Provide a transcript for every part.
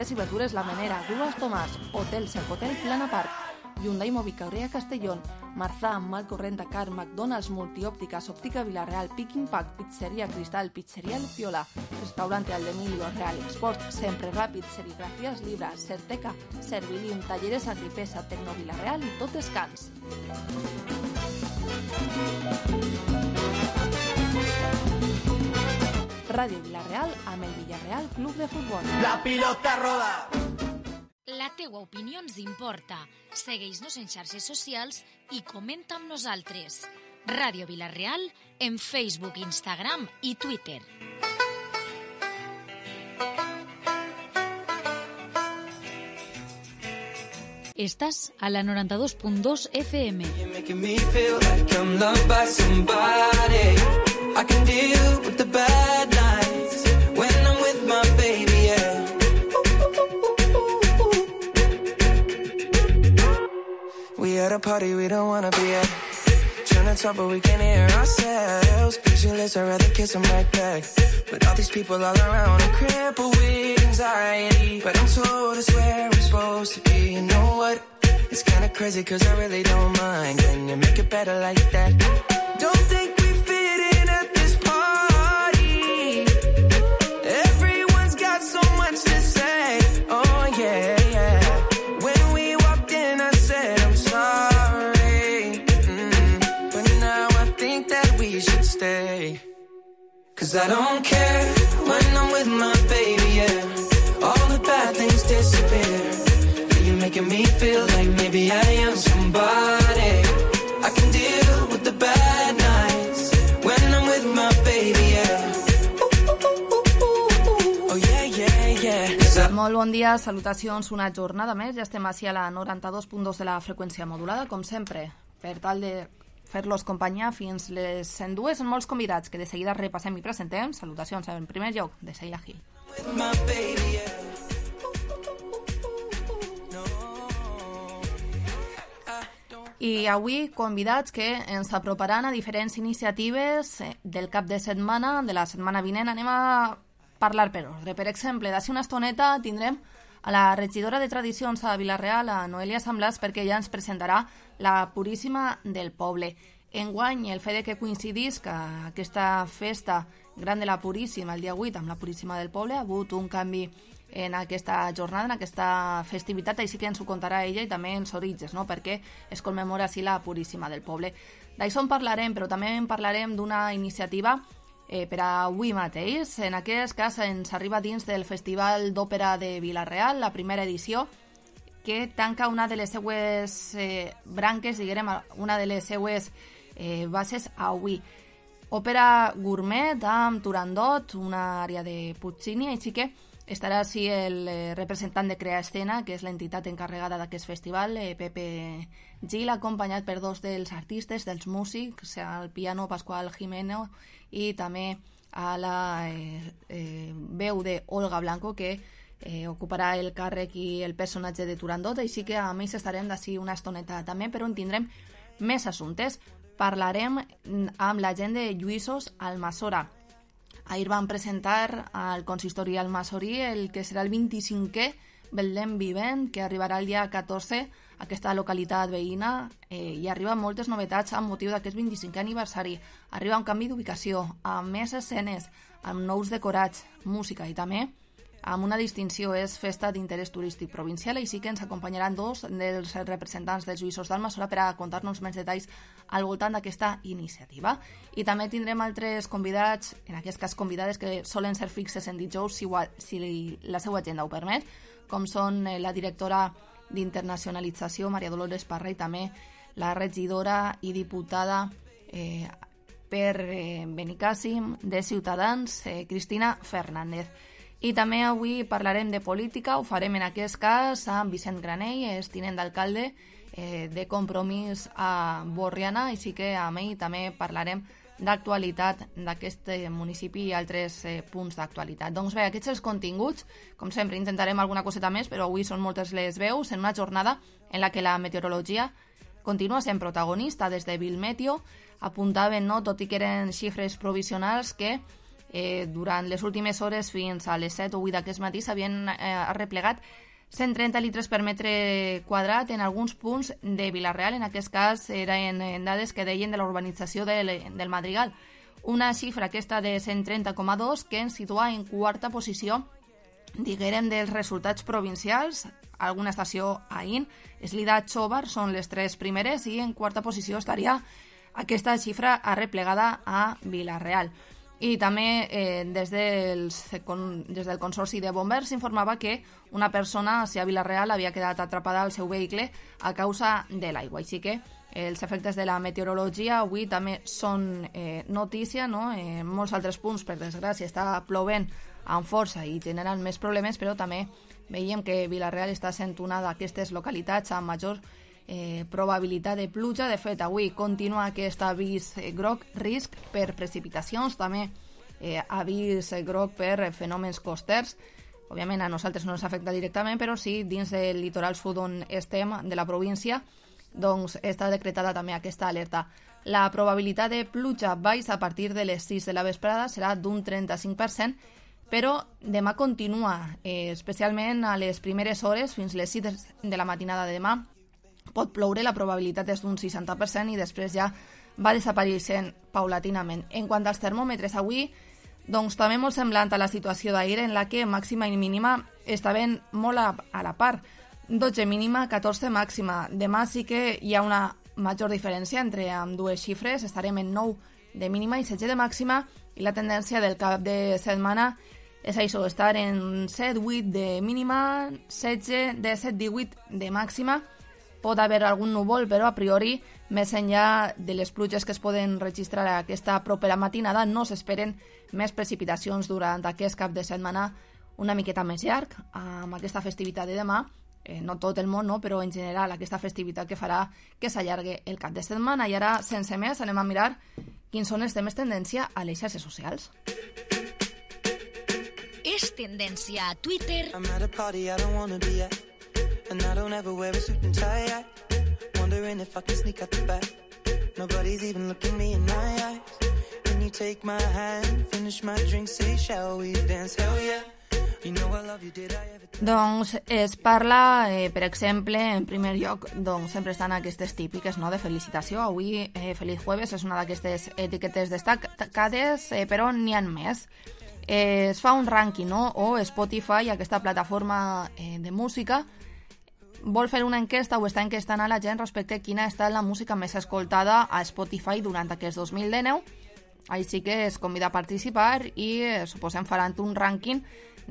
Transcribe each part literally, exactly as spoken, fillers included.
y verdures La Menera, Grúas Tomàs, Hotel Cercotel, Plana Park, Hyundai Mobicorea Castellón, Marzà, Malcorrent Dakar, McDonald's, Multiópticas, Óptica Villarreal, Pick Impact, Pizzería Cristal, Pizzería El Piola, Restaurante Aldemilio, Real Export, Sempre Ràpid, Serigrafías Libra, Certeca, Servilium, Talleres Agripesa, Tecno Villarreal i Tot Descans. Ràdio Villarreal amb el Villarreal Club de Futbol. La pilota roda! La teua opinió ens importa. Segueix-nos en xarxes socials i comenta amb nosaltres. Ràdio Villarreal en Facebook, Instagram i Twitter. Estàs a la noranta-dos punt dos F M. I can deal with the bad nights when I'm with my baby, yeah. We at a party we don't wanna be at. Trying to talk but we can't hear ourselves. Pictureless, I'd rather kiss them right back. But all these people all around, I'm crippled with anxiety. But I'm told it's where I'm supposed to be. You know what? It's kinda crazy cause I really don't mind. Can you make it better like that? Don't think we fit in at this party. Everyone's got so much to say. Oh yeah, yeah. When we walked in I said I'm sorry. Mm. But now I think that we should stay. Cause I don't care when I'm with my baby, yeah. All the bad things disappear. You're making me feel like maybe I am somebody. I can deal with the bad nights when I'm with my baby, yeah. Oh yeah, yeah, yeah. Molt bon dia, salutacions, una jornada més. Ja estem així a la noranta-dos punt dos de la freqüència modulada, com sempre, per tal de fer-los companyia fins les cent dues. Són molts convidats que de seguida repassem i presentem. Salutacions en primer lloc de Sheila Gil. With my baby, yeah. I avui convidats que ens aproparan a diferents iniciatives del cap de setmana, de la setmana vinent. Anem a parlar per ordre. Per exemple, d'ací una estoneta tindrem a la regidora de Tradicions a Vilareal, a Noelia Samblàs, perquè ella ens presentarà la Puríssima del Poble. Enguany, el fet de que coincidís que aquesta festa gran de la Puríssima, el dia vuit, amb la Puríssima del Poble, ha hagut un canvi en aquesta jornada, en aquesta festivitat, així que ens ho contarà ella i també ens orígens, no? Perquè es commemora així la Puríssima del Poble. D'això en parlarem, però també en parlarem d'una iniciativa eh, per a avui mateix. En aquest cas ens arriba dins del Festival d'Òpera de Vila-real, la primera edició, que tanca una de les seues eh, branques, diguem, una de les seues eh, bases avui. Òpera gourmet amb Turandot, una àrea de Puccini, així que estarà així el representant de Crea Escena, que és l'entitat encarregada d'aquest festival, Pepe Gil, acompanyat per dos dels artistes, dels músics, al piano Pascual Jimeno i també a la eh, eh, veu de Olga Blanco, que eh, ocuparà el càrrec i el personatge de Turandot, així que a més estarem d'ací una estoneta també, però en tindrem més assumptes. Parlarem amb la gent de Lluïsos Almassora. Ahir van presentar al consistori almassorí el que serà el vint-i-cinquè Betlem Vivent, que arribarà el dia catorze a aquesta localitat veïna, eh, i arriba moltes novetats amb motiu d'aquest vint-i-cinquè aniversari. Arriba un canvi d'ubicació, amb més escenes, amb nous decorats, música i també amb una distinció, és festa d'interès turístic provincial, així que ens acompanyaran dos dels representants dels Lluïsos d'Almassora per a contar-nos més detalls al voltant d'aquesta iniciativa. I també tindrem altres convidats, en aquest cas convidades que solen ser fixes en dijous si, si la seva agenda ho permet, com són la directora d'internacionalització, Maria Dolores Parra, i també la regidora i diputada eh, per eh, Benicàssim de Ciutadans, eh, Cristina Fernández. I també avui parlarem de política, ho farem en aquest cas amb Vicent Granell, és tinent d'alcalde eh, de Compromís a Borriana, així que amb ell també parlarem d'actualitat d'aquest municipi i altres eh, punts d'actualitat. Doncs bé, aquests els continguts, com sempre intentarem alguna coseta més, però avui són moltes les veus, en una jornada en la que la meteorologia continua sent protagonista. Des de Vilmeteo apuntaven, no, tot i que eren xifres provisionals, que Eh, durant les últimes hores fins a les set o vuit d'aquest matí s'havien eh, arreplegat cent trenta litres per metre quadrat en alguns punts de Vila-real. En aquest cas eren en dades que deien de la urbanització del, del Madrigal. Una xifra aquesta de cent trenta coma dos que ens situa en quarta posició, diguérem, dels resultats provincials. Alguna estació a I N, Eslida, Xóvar són les tres primeres i en quarta posició estaria aquesta xifra arreplegada a Vila-real. I també eh, des, dels, con, des del Consorci de Bombers s'informava que una persona a Vila-real havia quedat atrapada al seu vehicle a causa de l'aigua. Així que els efectes de la meteorologia avui també són eh, notícia, no? En molts altres punts, per desgràcia, està plovent amb força i generen més problemes, però també veiem que Vila-real està sent una d'aquestes localitats amb major Eh, probabilitat de pluja. De fet, avui continua aquest avís eh, groc, risc per precipitacions, també eh, avís eh, groc per eh, fenòmens costers. Òbviament a nosaltres no ens afecta directament, però sí dins del litoral sud on estem de la província, doncs està decretada també aquesta alerta. La probabilitat de pluja baixa a partir de les sis de la vesprada serà d'un trenta-cinc per cent, però demà continua, eh, especialment a les primeres hores, fins les sis de la matinada de demà, pot ploure, la probabilitat és d'un seixanta per cent i després ja va desapareixent paulatinament. En quant als termòmetres, avui doncs també molt semblant a la situació d'ahir, en la que màxima i mínima estaven molt a, a la part. dotze mínima, catorze màxima. Demà sí que hi ha una major diferència entre amb dues xifres, estarem en nou de mínima i setze de màxima, i la tendència del cap de setmana és això, estar en set vuit de mínima, setze, disset, divuit de màxima. Pot haver algun núvol, però a priori, més enllà de les pluges que es poden registrar aquesta propera matinada, no s'esperen més precipitacions durant aquest cap de setmana una miqueta més llarg, amb aquesta festivitat de demà. Eh, no tot el món, no, però en general aquesta festivitat que farà que s'allargui el cap de setmana. I ara, sense més, anem a mirar quins són els temes tendència a les xarxes socials. És tendència a Twitter. I'm at a party I don't wanna be at, and I don't ever wear a suit and tie. Wondering if I can sneak out the back. Nobody's even looking me in my eyes. Can you take my hand, finish my drink, say shall we dance? Hell yeah. You know I love you, did I ever... Doncs es parla, eh, per exemple, en primer lloc, doncs sempre estan aquestes típiques, no?, de felicitació. Avui, eh, Feliz Jueves és una d'aquestes etiquetes destacades, eh, però n'hi ha més. Eh, es fa un rànquing, no?, o Spotify, aquesta plataforma eh, de música, vol fer una enquesta o està enquestant a la gent respecte a quina ha estat la música més escoltada a Spotify durant aquest dos mil dinou. Així que es convida a participar i eh, suposem faran un rànquing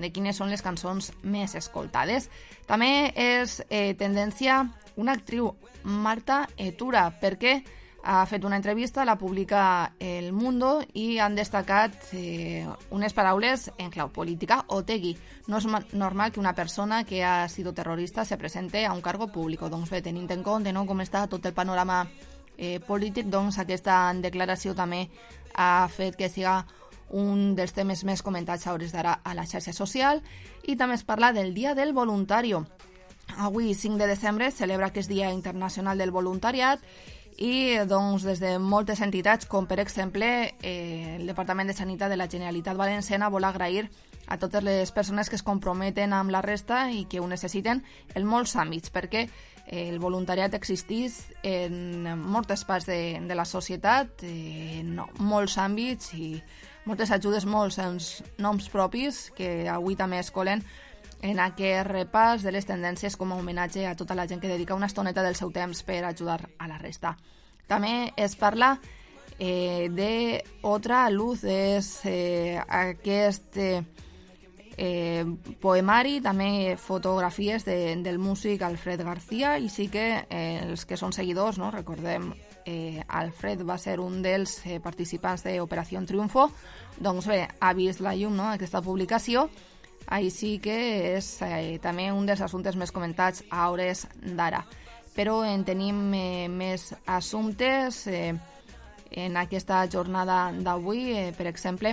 de quines són les cançons més escoltades. També és eh, tendència una actriu, Marta Etura, perquè ha fet una entrevista, la publica El Mundo i han destacat eh, unes paraules en clau política. Otegi: no és normal que una persona que ha sido terrorista se presente a un cargo público. Doncs bé, tenint en compte, no?, com està tot el panorama eh, polític, doncs aquesta declaració també ha fet que siga un dels temes més comentats a hores d'ara a la xarxa social. I també es parla del Dia del Voluntario. Avui, cinc de desembre, celebra aquest Dia Internacional del Voluntariat i doncs, des de moltes entitats, com per exemple eh, el Departament de Sanitat de la Generalitat Valenciana, vol agrair a totes les persones que es comprometen amb la resta i que ho necessiten en molts àmbits, perquè eh, el voluntariat existeix en moltes parts de, de la societat, eh, en molts àmbits i moltes ajudes, molts noms propis que avui també es colen en aquest repàs de les tendències com a homenatge a tota la gent que dedica una estoneta del seu temps per ajudar a la resta. També es parla eh, de Otra Luz, és eh, aquest eh, eh, poemari, també fotografies de, del músic Alfred García, i sí que eh, els que són seguidors, no?, recordem, eh, Alfred va ser un dels eh, participants d'Operació Triunfo, doncs bé, ha vist la llum, no?, aquesta publicació. Així que és eh, també un dels assumptes més comentats a hores d'ara. Però en tenim eh, més assumptes eh, en aquesta jornada d'avui. Eh, per exemple,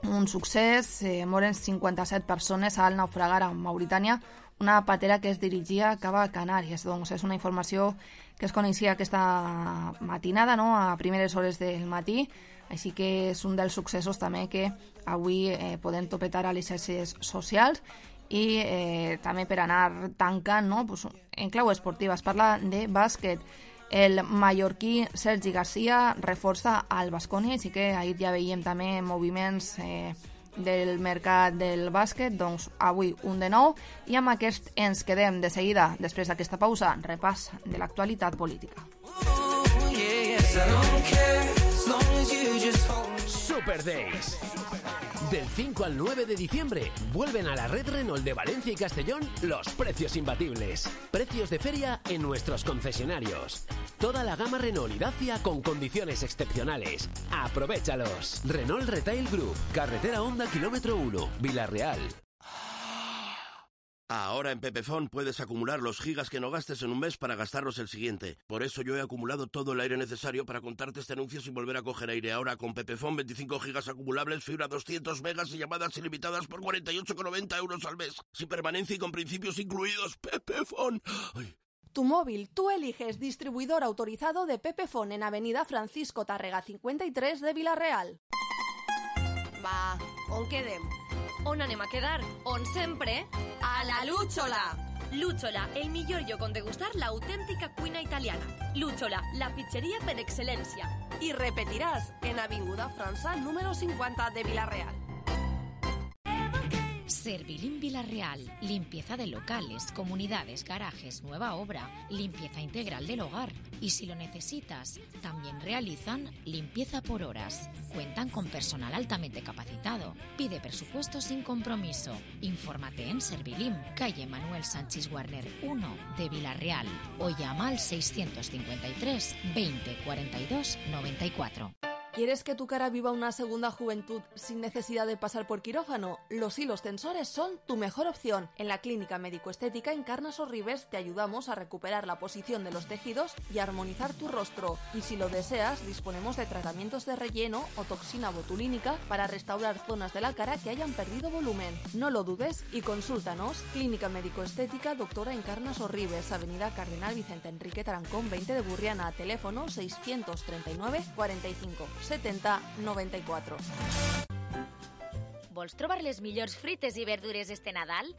un succés, eh, moren cinquanta-set persones al naufragar a Mauritània una patera que es dirigia cap a Canàries. Doncs és una informació que es coneixia aquesta matinada, no?, a primeres hores del matí, així que és un dels successos també que avui eh, podem topetar a les xarxes socials. I eh, també per anar tancant, no?, pues, en clau esportiva es parla de bàsquet. El mallorquí Sergi Garcia reforça al Baskonia, així que ahir ja veiem també moviments eh, del mercat del bàsquet. Doncs avui un de nou, i amb aquest ens quedem de seguida, després d'aquesta pausa, repàs de l'actualitat política. Super Days. Del cinco al nueve de diciembre vuelven a la red Renault de Valencia y Castellón los precios imbatibles. Precios de feria en nuestros concesionarios. Toda la gama Renault y Dacia con condiciones excepcionales. ¡Aprovéchalos! Renault Retail Group, carretera Honda kilómetro uno, Vilarreal. Ahora en Pepefon puedes acumular los gigas que no gastes en un mes para gastarlos el siguiente. Por eso yo he acumulado todo el aire necesario para contarte este anuncio sin volver a coger aire. Ahora con Pepefon, veinticinco gigas acumulables, fibra doscientos megas y llamadas ilimitadas por cuarenta y ocho con noventa euros al mes. Sin permanencia y con principios incluidos. Pepefon. Ay. Tu móvil, tú eliges. Distribuidor autorizado de Pepefon en Avenida Francisco Tárrega cincuenta y tres de Vilareal. Va, on quedem? On anem a quedar? On sempre? A la Lúchola! Lúchola, el millor lloc on degustar l'autèntica cuina italiana. Lúchola, la pizzeria per excel·lència. I repetiràs en Avinguda França número cincuenta de Vilareal. Servilim Vilarreal, limpieza de locales, comunidades, garajes, nueva obra, limpieza integral del hogar. Y si lo necesitas, también realizan limpieza por horas. Cuentan con personal altamente capacitado. Pide presupuesto sin compromiso. Infórmate en Servilim, calle Manuel Sánchez Warner uno de Vilarreal, o llama al seiscientos cincuenta y tres, veinte, cuarenta y dos, noventa y cuatro. ¿Quieres que tu cara viva una segunda juventud sin necesidad de pasar por quirófano? Los hilos tensores son tu mejor opción. En la Clínica Médico-Estética Encarnas Sorribes te ayudamos a recuperar la posición de los tejidos y a armonizar tu rostro. Y si lo deseas, disponemos de tratamientos de relleno o toxina botulínica para restaurar zonas de la cara que hayan perdido volumen. No lo dudes y consúltanos. Clínica Médico-Estética Doctora Encarnas Sorribes, Avenida Cardenal Vicente Enrique Tarancón veinte de Burriana, teléfono seiscientos treinta y nueve, cuarenta y cinco, setenta, noventa y cuatro. Vols trobar les millors frites i verdures este Nadal?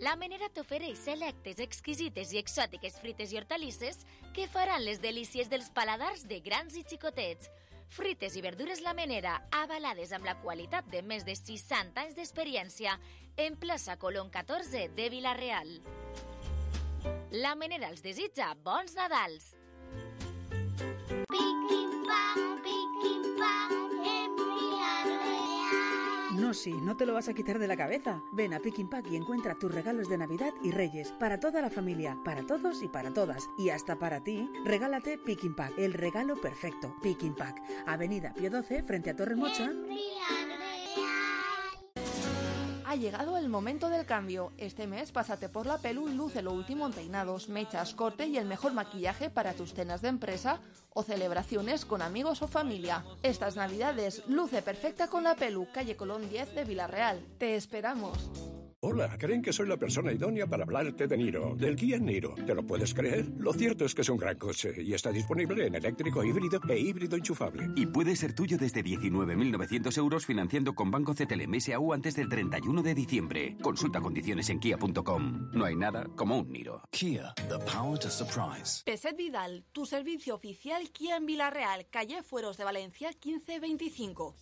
La Menera t'ofereix selectes, exquisites i exòtiques frites i hortalisses que faran les delícies dels paladars de grans i xicotets. Frites i verdures La Menera, avalades amb la qualitat de més de seixanta anys d'experiència, en plaça Colón catorze de Vilareal. La Menera els desitja bons Nadals! No, sí, no te lo vas a quitar de la cabeza. Ven a Pick and Pack y encuentra tus regalos de Navidad y Reyes para toda la familia, para todos y para todas. Y hasta para ti, regálate Pick and Pack, el regalo perfecto. Pick and Pack, Avenida Pío doce, frente a Torre Mocha. Ha llegado el momento del cambio. Este mes pásate por la Pelu y luce lo último en peinados, mechas, corte y el mejor maquillaje para tus cenas de empresa o celebraciones con amigos o familia. Estas navidades luce perfecta con la Pelu, calle Colón diez de Vilareal. Te esperamos. Hola, creen que soy la persona idónea para hablarte de Niro, del Kia Niro. ¿Te lo puedes creer? Lo cierto es que es un gran coche y está disponible en eléctrico, híbrido e híbrido enchufable. Y puede ser tuyo desde diecinueve mil novecientos euros financiando con Banco C T L M S A U antes del treinta y uno de diciembre. Consulta condiciones en kia punto com. No hay nada como un Niro. Kia, the power to surprise. Peset Vidal, tu servicio oficial Kia en Vilareal, calle Fueros de Valencia quince veinticinco.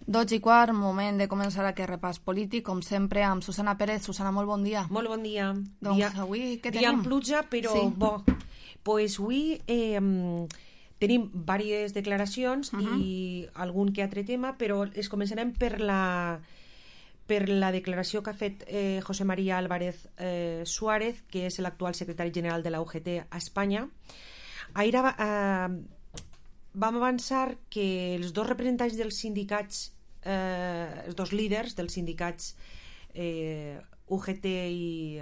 Dotze i quart, moment de començar aquest repàs polític, com sempre, amb Susana Pérez. Susana, molt bon dia. Molt bon dia. Doncs dia, avui què tenim? Dia amb pluja, però sí. Bo. Pues avui eh, tenim diverses declaracions uh -huh. i algun que altre tema, però es començarem per la, per la declaració que ha fet eh, José María Álvarez eh, Suárez, que és l'actual secretari general de la U G T a Espanya. Ahir eh, vam avançar que els dos representants dels sindicats eh, els dos líders dels sindicats eh, U G T i,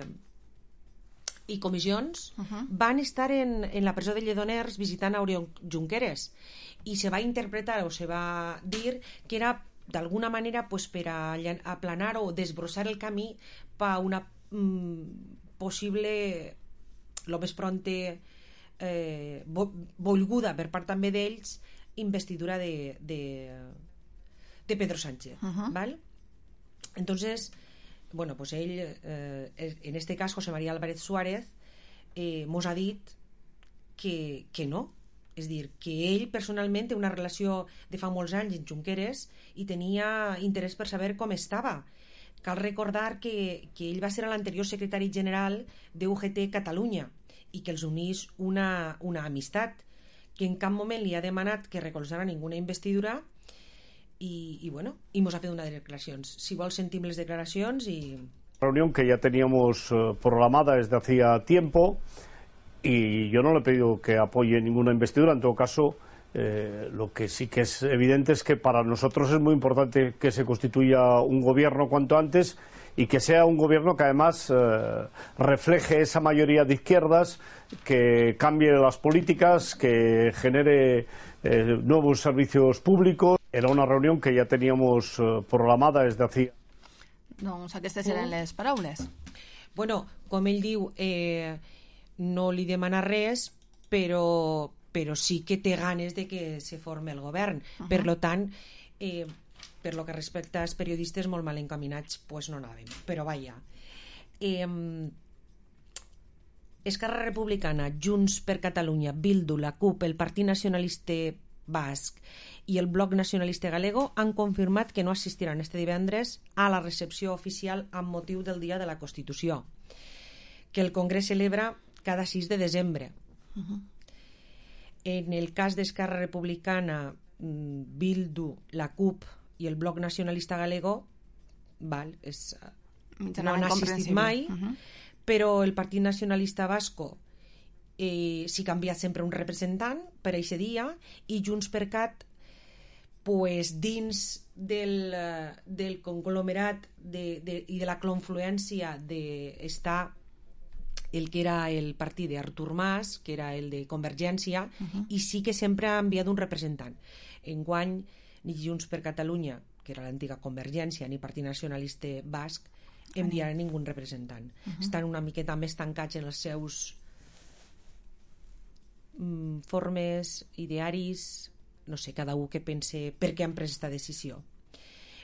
i comissions uh-huh. van estar en, en la presó de Lledoners visitant a Oriol Junqueras i se va interpretar o se va dir que era d'alguna manera pues, per a aplanar o desbrossar el camí per a una mm, possible lo més pronte eh, volguda per part també d'ells investidura de, de, de Pedro Sánchez uh-huh. ¿vale? Entonces bueno, pues ell eh, en este cas José María Álvarez Suárez eh, mos ha dit que, que no, és dir, que ell personalment té una relació de fa molts anys amb Junqueras i tenia interès per saber com estava. Cal recordar que, que ell va ser l'anterior secretari general de U G T Catalunya i que els unís una, una amistat, que en cap moment li ha demanat que recolzara ninguna investidura y, y bueno, y mos ha fet unas declaracions. Si vols sentim les declaracions y... Reunión que ya teníamos uh, programada desde hacía tiempo y yo no le he pedido que apoye ninguna investidura, en todo caso eh, lo que sí que es evidente es que para nosotros es muy importante que se constituya un gobierno cuanto antes y que sea un gobierno que además eh, refleje esa mayoría de izquierdas, que cambie las políticas, que genere eh, nuevos servicios públicos. Era una reunión que ja teníamos eh, programada des d'hacía. Doncs aquestes eren les paraules. Bueno, com ell diu, eh, no li demana res, però, però sí que té ganes de que se forme el govern. Uh-huh. Per lo tant, eh, per lo que respecta als periodistes molt mal encaminats, pues no anàvem. Però vaja. Eh, Esquerra Republicana, Junts per Catalunya, Bildu, la CUP, el Partit Nacionalista Basc i el Bloc Nacionalista Galego han confirmat que no assistiran este divendres a la recepció oficial amb motiu del Dia de la Constitució, que el Congrés celebra cada sis de desembre. Uh-huh. En el cas d'Esquerra Republicana, Bildu, la CUP i el Bloc Nacionalista Galego, val, és, no han assistit mai, uh-huh. però el Partit Nacionalista Basco eh, s'hi ha canviat sempre un representant per aquest dia, i Junts per Cat, pues, dins del, del conglomerat de, de, i de la confluència d'estar el que era el partit d'Artur Mas, que era el de Convergència, uh-huh. i sí que sempre ha enviat un representant. Enguany, ni Junts per Catalunya, que era l'antiga Convergència, ni Partit Nacionalista Basc, enviarà ningú representant. Uh-huh. Estan una miqueta més tancats en els seus mm, formes, idearis, no sé, cada un que pense per què han pres aquesta decisió.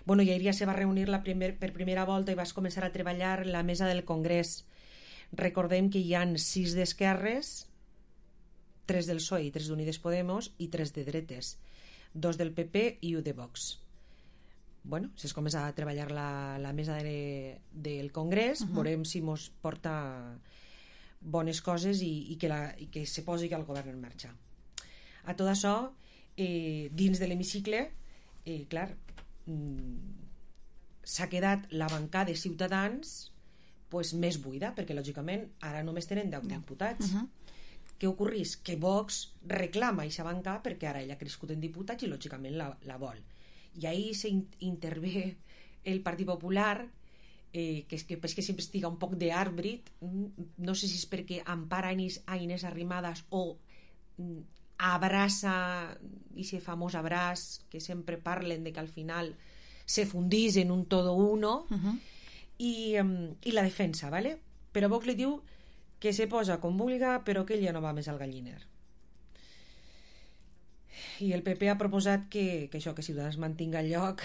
Bueno, i ahir ja se va reunir la primer, per primera volta i vas començar a treballar la mesa del Congrés. Recordem que hi ha sis d'esquerres, tres del P S O E i tres d'Unides Podemos, i tres de dretes, dos del P P i un de Vox. Bueno, si es comença a treballar la, la mesa de, del Congrés, uh-huh. veurem si mos porta bones coses i, i, que la, i que se posi el govern en marxa. A tot això, eh, dins de l'hemicicle, eh, clar, mm, s'ha quedat la bancada de Ciutadans pues, més buida, perquè lògicament ara només tenen deu diputats. Uh-huh. Què ocorreix? Que Vox reclama aquesta banca perquè ara ella ha crescut en diputats i lògicament la, la vol. I ahí se intervé el Partit Popular, eh, que, és que, és que sempre estiga un poc d'àrbit, no sé si és perquè empara a Inés Arrimadas o mm, abraça aquest famós abraç que sempre parlen de que al final se fundís en un todo uno, uh-huh. i, um, i la defensa, ¿vale? Però Vox li diu que se posa com vulga però que ell ja no va més al galliner. I el P P ha proposat que, que això, que Ciutadans mantinga el lloc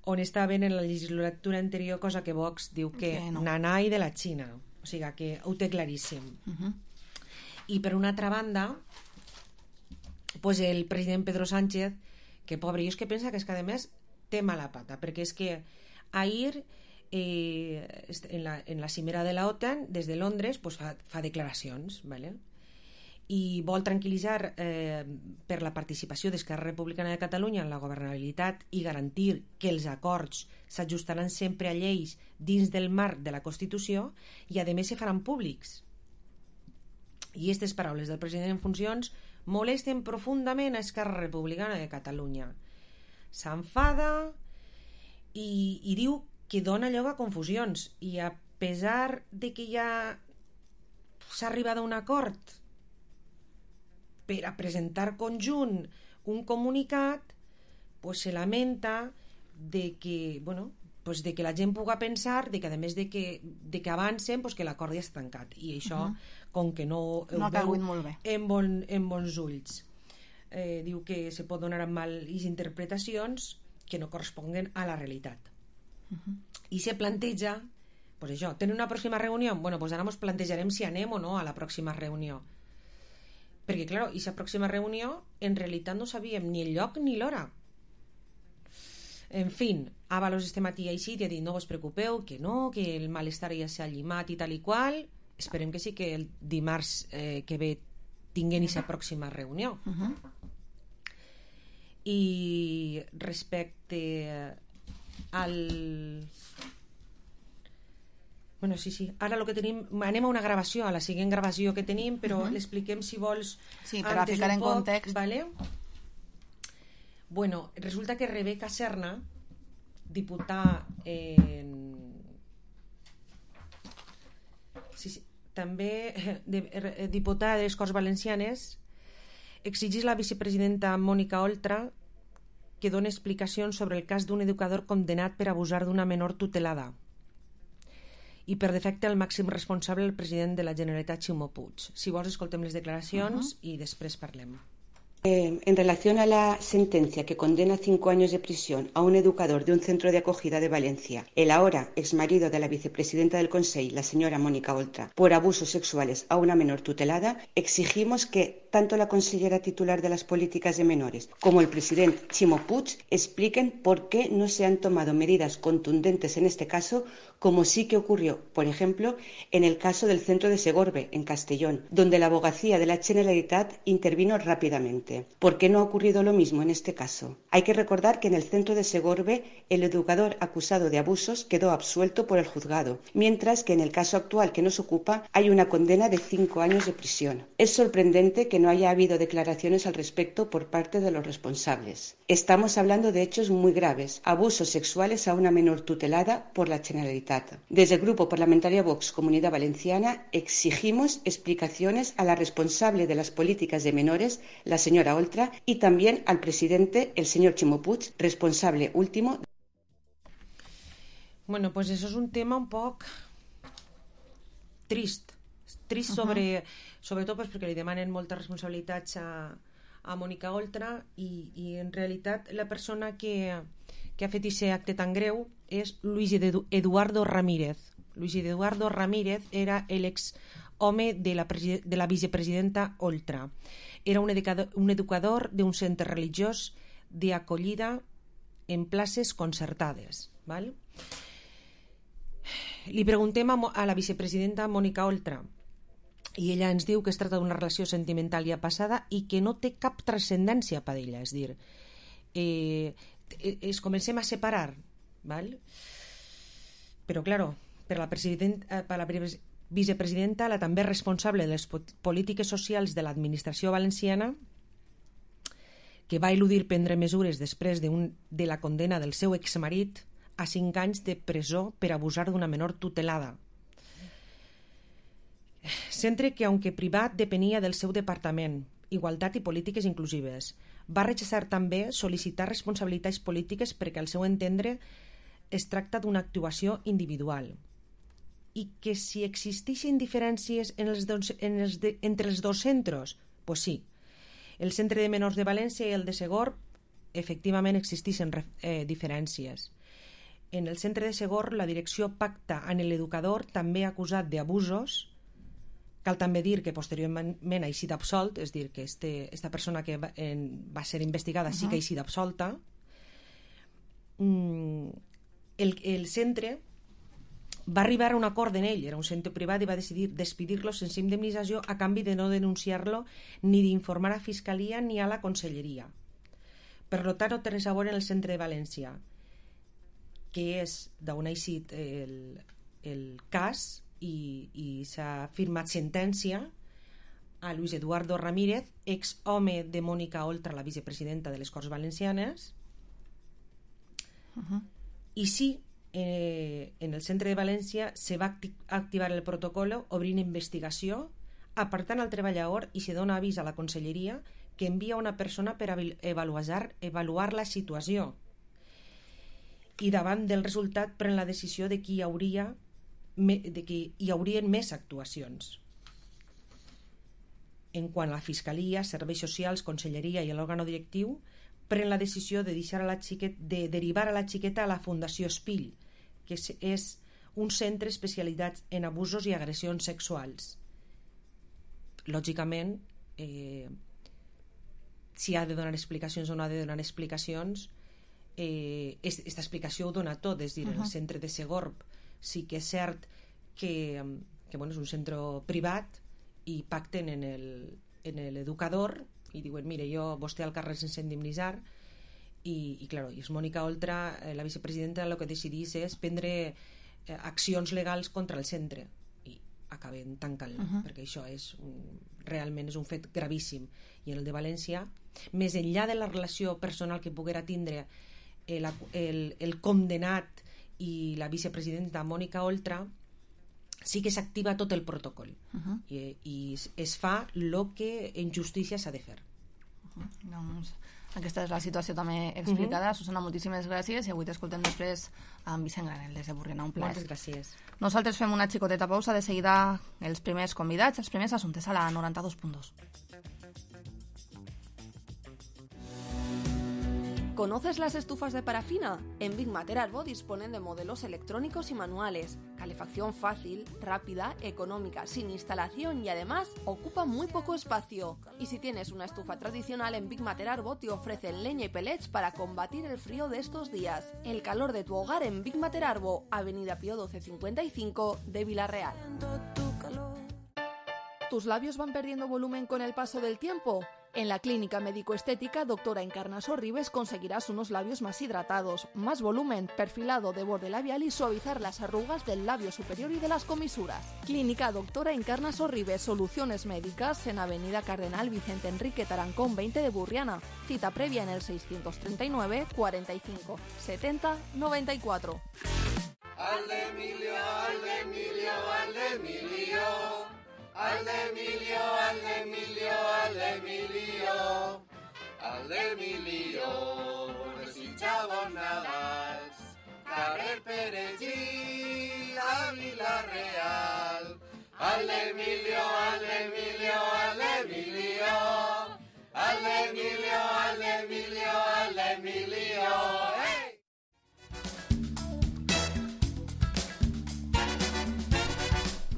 on estaven en la legislatura anterior, cosa que Vox diu que okay, no. nanai de la Xina, o sigui que ho té claríssim. Uh-huh. I per una altra banda, pues el president Pedro Sánchez, que pobre, jo és que pensa que és que a més té mala pata, perquè és que ahir eh, en, la, en la cimera de la OTAN des de Londres pues fa, fa declaracions, ¿vale? I vol tranquil·litzar eh, per la participació d'Esquerra Republicana de Catalunya en la governabilitat i garantir que els acords s'ajustaran sempre a lleis dins del marc de la Constitució i a més se faran públics. I aquestes paraules del president en funcions molesten profundament a Esquerra Republicana de Catalunya. s'enfada i, i diu que dona lloc a confusions, i a pesar de que ja s'ha arribat a un acord per a presentar conjunt un comunicat, pues se lamenta de que, bueno, pues de que la gent puga pensar de que a més de que, de que avancen, pues que l'acord ja està tancat, i això uh -huh. com que no, no ha cagut molt bé en, bon, en bons ulls. Eh, diu que se pot donar mal i interpretacions que no corresponguen a la realitat. Uh-huh. I se planteja, pues això, tenir una pròxima reunió, bueno, pues ara ens plantejarem si anem o no a la pròxima reunió, perquè clar, aquesta pròxima reunió en realitat no sabíem ni el lloc ni l'hora. En fin, Ábalos este matí així i ha dit, no us preocupeu, que no, que el malestar ja s'ha llimat i tal i qual, esperem que sí que el dimarts eh, que ve tinguem aquesta pròxima reunió. Uh-huh. I respecte al... Bueno, sí, sí. Ara lo que tenim... Anem a una gravació, a la següent gravació que tenim, però uh-huh. l'expliquem si vols... Sí, per a ficar en poc, context. Vale? Bueno, resulta que Rebeca Serna, diputada en... Sí, sí. També de, de, diputada de les Corts Valencianes, exigís a la vicepresidenta Mònica Oltra que doni explicacions sobre el cas d'un educador condemnat per abusar d'una menor tutelada i per defecte el màxim responsable el president de la Generalitat, Ximo Puig. Si vols escoltem les declaracions uh-huh. i després parlem. Eh, en relación a la sentencia que condena cinco años de prisión a un educador de un centro de acogida de Valencia, el ahora exmarido de la vicepresidenta del Consell, la señora Mónica Oltra, por abusos sexuales a una menor tutelada, exigimos que tanto la consellera titular de las políticas de menores como el presidente Ximo Puig expliquen por qué no se han tomado medidas contundentes en este caso, como sí que ocurrió, por ejemplo, en el caso del centro de Segorbe, en Castellón, donde la abogacía de la Generalitat intervino rápidamente. ¿Por qué no ha ocurrido lo mismo en este caso? Hay que recordar que en el centro de Segorbe el educador acusado de abusos quedó absuelto por el juzgado, mientras que en el caso actual que nos ocupa hay una condena de cinco años de prisión. Es sorprendente que no haya habido declaraciones al respecto por parte de los responsables. Estamos hablando de hechos muy graves, abusos sexuales a una menor tutelada por la Generalitat. Desde el Grupo Parlamentario Vox Comunidad Valenciana exigimos explicaciones a la responsable de las políticas de menores, la señora Oltra, y también al presidente, el señor Ximo Puig, responsable último. Bueno, pues eso es un tema un poc trist. Trist sobre, uh-huh. sobretot pues, perquè li demanen moltes responsabilitats a, a Mònica Oltra i, i en realitat la persona que, que ha fet aquest acte tan greu és Luis Eduardo Ramírez. Luis Eduardo Ramírez era l'ex home de la, de la vicepresidenta Oltra. Era un educador, un educador d'un centre religiós d'acollida en places concertades. ¿Vale? Li preguntem a, a la vicepresidenta Mònica Oltra i ella ens diu que es tracta d'una relació sentimental ja passada i que no té cap transcendència per ella. És dir, eh, es comencem a separar. ¿Vale? Però, claro, per la, per la vicepresidenta, la també responsable de les polítiques socials de l'administració valenciana, que va eludir prendre mesures després de, un, de la condena del seu exmarit a cinc anys de presó per abusar d'una menor tutelada. Centre que, aunque privat, depenia del seu departament, Igualtat i Polítiques Inclusives. Va rechazar també sol·licitar responsabilitats polítiques perquè, al seu entendre, es tracta d'una actuació individual i que si existeixen diferències en els dos, en els de, entre els dos centres, pues sí. El Centre de Menors de València i el de Segorb efectivament existeixen eh, diferències. En el centre de Segorb la direcció pacta amb l'educador també acusat d'abusos. Cal també dir que posteriorment ha eixit absolt, és dir, que este, esta persona que va, en, va ser investigada uh-huh. sí que ha eixit absolta. Mm, el, el centre va arribar a un acord en ell, era un centre privat, i va decidir despedir-lo sense indemnització a canvi de no denunciar-lo ni d'informar a Fiscalia ni a la Conselleria. Per tant, no té res a veure en el centre de València, que és d'on ha eixit el, el cas, i, i s'ha firmat sentència a Luis Eduardo Ramírez, ex home de Mònica Oltra, la vicepresidenta de les Corts Valencianes, Uh-huh. I sí, eh, en el centre de València se va acti- activar el protocolo obrint investigació, apartant el treballador i se dona avís a la conselleria que envia una persona per avaluar, avaluar la situació. I davant del resultat pren la decisió de que hi hauria de que hi haurien més actuacions. En quant a la Fiscalia, Serveis Socials, Conselleria i l'òrgan directiu, pren la decisió de, deixar a la xiqueta, de derivar a la xiqueta a la Fundació Espill, que és, és un centre especialitzat en abusos i agressions sexuals. Lògicament, eh, si ha de donar explicacions o no ha de donar explicacions, eh, aquesta explicació ho dona tot, és dir, uh-huh. el centre de Segorb sí que és cert que, que bueno, és un centre privat i pacten en el, en l'educador i diuen, mire, jo, vostè al carrer sense indemnitzar i, i claro, i és Mònica Oltra, eh, la vicepresidenta, el que decidís és prendre eh, accions legals contra el centre i acaben tancant-lo, uh-huh. perquè això és un, realment és un fet gravíssim. I en el de València, més enllà de la relació personal que poguera tindre el, el, el condenat i la vicepresidenta Mònica Oltra, sí que s'activa tot el protocol uh-huh. I, i es fa el que en justícia s'ha de fer. Uh-huh. Doncs aquesta és la situació també explicada. Uh-huh. Susana, moltíssimes gràcies i avui t'escoltem després amb Vicent Granel des de Borriana. Un plaer. Moltes gràcies. Nosaltres fem una xicoteta pausa, de seguida els primers convidats, els primers assumptes a la noranta dos punt dos. ¿Conoces las estufas de parafina? En Big Mater Arbo disponen de modelos electrónicos y manuales, calefacción fácil, rápida, económica, sin instalación y además ocupa muy poco espacio. Y si tienes una estufa tradicional, en Big Mater Arbo te ofrecen leña y pellets para combatir el frío de estos días. El calor de tu hogar en Big Mater Arbo, Avenida Pío doce cincuenta y cinco de Villarreal. ¿Tus labios van perdiendo volumen con el paso del tiempo? En la clínica médico-estética Doctora Encarna Sorribes conseguirás unos labios más hidratados, más volumen, perfilado de borde labial y suavizar las arrugas del labio superior y de las comisuras. Clínica Doctora Encarna Sorribes, soluciones médicas en Avenida Cardenal Vicente Enrique Tarancón veinte de Burriana. Cita previa en el seiscientos treinta y nueve, cuarenta y cinco, setenta, noventa y cuatro. Al de Emilio, al de Emilio, al de Emilio. Al de Emilio, al de Emilio, al de Emilio, al de Emilio, desitjava Nadals, carrer Perellí, a Vila-real. Al de Emilio, al de Emilio, al de Emilio, al de Emilio, al de Emilio, al de Emilio, ¡hey!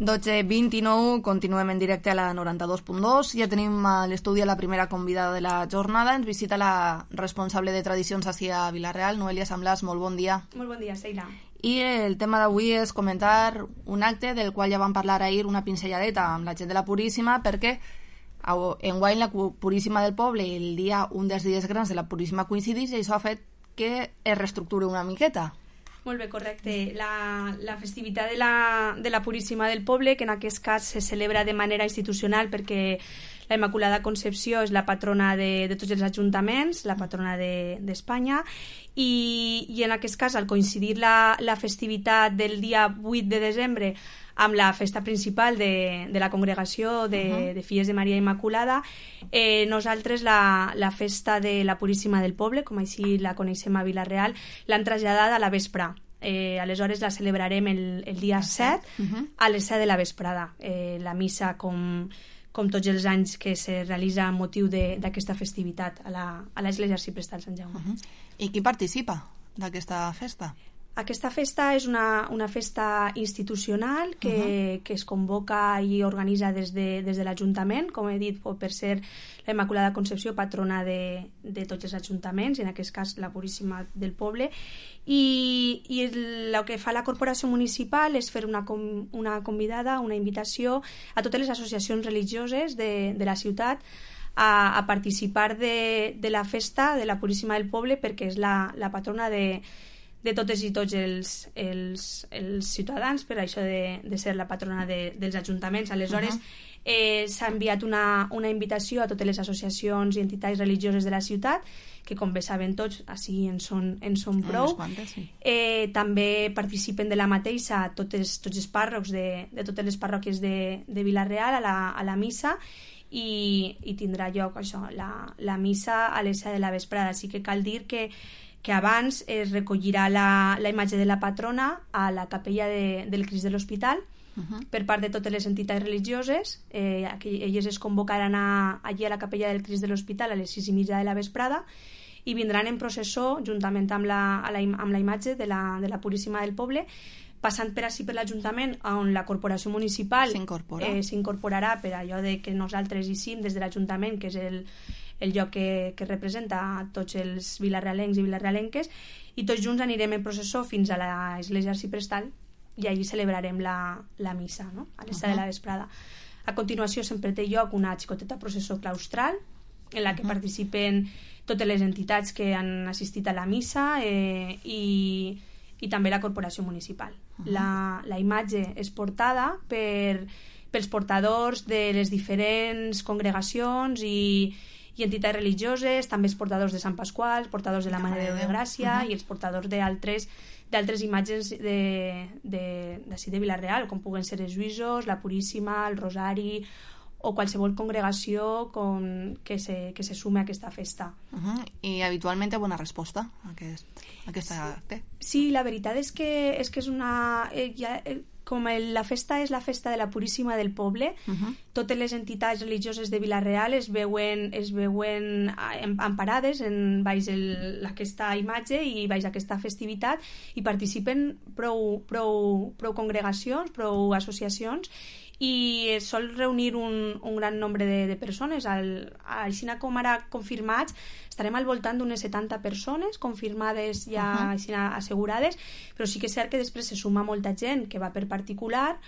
dotze vint-i-nou, continuem en directe a la noranta dos punt dos. Ja tenim a l'estudi a la primera convidada de la jornada. Ens visita la responsable de tradicions ací a Vila-real, Noelia Samblàs. Molt bon dia. Molt bon dia, Sheila. I el tema d'avui és comentar un acte del qual ja vam parlar ahir una pinzelladeta amb la gent de la Puríssima, perquè enguany la Puríssima del poble el dia, un dels dies grans de la Puríssima coincidís i això ha fet que es reestructure una miqueta. Molt bé, correcte. La, la festivitat de la, de la Puríssima del Poble, que en aquest cas se celebra de manera institucional perquè la Immaculada Concepció és la patrona de, de tots els ajuntaments, la patrona d'Espanya, de, i, i en aquest cas, al coincidir la, la festivitat del dia vuit de desembre amb la festa principal de, de la congregació de, uh-huh. de Filles de Maria Immaculada, eh, nosaltres la, la festa de la Puríssima del Poble, com així la coneixem a Vila-real, l'han traslladat a la vespra. Eh, aleshores la celebrarem el, el dia set uh-huh. a les set de la vesprada. Eh, la missa, com, com tots els anys que se realitza amb motiu d'aquesta festivitat a l'Església Arciprestal Sant Jaume. Uh-huh. I qui participa d'aquesta festa? Aquesta festa és una, una festa institucional que, uh-huh. que es convoca i organitza des de, des de l'Ajuntament, com he dit, per ser la Immaculada Concepció patrona de, de tots els ajuntaments, en aquest cas la Puríssima del Poble, i, i el, el que fa la Corporació Municipal és fer una, una convidada, una invitació a totes les associacions religioses de, de la ciutat a, a participar de, de la festa de la Puríssima del Poble, perquè és la, la patrona de de totes i tots els, els, els ciutadans, per això de, de ser la patrona de, dels ajuntaments. Aleshores, uh-huh. eh, s'ha enviat una, una invitació a totes les associacions i entitats religioses de la ciutat, que com bé saben tots, així en són, en són prou. Quantes, sí. eh, també participen de la mateixa totes, tots els pàrrocs de, de totes les parròquies de, de Vila-real a la, a la missa, i, i tindrà lloc això, la, la missa a les set de la vesprada. Així que cal dir que, que abans es recollirà la, la imatge de la patrona a la capella de, del Crist de l'Hospital, Uh-huh. per part de totes les entitats religioses. Eh, elles es convocaran a, allí a la capella del Crist de l'Hospital a les sis i mitja de la vesprada i vindran en processó juntament amb la, la, amb la imatge de la, de la Puríssima del Poble, passant per així per l'Ajuntament, on la corporació municipal s'incorpora. eh, s'incorporarà per allò de que nosaltres hi sim des de l'Ajuntament, que és el, el lloc que, que representa a tots els vilarrealencs i vilarrealenques, i tots junts anirem en processó fins a l'església arciprestal i allí celebrarem la, la missa, no? A les set uh-huh. de la vesprada. A continuació sempre té lloc una xicoteta processó claustral en la que uh-huh. participen totes les entitats que han assistit a la missa eh, i, i també la corporació municipal. Uh-huh. La, la imatge és portada per, pels portadors de les diferents congregacions i, i entitats religioses, també els portadors de Sant Pasqual, els portadors de la Mare de Déu de Gràcia uh-huh. i els portadors d'altres d'altres imatges de, de, d'ací de Vila-real, com puguen ser els Lluïsos, la Puríssima, el Rosari o qualsevol congregació con, que, se, que se sume a aquesta festa. Uh-huh. I habitualment hi ha bona resposta a, aquest, a aquesta acte. Sí, la veritat és que és, que és una... Eh, ja, eh, com el, la festa és la festa de la Puríssima del Poble, uh-huh. totes les entitats religioses de Vila-real es veuen, es veuen emparades en baix el, aquesta imatge i baix aquesta festivitat i participen prou, prou, prou congregacions, prou associacions i es sol reunir un, un gran nombre de, de persones. Al, així com ara confirmats, estarem al voltant d'unes setanta persones confirmades ja uh-huh. així assegurades, però sí que és cert que després se suma molta gent que va per particular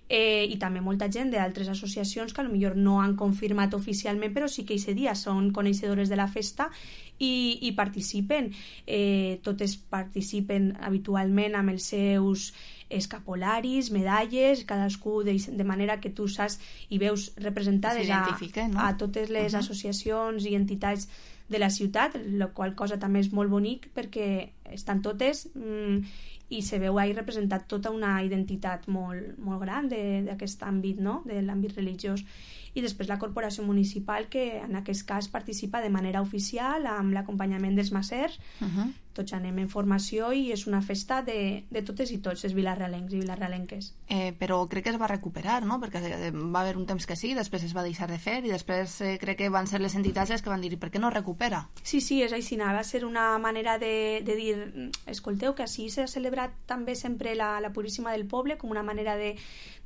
eh, i també molta gent d'altres associacions que potser no han confirmat oficialment, però sí que aquest dia són coneixedores de la festa i, i participen. Eh, totes participen habitualment amb els seus escapolaris, medalles, cadascú de, de manera que tu saps i veus representades a, no? a totes les uh-huh. associacions i entitats de la ciutat, la qual cosa també és molt bonic perquè estan totes mm, i se veu ahí representat tota una identitat molt, molt gran d'aquest àmbit, no? De l'àmbit religiós. I després la corporació municipal, que en aquest cas participa de manera oficial amb l'acompanyament dels macers. Uh-huh. Tots anem en formació i és una festa de, de totes i tots els vilarrealencs i vilarrealenques. Eh, però crec que es va recuperar, no? Perquè va haver un temps que sí, després es va deixar de fer i després eh, crec que van ser les entitats les que van dir per què no recupera? Sí, sí, és així. Va ser una manera de, de dir, escolteu, que així s'ha celebrat també sempre la, la Puríssima del Poble com una manera de,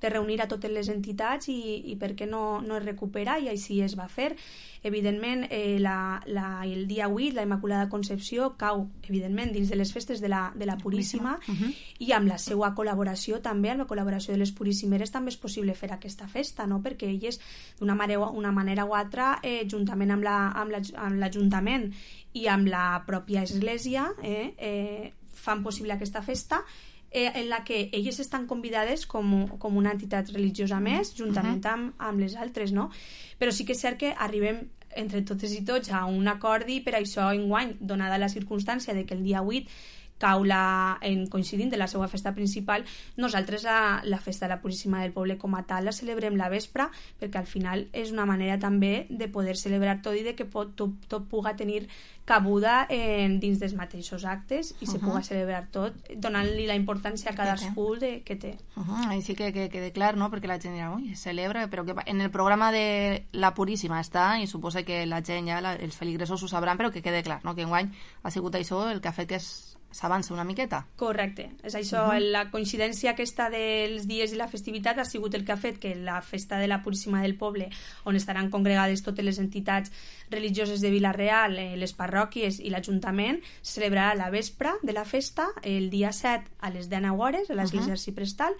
de reunir a totes les entitats i, i per què no, no es recupera, i així es va fer. Evidentment, eh, la, la, el dia vuit, la Immaculada Concepció, cau, evidentment, dins de les festes de la, de la Puríssima, uh-huh. i amb la seva col·laboració també, amb la col·laboració de les Puríssimeres, també és possible fer aquesta festa, no? Perquè elles, d'una manera, una manera o altra, eh, juntament amb, la, amb, la, amb l'Ajuntament i amb la pròpia Església, eh, eh, fan possible aquesta festa, eh, en la que elles estan convidades com, com una entitat religiosa més, juntament uh-huh. amb, amb les altres, no? Però sí que és cert que arribem entre totes i tots a un acord i per això enguany, donada la circumstància de que el dia vuit cau la, en coincidint de la seva festa principal, nosaltres la, la festa de la Puríssima del Poble com a tal la celebrem la vespre, perquè al final és una manera també de poder celebrar tot i de que pot, tot, tot puga tenir cabuda en, dins dels mateixos actes i uh-huh. se puga celebrar tot, donant-li la importància a cadascú de, que té. Uh-huh. Així que quede que, que clar, no? Perquè la gent dirà, ui, celebra, però que en el programa de la Puríssima està, i suposa que la gent ja, la, els feligresos ho sabran, però que quede clar, no? Que enguany ha sigut això el que ha fet que es s'avança una miqueta. Correcte. És això, uh-huh. la coincidència aquesta dels dies i la festivitat ha sigut el que ha fet que la festa de la Puríssima del Poble, on estaran congregades totes les entitats religioses de Vila-real, eh, les parròquies i l'Ajuntament, se celebrarà la vespre de la festa, el dia set a les dinou hores, a l'església uh-huh. arciprestal,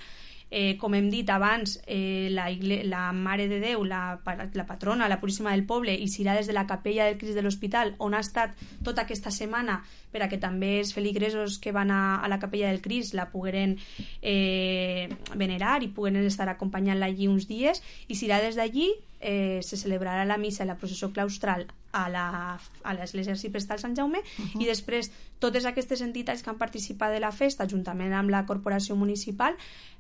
Eh, com hem dit abans, eh, la, igle- la Mare de Déu, la, la patrona, la Puríssima del Poble, i serà des de la capella del Crist de l'Hospital, on ha estat tota aquesta setmana, per a que també els feligresos que van a, a la capella del Crist la pogueren eh, venerar i pogueren estar acompanyant-la allí uns dies, i serà des d'allí eh, se celebrarà la missa i la processó claustral a la- a l'església arciprestal Sant Jaume, Uh-huh. i després totes aquestes entitats que han participat de la festa, juntament amb la corporació municipal,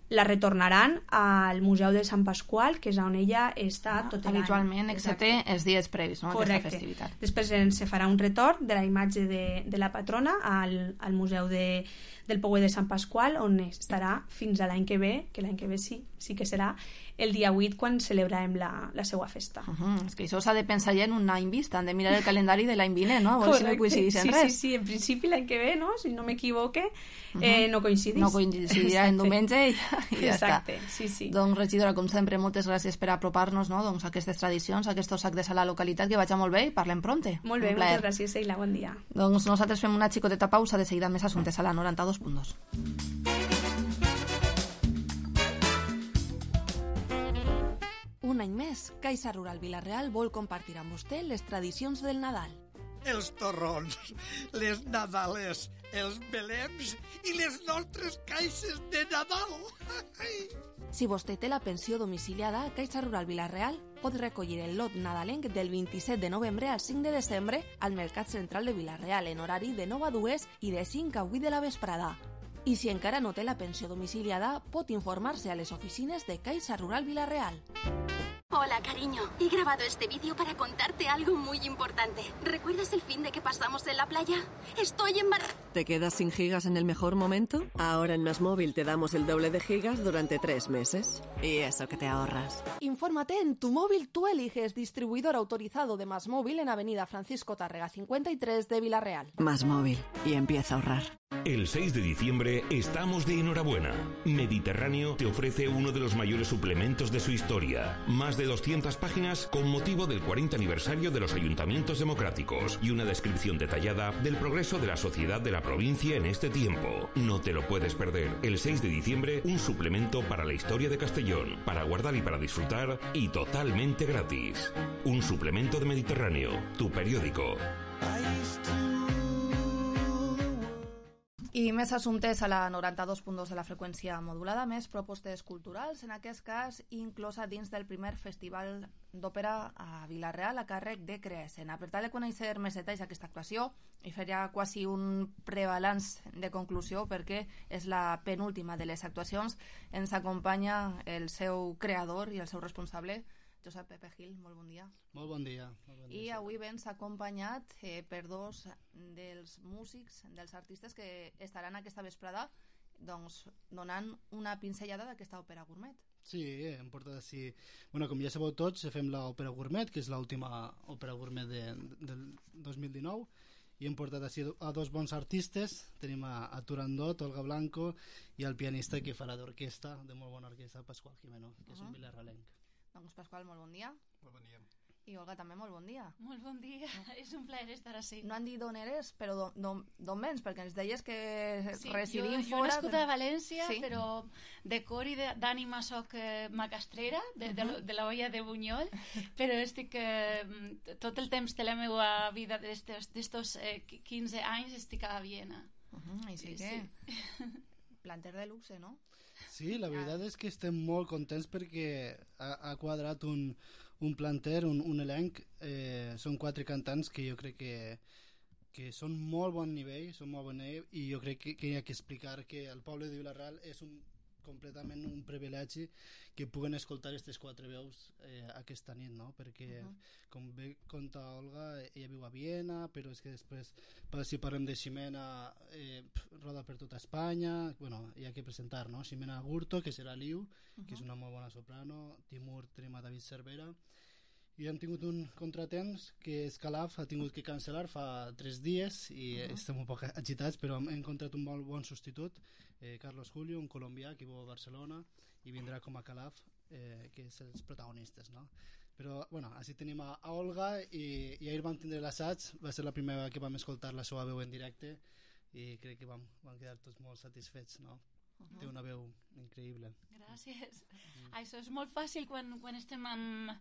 la retornaran al Museu de Sant Pasqual, que és on ella està tot l'any. Habitualment, excepte els dies previs, no?, aquesta Correcte. festivitat. Després en- se farà un retorn de la imatge de, de la patrona al, al Museu de, del Pouet de Sant Pasqual, on estarà fins a l'any que ve, que l'any que ve sí, sí que serà el dia vuit, quan celebrarem la, la seva festa. Uh -huh. És que això s'ha de pensar ja en un any vista, han de mirar el calendari de l'any vinent, no? A veure si no coincideix en sí, res. Sí, sí, en principi l'any que ve, no? Si no m'equivoque, Uh -huh. eh, no coincidís. No coincidirà en Exacte. diumenge i, i ja Exacte, està. sí, sí. Doncs, regidora, com sempre, moltes gràcies per apropar-nos, no?, doncs, a aquestes tradicions, a aquests actes a la localitat, que vagi molt bé i parlem pronte. Molt bé, Un plaer. moltes gràcies, Eila, bon dia. Doncs nosaltres fem una xicoteta pausa, de seguida més assumptes a la noranta-dos punt dos. Un any més, Caixa Rural Vila-real vol compartir amb vostè les tradicions del Nadal. Els torrons, les nadales, els belems i les nostres caixes de Nadal. Si vostè té la pensió domiciliada, Caixa Rural Vila-real pot recollir el lot nadalenc del vint-i-set de novembre al cinc de desembre al Mercat Central de Vila-real en horari de nou a dues i de cinc a vuit de la vesprada. I si encara no té la pensió domiciliada, pot informar-se a les oficines de Caixa Rural Vila-real. Hola, cariño. He grabado este vídeo para contarte algo muy importante. ¿Recuerdas el fin de que pasamos en la playa? Estoy embarazada. ¿Te quedas sin gigas en el mejor momento? Ahora en Más Móvil te damos el doble de gigas durante tres meses. Y eso que te ahorras. Infórmate en Tu Móvil Tú Eliges, distribuidor autorizado de Más Móvil en Avenida Francisco Tárrega cincuenta y tres de Vila-real. Más Móvil. Y empieza a ahorrar. El seis de diciembre estamos de enhorabuena. Mediterráneo te ofrece uno de los mayores suplementos de su historia. Más de doscientas páginas con motivo del cuarenta aniversario de los ayuntamientos democráticos y una descripción detallada del progreso de la sociedad de la provincia en este tiempo. No te lo puedes perder. El seis de diciembre, un suplemento para la historia de Castellón, para guardar y para disfrutar, y totalmente gratis. Un suplemento de Mediterráneo, tu periódico. I més assumptes a la noranta-dos punt dos de la freqüència modulada, més propostes culturals, en aquest cas inclosa dins del primer Festival d'Òpera a Vila-real a càrrec de Creescena. Per tal de conèixer més detalls d'aquesta actuació, i fer ja quasi un prebalanç de conclusió, perquè és la penúltima de les actuacions, ens acompanya el seu creador i el seu responsable, Josep Pepe Gil. Molt bon dia. Molt bon dia. Molt bon dia. I avui vens acompanyat eh, per dos dels músics, dels artistes que estaran aquesta vesprada doncs, donant una pinzellada d'aquesta òpera gourmet. Sí, hem portat així... Bueno, com ja sabeu tots, fem l'òpera gourmet, que és l'última òpera gourmet de, del dos mil dinou, i hem portat així a dos bons artistes. Tenim a, a Turandot, Olga Blanco, i el pianista que farà d'orquestra, de molt bona orquestra, Pasqual Jimeno, que és uh -huh. un vilarralenc. Doncs Pasqual, molt bon dia. Molt bon dia. I Olga també, molt bon dia. Molt bon dia, no. És un plaer estar així. No han dit d'on eres, però d'on vens, perquè ens deies que sí, residim jo, fora... Jo he nascut a València, sí? però de cor i d'ànima soc eh, macastrera, de, uh -huh. de, de la olla de Bunyol, però estic eh, tot el temps de la meva vida d'estos eh, quinze anys estic a Viena. Uh -huh, I sí, sí que... Sí. Planter de luxe, no? Sí, la veritat és que estem molt contents perquè ha, ha quadrat un, un planter, un, un elenc. Eh, són quatre cantants que jo crec que, que són molt bon nivell, són molt bon nivell, i jo crec que, que hi ha que explicar que el poble de Vila-real és un completament un privilegi que puguen escoltar aquestes quatre veus eh, aquesta nit, no? Perquè, uh -huh. com bé conta Olga, ella viu a Viena, però és que després, si parlem de Ximena, eh, roda per tota Espanya. Bueno, hi ha que presentar, no? Ximena Gurto, que serà Liu, uh -huh. que és una molt bona soprano. Timur, tenim a David Cervera. I hem tingut un contratemps que Escalaf ha tingut que cancel·lar fa tres dies i uh -huh. estem un poc agitats, però hem encontrat un molt bon substitut, eh, Carlos Julio, un colombià que viu a Barcelona, i vindrà com a Calaf, eh, que és els protagonistes, no? Però, bueno, així tenim a, a Olga, i, i ahir vam tindre l'assaig, va ser la primera que vam escoltar la seva veu en directe, i crec que vam, vam quedar tots molt satisfets, no? Uh-huh. Té una veu increïble. Gràcies. Mm. Això és molt fàcil quan, quan estem amb,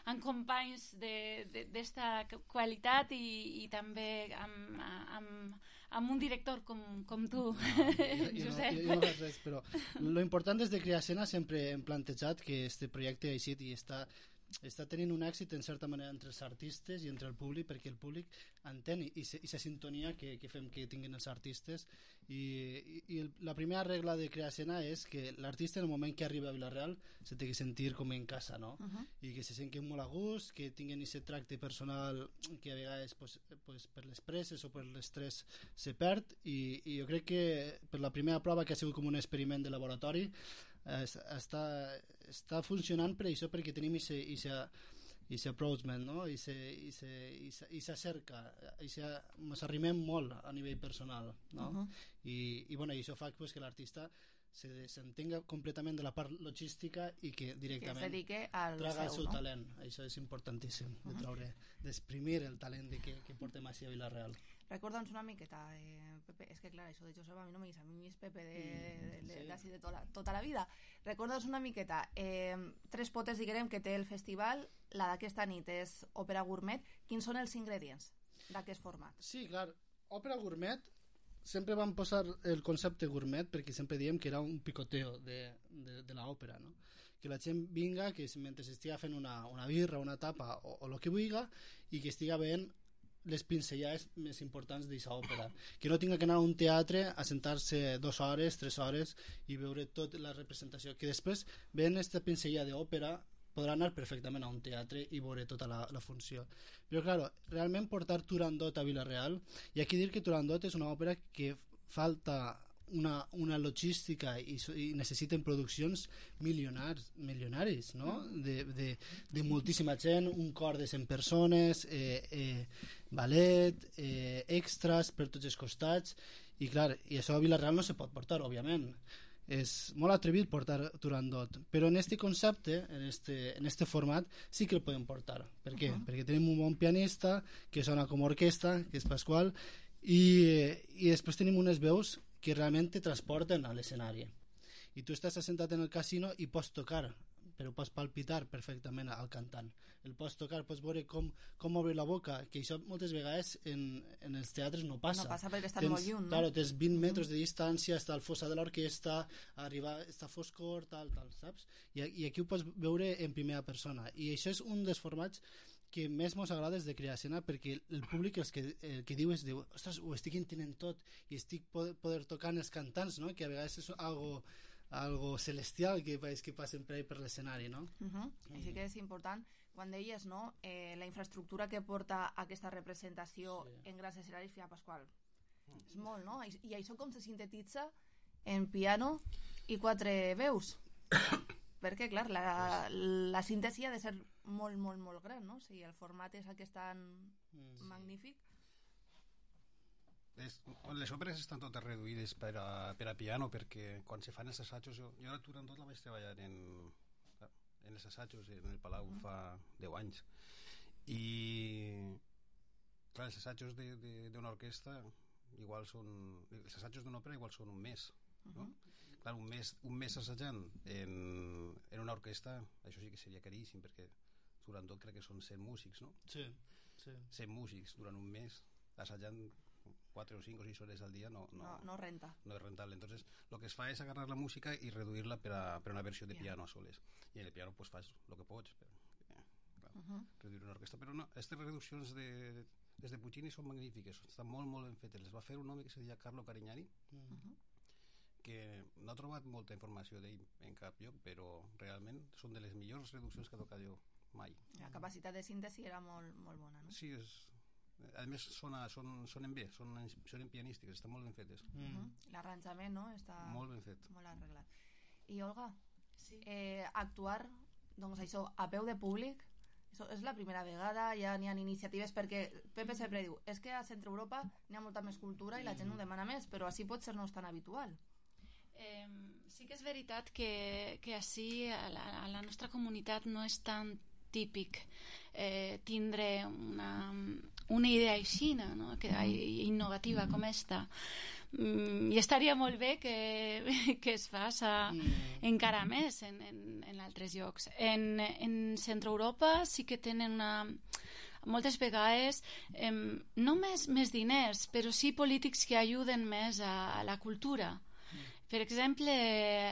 amb companys d'esta qualitat i, i també amb, amb, amb un director com, com tu, no, Josep. Jo, jo no faig res, però lo important des de crear escena sempre hem plantejat que este projecte ha eixit i està està tenint un èxit en certa manera entre els artistes i entre el públic, perquè el públic entén i la sintonia que, que fem que tinguin els artistes i, i, i la primera regla de crear escena és que l'artista en el moment que arriba a Vila-real se té que sentir com en casa, no? Uh-huh. I que se senten molt a gust, que tinguin aquest tracte personal que a vegades pues, pues, per les presses o per l'estrès se perd i, i jo crec que per la primera prova que ha sigut com un experiment de laboratori està, està funcionant per això, perquè tenim aquest approachment, no? I s'acerca i ens arrimem molt a nivell personal, no? Uh-huh. I, i bueno, això fa pues, que l'artista se desentenga completament de la part logística i que directament que al traga el seu no? talent. Això és importantíssim, uh-huh. de treure, d'exprimir el talent de que, que portem així a Vila-real. Recorda'ns una miqueta, eh, Pepe, és que clar, això de Josep a mi no me guisa, a mi és Pepe de, de, de, de, de tota, la, tota la vida. Recorda'ns una miqueta, eh, tres potes, diguem, que té el festival, la d'aquesta nit és òpera gourmet. Quins són els ingredients d'aquest format? Sí, clar, òpera gourmet, sempre vam posar el concepte gourmet perquè sempre diem que era un picoteo de, de, de l'òpera, no? Que la gent vinga, que mentre estigui fent una, una birra, una tapa o, o el que vulgui, i que estigui veient les pinzellades més importants d'aquesta òpera, que no tinga que anar a un teatre a sentar-se dues hores, tres hores i veure tota la representació, que després veient aquesta pinzellada d'òpera podrà anar perfectament a un teatre i veure tota la, la funció. Però clar, realment portar Turandot a Vila-real, i aquí dir que Turandot és una òpera que falta una, una logística i, i necessiten produccions milionars, milionaris, no? De, de, de moltíssima gent, un cor de cent persones, eh, eh, ballet, eh, extras per tots els costats, i clar, i això a Vila-real no se pot portar, òbviament. És molt atrevit portar Turandot, però en este concepte, en este, en este format, sí que el podem portar. Per què? Uh-huh. Perquè tenim un bon pianista que sona com orquestra, que és Pasqual, i, i després tenim unes veus que realment te transporten a l'escenari. I tu estàs assentat en el casino i pots tocar, però pots palpitar perfectament al cantant. El pots tocar, pots veure com, com obre la boca, que això moltes vegades en, en els teatres no passa. No passa perquè estan molt lluny, no? Claro, tens vint metres de distància, està el fossa de l'orquestra, arriba, està foscor, tal, tal, saps? I, I aquí ho pots veure en primera persona. I això és un dels formats que més mos agrada és de crear escena, perquè el públic el que, el que diu és diu, ostres, ho estic entenent tot i estic poder, poder tocar els cantants, no? Que a vegades és algo, algo celestial que, que passen per, per l'escenari, no? Uh-huh. I sí que és important, quan deies, no? Eh, la infraestructura que porta aquesta representació sí. en grans escenaris, Fia Pasqual, uh-huh. és molt, no? I, i això com se sintetitza en piano i quatre veus? Perquè, clar, la, la síntesi ha de ser molt, molt, molt gran, no? Si el format és aquest tan sí. magnífic. Les, les òperes estan totes reduïdes per a, per a piano, perquè quan se fan els assajos, jo, jo la Turandot la vaig treballar en, en els assajos en el Palau mm. fa deu anys. I, clar, els assajos d'una orquestra igual són... Els assajos d'una òpera igual són un mes, no? Uh-huh. Clar, un mes, un mes assajant en, en una orquestra, això sí que seria caríssim, perquè durant tot crec que són cent músics, no? Sí, sí. cent músics durant un mes assajant quatre o cinc o sis hores al dia no, no, no, no renta. No és rentable. Entonces, lo que es fa és agarrar la música i reduir-la per a, per a una versió de piano a soles. I en el piano pues, fas el que pots, però, eh, clar, uh-huh. reduir una orquestra. Però no, aquestes reduccions de, des de Puccini són magnífiques, estan molt, molt ben fetes. Les va fer un home que se deia Carlo Carignani, uh-huh. que no ha trobat molta informació d'ell en cap lloc, però realment són de les millors reduccions que ha tocat jo mai. La capacitat de síntesi era molt, molt bona, no? Sí, és... A més, sona, son, sonen bé, sonen, sonen pianístiques, estan molt ben fetes. Mm. Uh-huh. L'arranjament, no? Està molt ben fet. Molt arreglat. I, Olga, sí. eh, actuar, doncs això, a peu de públic, això és la primera vegada, ja n'hi ha iniciatives, perquè Pepe sempre diu, és que a Centre Europa n'hi ha molta més cultura i la gent ho demana més, però així pot ser no és tan habitual. Eh, sí que és veritat que, que així a la, a la nostra comunitat no és tan típic eh, tindre una, una idea així, no? Que, innovativa com esta, mm, i estaria molt bé que, que es faça mm. encara més en, en, en altres llocs. En, en Centre-Europa sí que tenen una... moltes vegades eh, no més, més diners, però sí polítics que ajuden més a, a la cultura. Mm. Per exemple,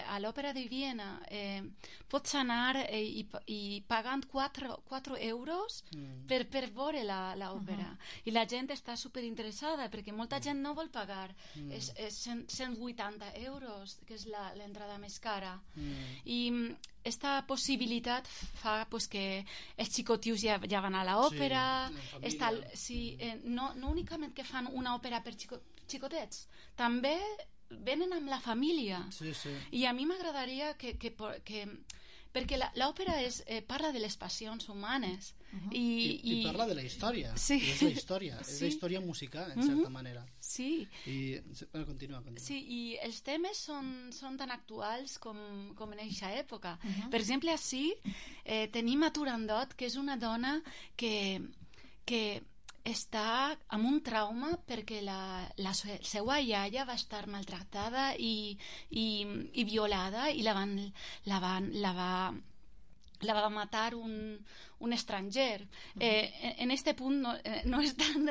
a l'Òpera de Viena eh, pots anar eh, i, i pagant quatre euros mm. per, per veure l'òpera. Uh-huh. I la gent està superinteressada perquè molta gent no vol pagar. Mm. És, és cent vuitanta euros, que és l'entrada més cara. Mm. I esta possibilitat fa pues, que els xicotius ja, ja van a l'òpera, sí, sí, eh, no, no únicament que fan una òpera per xico, xicotets, també venen amb la família. Sí, sí. I a mi m'agradaria que, que, que perquè l'òpera eh, parla de les passions humanes. Uh-huh. I, I, I parla de la història. Sí. És la història, sí. És la història musical, en uh-huh. certa manera. Sí. I, bueno, continua, continua. Sí, i els temes són, són tan actuals com, com en aquesta època. Uh-huh. Per exemple, així eh, tenim a Turandot, que és una dona que, que està amb un trauma perquè la, la seva iaia va estar maltractada i, i, i violada i la van, la van, la va, la va matar un, un estranger. Uh-huh. eh, en este punt no, eh, no és tan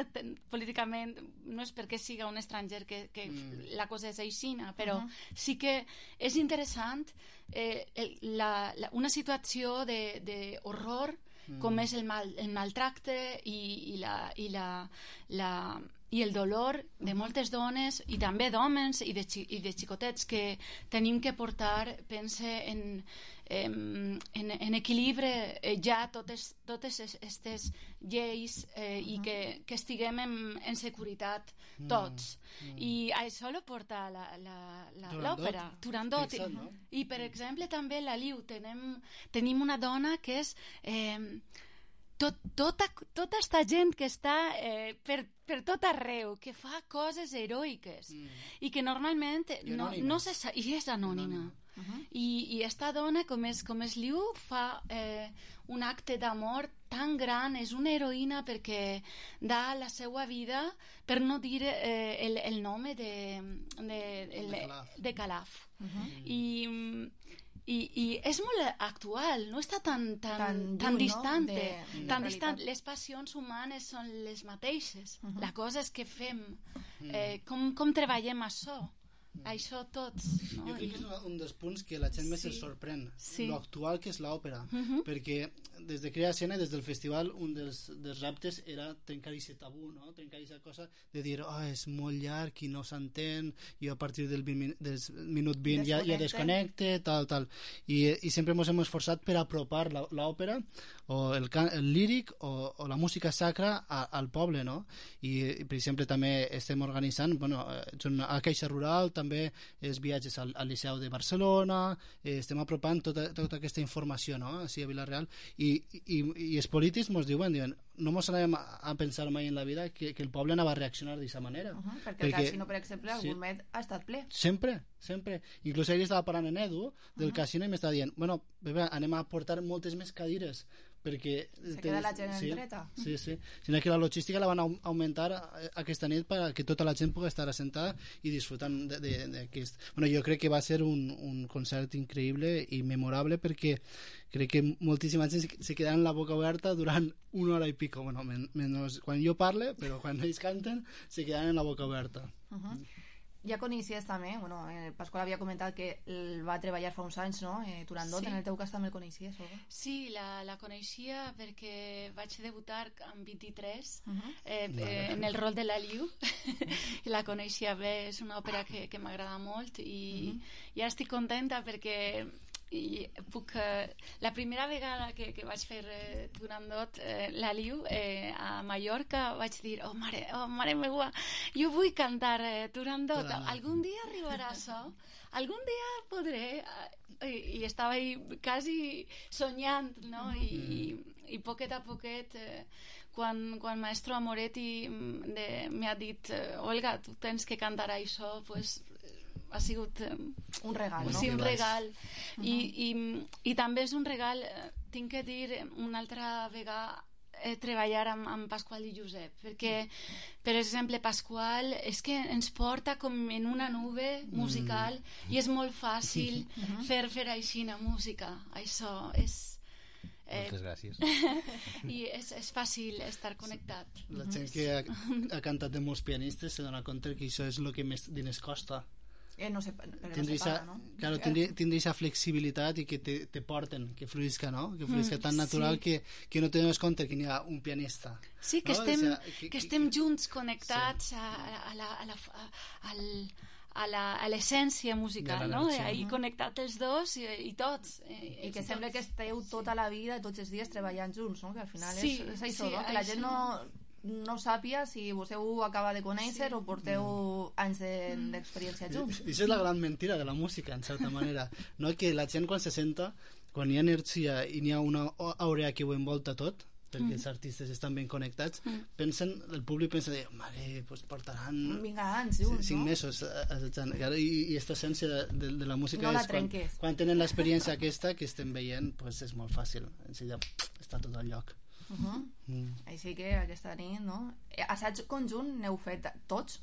políticament, no és perquè siga un estranger que, que mm. la cosa és aixina, però uh-huh. sí que és interessant eh, el, la, la, una situació d'horror com és el, mal, el maltracte i, i, la, i, la, la, i el dolor de moltes dones i també d'homes i, de, i de xicotets que tenim que portar, pense, en, en, en equilibri ja totes, totes aquestes lleis eh, i que, que estiguem en, en seguretat tots. Mm, mm. I això lo porta l'òpera, Turandot. Turandot. No? I, per exemple, també la Liu tenim, tenim una dona que és... Eh, Tot, tota, tota esta gent que està eh, per, per tot arreu, que fa coses heroiques mm. i que normalment no, no se sa, i és anònima. Uh-huh. I, i esta dona, com és, com és Liu, fa eh, un acte d'amor tan gran, és una heroïna perquè dà la seva vida per no dir eh, el, el nom de, de, el, de Calaf. De Calaf. Uh-huh. I... I, i és molt actual, no està tan, tan, tan, tan distant, no? de, tan distant. Les passions humanes són les mateixes. Uh-huh. La cosa és que fem, eh, com, com treballem això. Això tots, no? Jo crec que és un dels punts que la gent més sí. es sorprèn, sí. lo actual que és l'òpera, uh-huh. perquè des de Crea Escena, des del festival, un dels, dels reptes era trencar aquest tabú, no? Trencar aquesta cosa de dir, oh, és molt llarg i no s'entén, i a partir del, vint, del minut vint ja, ja desconnecte, tal, tal. I, i sempre ens hem esforçat per apropar l'òpera, o el, can, el líric, o, o la música sacra a, al poble, no? I, i, per exemple, també estem organitzant, bueno, a Caixa Rural, també els viatges al, al Liceu de Barcelona, eh, estem apropant tota, tota aquesta informació, no?, així a Vila-real, i, i, i els polítics ens diuen, diuen no ens anem a pensar mai en la vida que, que el poble anava a reaccionar d'aquesta manera. Uh-huh, perquè, perquè el casino, per exemple, algun sí. met ha estat ple. Sempre, sempre. Inclús ahir estava parlant en Edu del uh-huh. casino i m'estava dient, bueno, bebé, anem a portar moltes més cadires perquè... Se queda la gent sí, en dreta. Sí, sí. Sinó que la logística la van augmentar aquesta nit perquè tota la gent pugui estar assentada i disfrutant d'aquest... Bueno, jo crec que va ser un, un concert increïble i memorable perquè crec que moltíssima gent se quedaran la boca oberta durant una hora i pico. Bueno, men menys quan jo parle, però quan ells canten se quedaran en la boca oberta. Uh-huh. Ja coneixies també, bueno, el Pasqual havia comentat que el va treballar fa uns anys, no? Eh, Turandot, sí. En el teu cas també el coneixies, o? Sí, la, la coneixia perquè vaig debutar amb vint-i-tres uh-huh. eh, eh, en el rol de la Liu. La coneixia bé, és una òpera que, que m'agrada molt i uh-huh. ja estic contenta perquè i puc, eh, la primera vegada que, que vaig fer eh, Turandot, eh, la Liu, eh, a Mallorca, vaig dir, oh mare, oh mare meua, jo vull cantar eh, Turandot, algun dia arribarà això, algun dia podré, eh, i, i estava ahí quasi soñant, no? I, i, i poquet a poquet, eh, quan, quan maestro Amoretti m'ha dit, eh, Olga, tu tens que cantar això, pues ha sigut eh, un regal, no? Sí, un regal. Uh-huh. I, i, i també és un regal, eh, tinc que dir una altra vegada eh, treballar amb, amb Pasqual i Josep, perquè, per exemple, Pasqual és que ens porta com en una nube musical mm. i és molt fàcil mm-hmm. fer, fer així una música. Això és... Eh, Moltes gràcies. I és, és fàcil estar connectat. La gent que ha, ha cantat de molts pianistes se dona compte que això és el que més diners costa. Eh, no se, no tindre se paga, no? Claro, tindre aquesta flexibilitat i que te, te porten, que fluïsca, no? Que fluïsca tan natural sí. que, que no te dones compte que n'hi ha un pianista. Sí, que, no? estem, o sea, que, que estem junts, connectats sí. a, a la... A la a, al, a la, a l'essència musical, no? I connectat els dos i, i tots. I, I que sembla que esteu tota la vida, tots els dies treballant junts, no? Que al final sí, és, és això, sí, no? Que la gent no, no sàpia si vostè ho acaba de conèixer sí. o porteu mm. anys d'experiència de, junts. I això és la gran mentira de la música, en certa manera, no? Que la gent quan se senta, quan hi ha energia i n'hi ha una àurea que ho envolta tot, perquè mm. els artistes estan ben connectats, mm. pensen, el públic pensa de, mare, pues portaran vinga, anys junts, cinc no? mesos assajant, i, i aquesta essència de, de, de la música no la és quan, quan tenen l'experiència aquesta que estem veient, pues és molt fàcil, enseguida està tot al lloc. Uh -huh. mm. Així que aquesta nit, no? Assaig conjunt n'heu fet tots?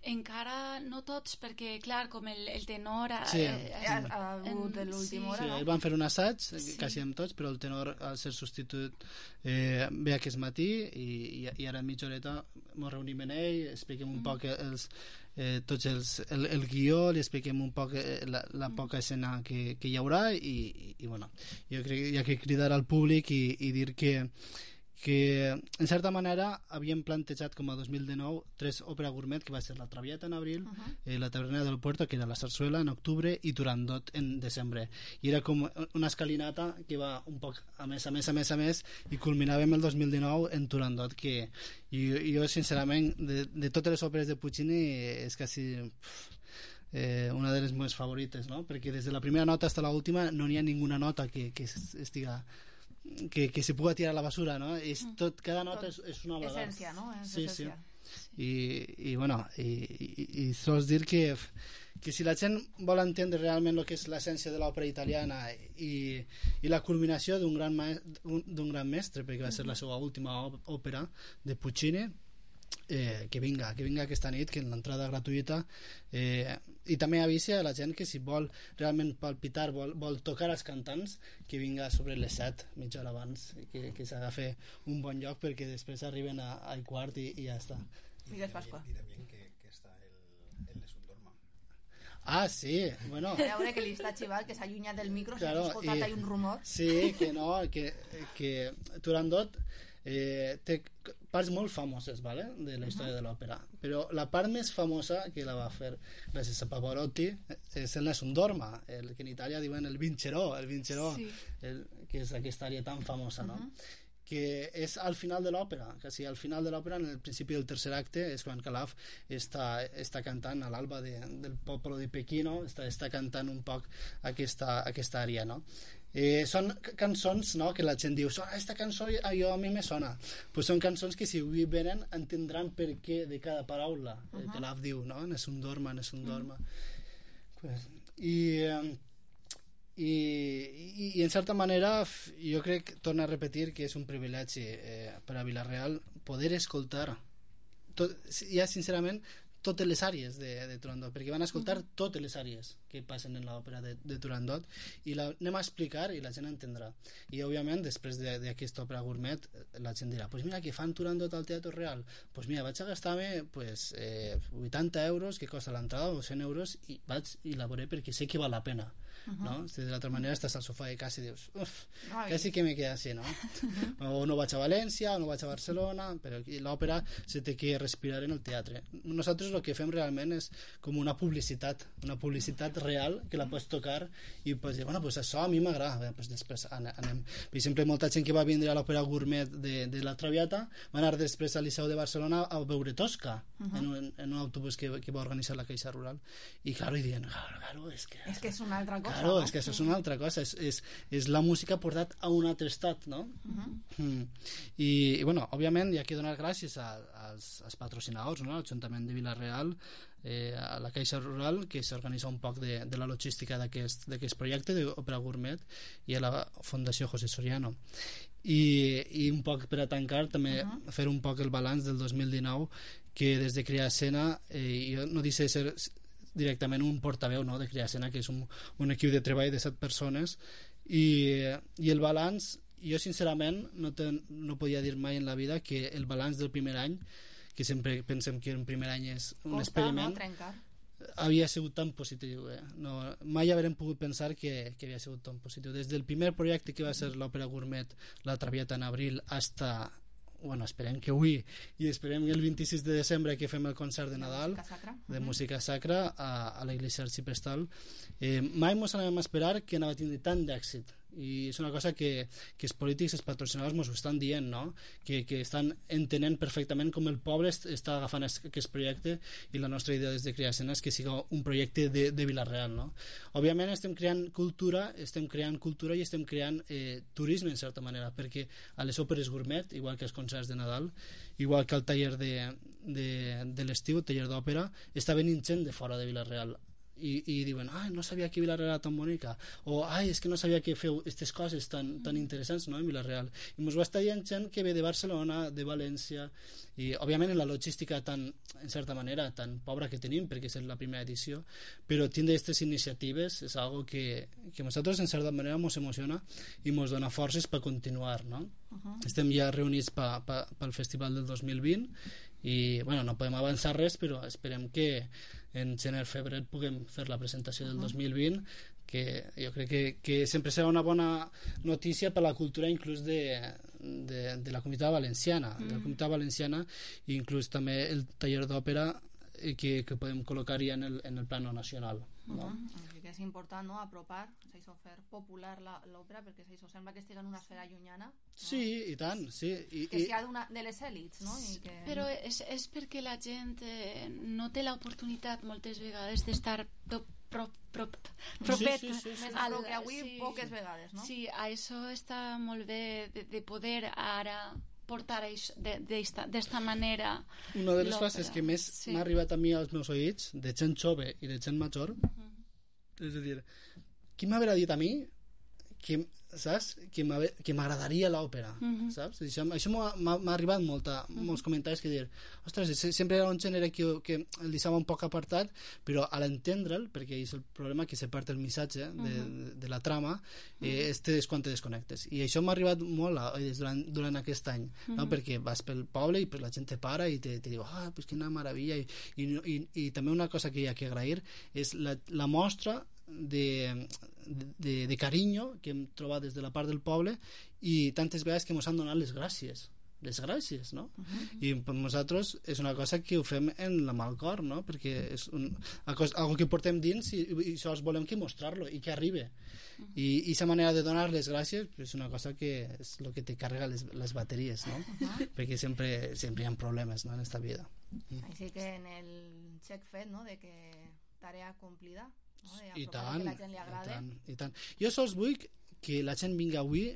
Encara no tots, perquè clar, com el, el tenor ha, sí. eh, ha, ha hagut de l'última sí. hora, sí, no? Ells van fer un assaig, sí. quasi amb tots, però el tenor al ser substitut eh, ve aquest matí i, i ara en mitja horeta ens reunim en ell, expliquem un mm. poc els, eh, tots els, el, el guió, li expliquem un poc eh, la, la poca escena que, que hi haurà i, i, i bueno, jo crec que hi ha que cridar al públic i, i dir que que en certa manera havíem plantejat com a dos mil dinou tres òpera gourmet, que va ser La Traviata en abril, uh -huh. eh, La Taverna del Puerto, que era la Sarsuela en octubre, i Turandot en desembre, i era com una escalinata que va un poc a més, a més, a més, a més, i culminàvem el dos mil dinou en Turandot, que i, jo sincerament de, de totes les òperes de Puccini és quasi pff, eh, una de les meves favorites, no? Perquè des de la primera nota fins a l'última no n'hi ha ninguna nota que, que estiga que, que se puga tirar a la basura, no? És tot, cada nota tot, és, és una obra d'art. Essència, no? És sí, essència. Sí. I, i bueno, i, i, i sols dir que, que si la gent vol entendre realment el que és l'essència de l'òpera italiana i, i la culminació d'un gran, d'un gran mestre, perquè va ser la seva última òpera de Puccini, Eh, que vinga, que vinga aquesta nit, que en l'entrada gratuïta, eh, i també avisi a la gent que si vol realment palpitar, vol, vol tocar els cantants, que vinga sobre les set, mitja hora abans, que, que s'agafi un bon lloc, perquè després arriben a, al quart i, i ja està. Digues, Pasqua. I també que, que està el, el Lesundorma. Ah, sí, bueno. A veure que li està xivant, que s'ha allunyat del micro, claro, s'ha escoltat ahí un rumor. Sí, que no, que, que Turandot eh, té parts molt famoses, ¿vale? De la història uh -huh. de l'òpera, però la part més famosa que la va fer gràcies a Pavarotti és el Nessun-Dorma, el que en Itàlia diuen el Vincerò, el Vincerò, sí. el, que és aquesta àrea tan famosa, no? Uh -huh. Que és al final de l'òpera, que sí, al final de l'òpera, en el principi del tercer acte, és quan Calaf està, està cantant a l'alba de, del poble de Pechino, està, està cantant un poc aquesta, aquesta àrea, no? Eh, són cançons, no?, que la gent diu, aquesta cançó a, jo, a mi me sona, pues són cançons que si avui venen entendran per què de cada paraula. uh -huh. Calaf diu, no?, Nessun-Dorma, Nessun-Dorma. uh -huh. pues, i, eh, i, i, i en certa manera jo crec, torno a repetir, que és un privilegi eh, per a Vila-real poder escoltar tot, ja sincerament totes les àrees de, de Turandot, perquè van escoltar uh -huh. totes les àrees que passen en l'òpera de, de Turandot, i la anem a explicar i la gent entendrà. I òbviament després d'aquesta òpera gourmet la gent dirà, pues mira, que fan Turandot al Teatre Real, pues mira, vaig a gastar-me pues, eh, vuitanta euros que costa l'entrada o cent euros i vaig i la veuré perquè sé que val la pena. Uh -huh. No? Si de l'altra manera estàs al sofà i quasi dius, uf, quasi que me queda així, no? Uh -huh. O no vaig a València, o no vaig a Barcelona, però l'òpera se té que respirar en el teatre. Nosaltres el que fem realment és com una publicitat, una publicitat real que la pots tocar i pots dir, bueno, pues això a mi m'agrada, pues després anem. Per exemple, molta gent que va vindre a l'òpera gourmet de, de la Traviata va anar després al Liceu de Barcelona a veure Tosca, uh -huh. en, un, en un autobús que, que va organitzar la Caixa Rural, i claro, i diuen, claro, claro, és que... És que és una altra cosa. Claro, és que això és una altra cosa, és, és, és la música portat a un altre estat, no? Uh -huh. mm. I, i, bueno, òbviament hi ha que donar gràcies a, als, als patrocinadors, no? L'Ajuntament de Vila-real, Vila-real, eh, a la Caixa Rural, que s'organitza un poc de, de la logística d'aquest projecte d'Òpera Gourmet, i a la Fundació José Soriano. I, i un poc per a tancar també uh -huh. fer un poc el balanç del dos mil dinou, que des de Crea Escena, eh, jo no deixo de ser directament un portaveu, no, de Crea Escena, que és un, un equip de treball de set persones, i, i el balanç, jo sincerament no, ten, no podia dir mai en la vida que el balanç del primer any, que sempre pensem que un primer any és un Costa, experiment, no, trencar. havia sigut tan positiu, eh? No, mai haurem pogut pensar que, que havia sigut tan positiu. Des del primer projecte que va ser l'Òpera Gourmet, La Traviata en abril, hasta, bueno, esperem que avui, i esperem que el vint-i-sis de desembre que fem el concert de Nadal música sacra. de música sacra a, a l'església arxiprestal, eh, mai ens anàvem a esperar que anava a tindre tant d'èxit, i és una cosa que, que els polítics, els patrocinadors ens ho estan dient, no? que, que estan entenent perfectament com el poble est, està agafant aquest projecte, i la nostra idea des de Crea Escena és que sigui un projecte de, de Vila-real, no? Òbviament estem creant cultura, estem creant cultura i estem creant eh, turisme en certa manera, perquè a les òperes gourmet, igual que els concerts de Nadal, igual que el taller de, de, de l'estiu, taller d'òpera, està venint gent de fora de Vila-real, i, i diuen, ai, no sabia que Vila-real era tan bonica, o ai, és que no sabia que feu aquestes coses tan, tan interessants, no, en Vila-real, i ens va estar dient gent que ve de Barcelona, de València, i òbviament en la logística tan, en certa manera, tan pobra que tenim, perquè és la primera edició, però tindre aquestes iniciatives és algo que, que a nosaltres en certa manera ens emociona i ens dona forces per continuar, no? Uh-huh. Estem ja reunits pa, pa, pel festival del dos mil vint, i bueno, no podem avançar res, però esperem que en gener-febrer puguem fer la presentació del uh-huh. dos mil vint, que jo crec que, que sempre serà una bona notícia per la cultura inclús de, de, de la comunitat valenciana, uh-huh. de la comunitat valenciana, i inclús també el taller d'òpera que, que podem col·locar ja en el, en el plano nacional, no? Uh-huh. Que és important, no?, apropar, s'ha fer popular l'òpera, perquè s'ha sembla que estigui en una esfera llunyana, no? Sí, i tant, sí. I, que sigui de les èlits, no? I que... Però és, és perquè la gent eh, no té l'oportunitat moltes vegades d'estar prop, prop, prop, propet. Sí, sí, sí, sí. Al que avui sí, poques vegades, no? Sí, això està molt bé de, de poder ara portar d'esta manera. Una de les frases que més sí. m'ha arribat a mi als meus oïts, de gent jove i de gent major, uh-huh. és a dir, qui m'haurà dit a mi que, saps? que m'agradaria l'òpera, uh-huh. saps? Això, això m'ha arribat molta, uh-huh. molts comentaris que dir, ostres, sempre era un gènere que, que el deixava un poc apartat, però a l'entendre'l, perquè és el problema que se perd el missatge de, uh-huh. de, de la trama, eh, és quan te desconnectes, i això m'ha arribat molt eh, durant, durant aquest any, uh-huh. no? Perquè vas pel poble i pues, la gent te para i te, te diu, ah, pues quina meravella, i, i, i, i també una cosa que hi ha que agrair és la, la mostra de, de, de carinyo que hem trobat des de la part del poble, i tantes vegades que ens han donat les gràcies les gràcies, no? Uh-huh. I per nosaltres és una cosa que ho fem en la mal cor, no? Perquè és un, algo que portem dins i, i sols volem que mostrar-lo i que arribi, uh-huh. i aquesta manera de donar les gràcies és una cosa que és el que te carrega les, les bateries, no? Uh-huh. Perquè sempre, sempre hi ha problemes, no?, en esta vida. Uh-huh. Així que en el xec fet, no?, de que tarea complida, no? I tant, que la gent li agrade. i tant, i tant. Jo sols vull que la gent vinga avui,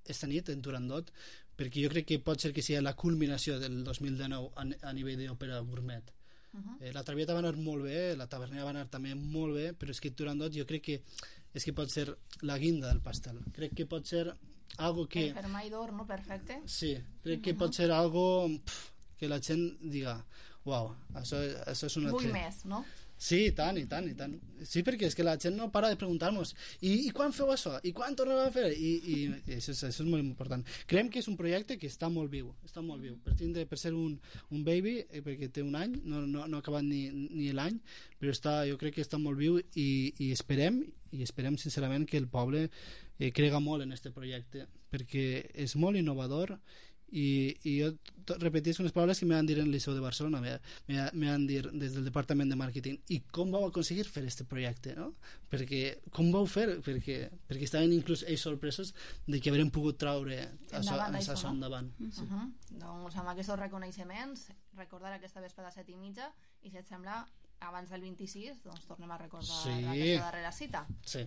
esta nit, en Turandot, perquè jo crec que pot ser que sigui la culminació del dos mil dinou a, a nivell d'òpera gourmet. Uh-huh. eh, la Traviata va anar molt bé, la Tavernera va anar també molt bé, però és que Turandot jo crec que és que pot ser la guinda del pastel. Crec que pot ser algo que... El fermall d'or, no? Perfecte. Sí, crec que uh-huh. pot ser algo pff, que la gent diga, uau, això, això és una... Vull més, no? Sí, i tant, i tant, i tant. Sí, perquè és que la gent no para de preguntar-nos I, i quan feu això? I quan tornem a fer? I, i, i això, és, això és molt important. Creiem que és un projecte que està molt viu, està molt viu. Per, tindre, per ser un, un baby, eh, perquè té un any, no, no, no ha acabat ni, ni l'any, però està, jo crec que està molt viu, i, i esperem, i esperem sincerament que el poble eh, crega molt en aquest projecte, perquè és molt innovador, i, i jo repetisc unes paraules que m'han dit en el Liceu de Barcelona, m'han dit des del departament de màrqueting, i com vau aconseguir fer aquest projecte, no? Perquè, com vau fer? Perquè, perquè estaven inclús ells sorpresos de que haurem pogut traure això, això, això endavant. Uh-huh. Sí. Uh-huh. Doncs amb aquests reconeixements, recordar aquesta vesprada a set i mitja, i si et sembla, abans del vint-i-sis, doncs tornem a recordar sí. aquesta darrera cita. Sí.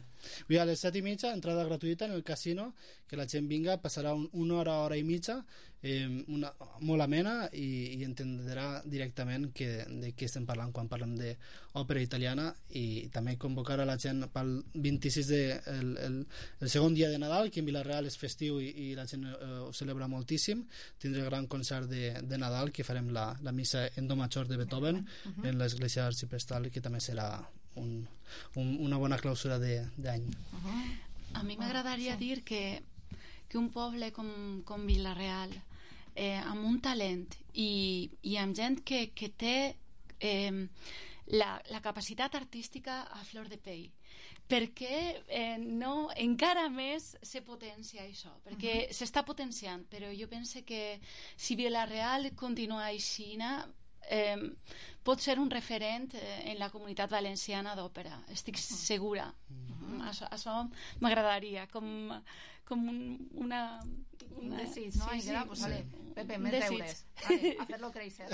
A les set i mitja, entrada gratuïta en el casino, que la gent vinga, passarà un, una hora, hora i mitja, eh, una, molt amena i, i entendrà directament que, de què estem parlant quan parlem d'òpera italiana, i també convocar a la gent pel vint-i-sis de, el, el, el segon dia de Nadal, que en Vila-real és festiu i, i la gent eh, ho celebra moltíssim. Tindré el gran concert de, de Nadal, que farem la, la missa en do major de Beethoven uh-huh. en l'església arxiprestal, que també serà un, un, una bona clausura d'any. Uh-huh. A mi m'agradaria sí. dir que, que un poble com, com Vila-real, eh, amb un talent i, i amb gent que, que té eh, la, la capacitat artística a flor de pell, perquè eh, no, encara més se potencia això, perquè uh-huh. s'està potenciant, però jo penso que si Vila-real continua així, eh, pot ser un referent eh, en la comunitat valenciana d'òpera, estic uh-huh. segura. Uh-huh. Això, això m'agradaria, com, com un, una... Un desig, ¿no? Sí, sí, pues vale. Pepe, més deures. Vale, hacerlo crecer.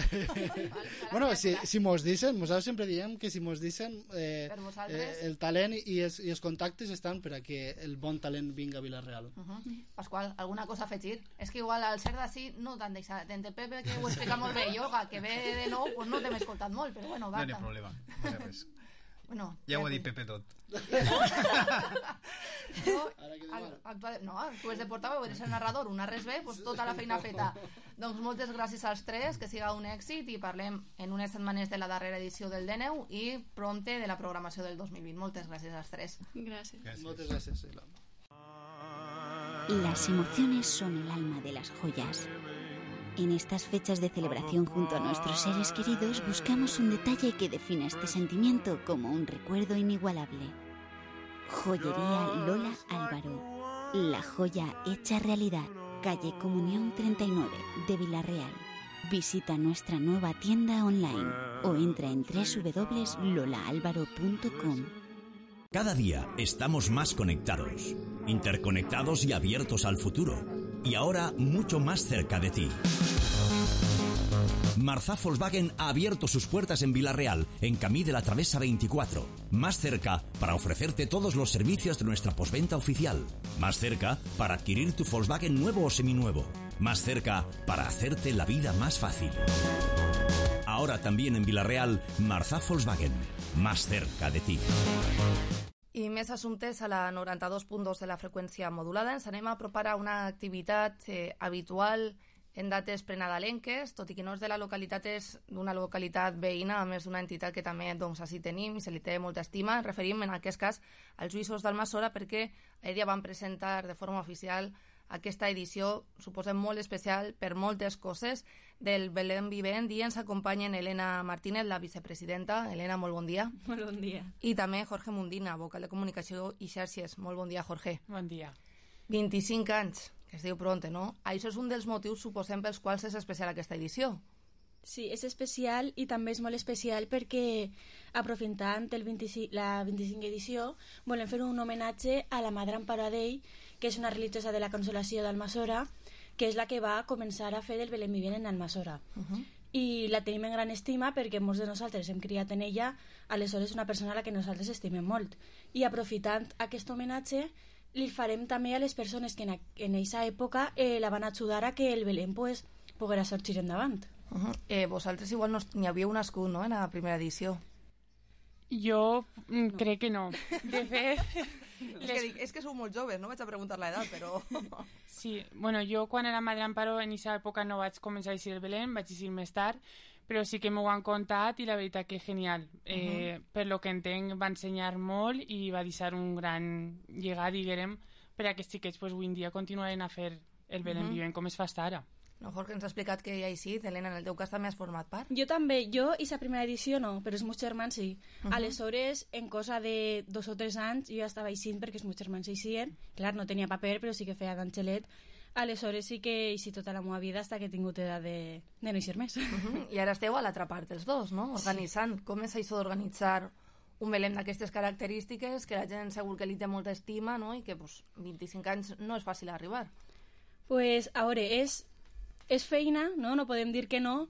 Bueno, si, si mos dicen, nosaltres sempre diem que si mos dicen eh, eh, el talent i els, i els contactes estan per a que el bon talent vinga a Vila-real. Uh -huh. Pasqual, alguna cosa a afegir? És que igual al ser d'ací no t'han deixat. Entre Pepe, que ho explica molt bé, Yoga, que ve de nou, pues no t'hem escoltat molt, però bueno, va. No hi ha problema, no hi ha res. Bueno, ja ho ha dit Pepe tot. No, actual, no, tu és de portaveu, eres el narrador, una res bé, pues tota la feina feta. Doncs moltes gràcies als tres, que siga un èxit, i parlem en unes setmanes de la darrera edició del D N U i prompte de la programació del dos mil vint. Moltes gràcies als tres. Gràcies. gràcies. Moltes gràcies. Las emociones son el alma de las joyas. En estas fechas de celebración junto a nuestros seres queridos buscamos un detalle que define este sentimiento como un recuerdo inigualable. Joyería Lola Álvaro. La joya hecha realidad. Calle Comunión treinta y nueve de Vila-real. Visita nuestra nueva tienda online o entra en doble u doble u doble u punto lola álvaro punto com. Cada día estamos más conectados, interconectados y abiertos al futuro. Y ahora mucho más cerca de ti. Marzá Volkswagen ha abierto sus puertas en Vila-real, en Camí de la Travesa veinticuatro. Más cerca para ofrecerte todos los servicios de nuestra postventa oficial. Más cerca para adquirir tu Volkswagen nuevo o seminuevo. Más cerca para hacerte la vida más fácil. Ahora también en Vila-real, Marzá Volkswagen. Más cerca de ti. I més assumptes a la noranta-dos punt dos de la freqüència modulada. Ens anem a apropar a una activitat eh, habitual en dates prenadalenques, tot i que no és de la localitat, és d'una localitat veïna, a més d'una entitat que també doncs, així tenim i se li té molta estima. Ens referim en aquest cas als Lluïssos d'Almassora, perquè ahir ja van presentar de forma oficial aquesta edició, suposem molt especial per moltes coses, del Belén Vivent, i ens acompanyen Elena Martínez, la vicepresidenta. Elena, molt bon dia. Molt bon dia. I també Jorge Mundina, vocal de comunicació i xarxes. Molt bon dia, Jorge. Bon dia. vint-i-cinc anys, que es diu pronte, no? Això és un dels motius, suposem, pels quals és especial aquesta edició. Sí, és especial i també és molt especial perquè, aprofitant el vint-i-cinc, la vint-i-cinquena edició, volem fer un homenatge a la Madre Amparo Adell, que és una religiosa de la Consolació d'Almassora, que és la que va començar a fer el Belén Vivent en Almassora. Uh-huh. I la tenim en gran estima perquè molts de nosaltres hem criat en ella, aleshores una persona a la que nosaltres estimem molt. I aprofitant aquest homenatge, li farem també a les persones que en aquesta època eh, la van ajudar a que el Belén pues, poguera sortir endavant. Uh-huh. eh, vosaltres igual no n'hi havíeu nascut, no?, en la primera edició. Jo no. crec que no. De fet... les... és, que dic, és que sou molt joves, no vaig a preguntar l'edat, però... Sí, bueno, jo quan era Madre Amparo en aquesta època no vaig començar a eixir el Belén, vaig eixir més tard, però sí que m'ho han contat i la veritat que genial. Eh, uh-huh. Per lo que entenc va ensenyar molt i va deixar un gran llegat, diguem, per a que aquests xiquets pues, avui en dia continuaren a fer el Belén uh-huh. Vivent com es fa ara. No, Jorge, ens ha explicat que ja hi sí, Helena, en el teu cas també has format part. Jo també, jo i la primera edició no, però els meus germans sí. Uh -huh. Aleshores, en cosa de dos o tres anys, jo ja estava eixint perquè els meus germans eixien. Clar, no tenia paper, però sí que feia d'angelet. Aleshores sí que eixi tota la meva vida fins que he tingut edat de, de no eixir més. Uh -huh. I ara esteu a l'altra part, els dos, no? Organitzant. Sí. Com és això d'organitzar un Belén d'aquestes característiques, que la gent segur que li té molta estima, no? I que pues, vint-i-cinc anys no és fàcil arribar. Pues, a veure, és... és feina, no? No podem dir que no,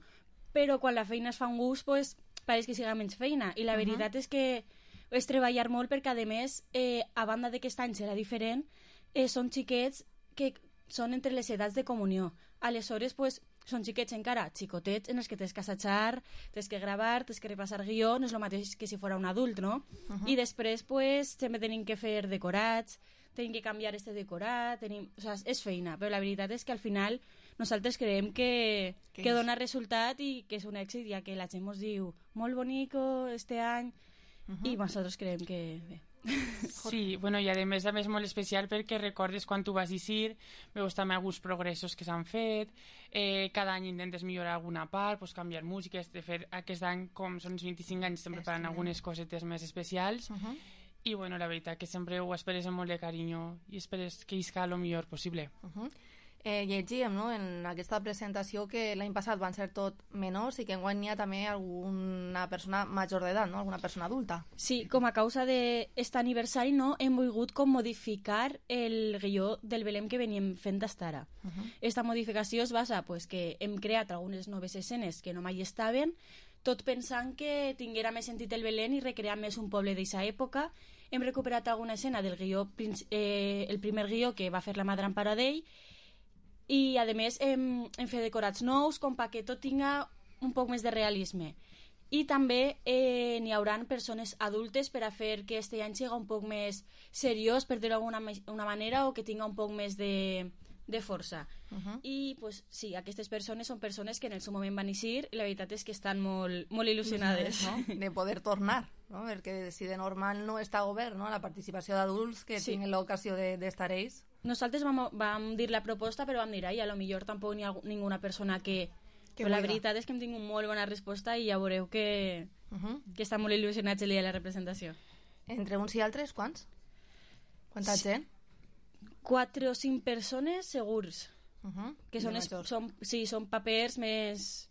però quan la feina es fa un gust, pues, pareix que siga menys feina. I la veritat uh -huh. és que és treballar molt perquè, a més, eh, a banda d'aquest any serà diferent, eh, són xiquets que són entre les edats de comunió. aleshores pues, són xiquets encara, xicotets, en els que tens que assajar, tens que gravar, tens que repassar guió, no és el mateix que si fora un adult, no? Uh -huh. I després pues, sempre tenim que fer decorats, tenim que canviar este decorat, tenim... o sigui, és feina, però la veritat és que al final nosaltres creiem que, que dona resultat i que és un èxit, ja que la gent ens diu molt bonico este any, uh -huh. i nosaltres creiem que bé. Sí, bueno, i a més a més molt especial perquè recordes quan tu vas eixir, veus també alguns progressos que s'han fet, eh, cada any intentes millorar alguna part, pues, canviar músiques, de fer aquest any, com són els vint-i-cinc anys, estem preparant algunes cosetes més especials, uh -huh. i bueno, la veritat que sempre ho esperes amb molt de carinyo i esperes que isca el millor possible. Uh -huh. Eh, llegíem, no?, en aquesta presentació que l'any passat van ser tot menors i que enguany n'hi ha també alguna persona major d'edat, no?, alguna persona adulta. Sí, com a causa d'aquest aniversari no hem volgut com modificar el guió del Belém que veníem fent d'estar ara. Uh -huh. Esta modificació es basa pues, que hem creat algunes noves escenes que no mai estaven, tot pensant que tinguera més sentit el Belém i recrear més un poble d'aquesta època. Hem recuperat alguna escena del guió, eh, el primer guió que va fer la Madre Amparadell, i a més hem, hem fet decorats nous com perquè tot tinga un poc més de realisme, i també eh, n'hi hauran persones adultes per a fer que este any siga un poc més seriós, per dir-ho d'alguna una manera, o que tinga un poc més de, de força. Uh -huh. I pues, sí, aquestes persones són persones que en el seu moment van eixir i la veritat és que estan molt, molt il·lusionades, no? De poder tornar, no? Perquè si de normal no està obert, no?, la participació d'adults que sí. tinguin l'ocasió d'estar de, ells. Nosaltres vam, vam dir la proposta, però vam dir, ai, a lo millor tampoc n'hi ha ninguna persona que... que però la veritat és que hem tingut molt bona resposta i ja veureu que, uh -huh. que estan molt il·lusionats el dia de la representació. Entre uns i altres, quants? Quanta sí. gent? Quatre o cinc persones segurs. Uh -huh. Que són, es, són, sí, són papers més...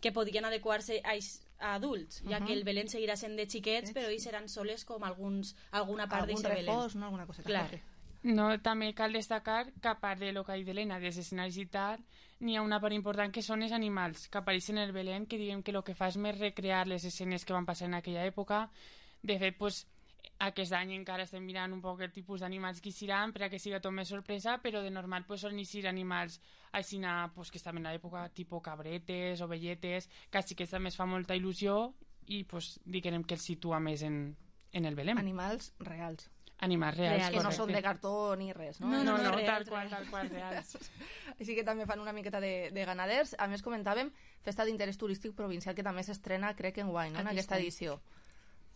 que podrien adequar-se a, a adults, uh -huh. ja que el Belén seguirà sent de xiquets, però ells seran soles com alguns, alguna part d'aquest Belén. Algun reforç, no? Alguna cosa. Clar. No, també cal destacar que a part de lo que ha dit Helena, dels escenaris i tal, n'hi ha una part important que són els animals que apareixen en el Belén, que diguem que el que fa és més recrear les escenes que van passar en aquella època. De fet, pues, aquest any encara estem mirant un poc el tipus d'animals que eixiran per a que siga tot més sorpresa, però de normal pues, solen eixir animals així, pues, que estaven en l'època, tipus cabretes, ovelletes, que així que també es fa molta il·lusió i pues, diguem que els situa més en, en el Belén. Animals reals. Animals reals, reals que no són de cartó ni res, no? No, no, no, no reals, tal qual, tal qual, reals. Així que també fan una miqueta de, de ganaders. A més, comentàvem Festa d'Interès Turístic Provincial, que també s'estrena, crec, en guany, no? En aquesta edició.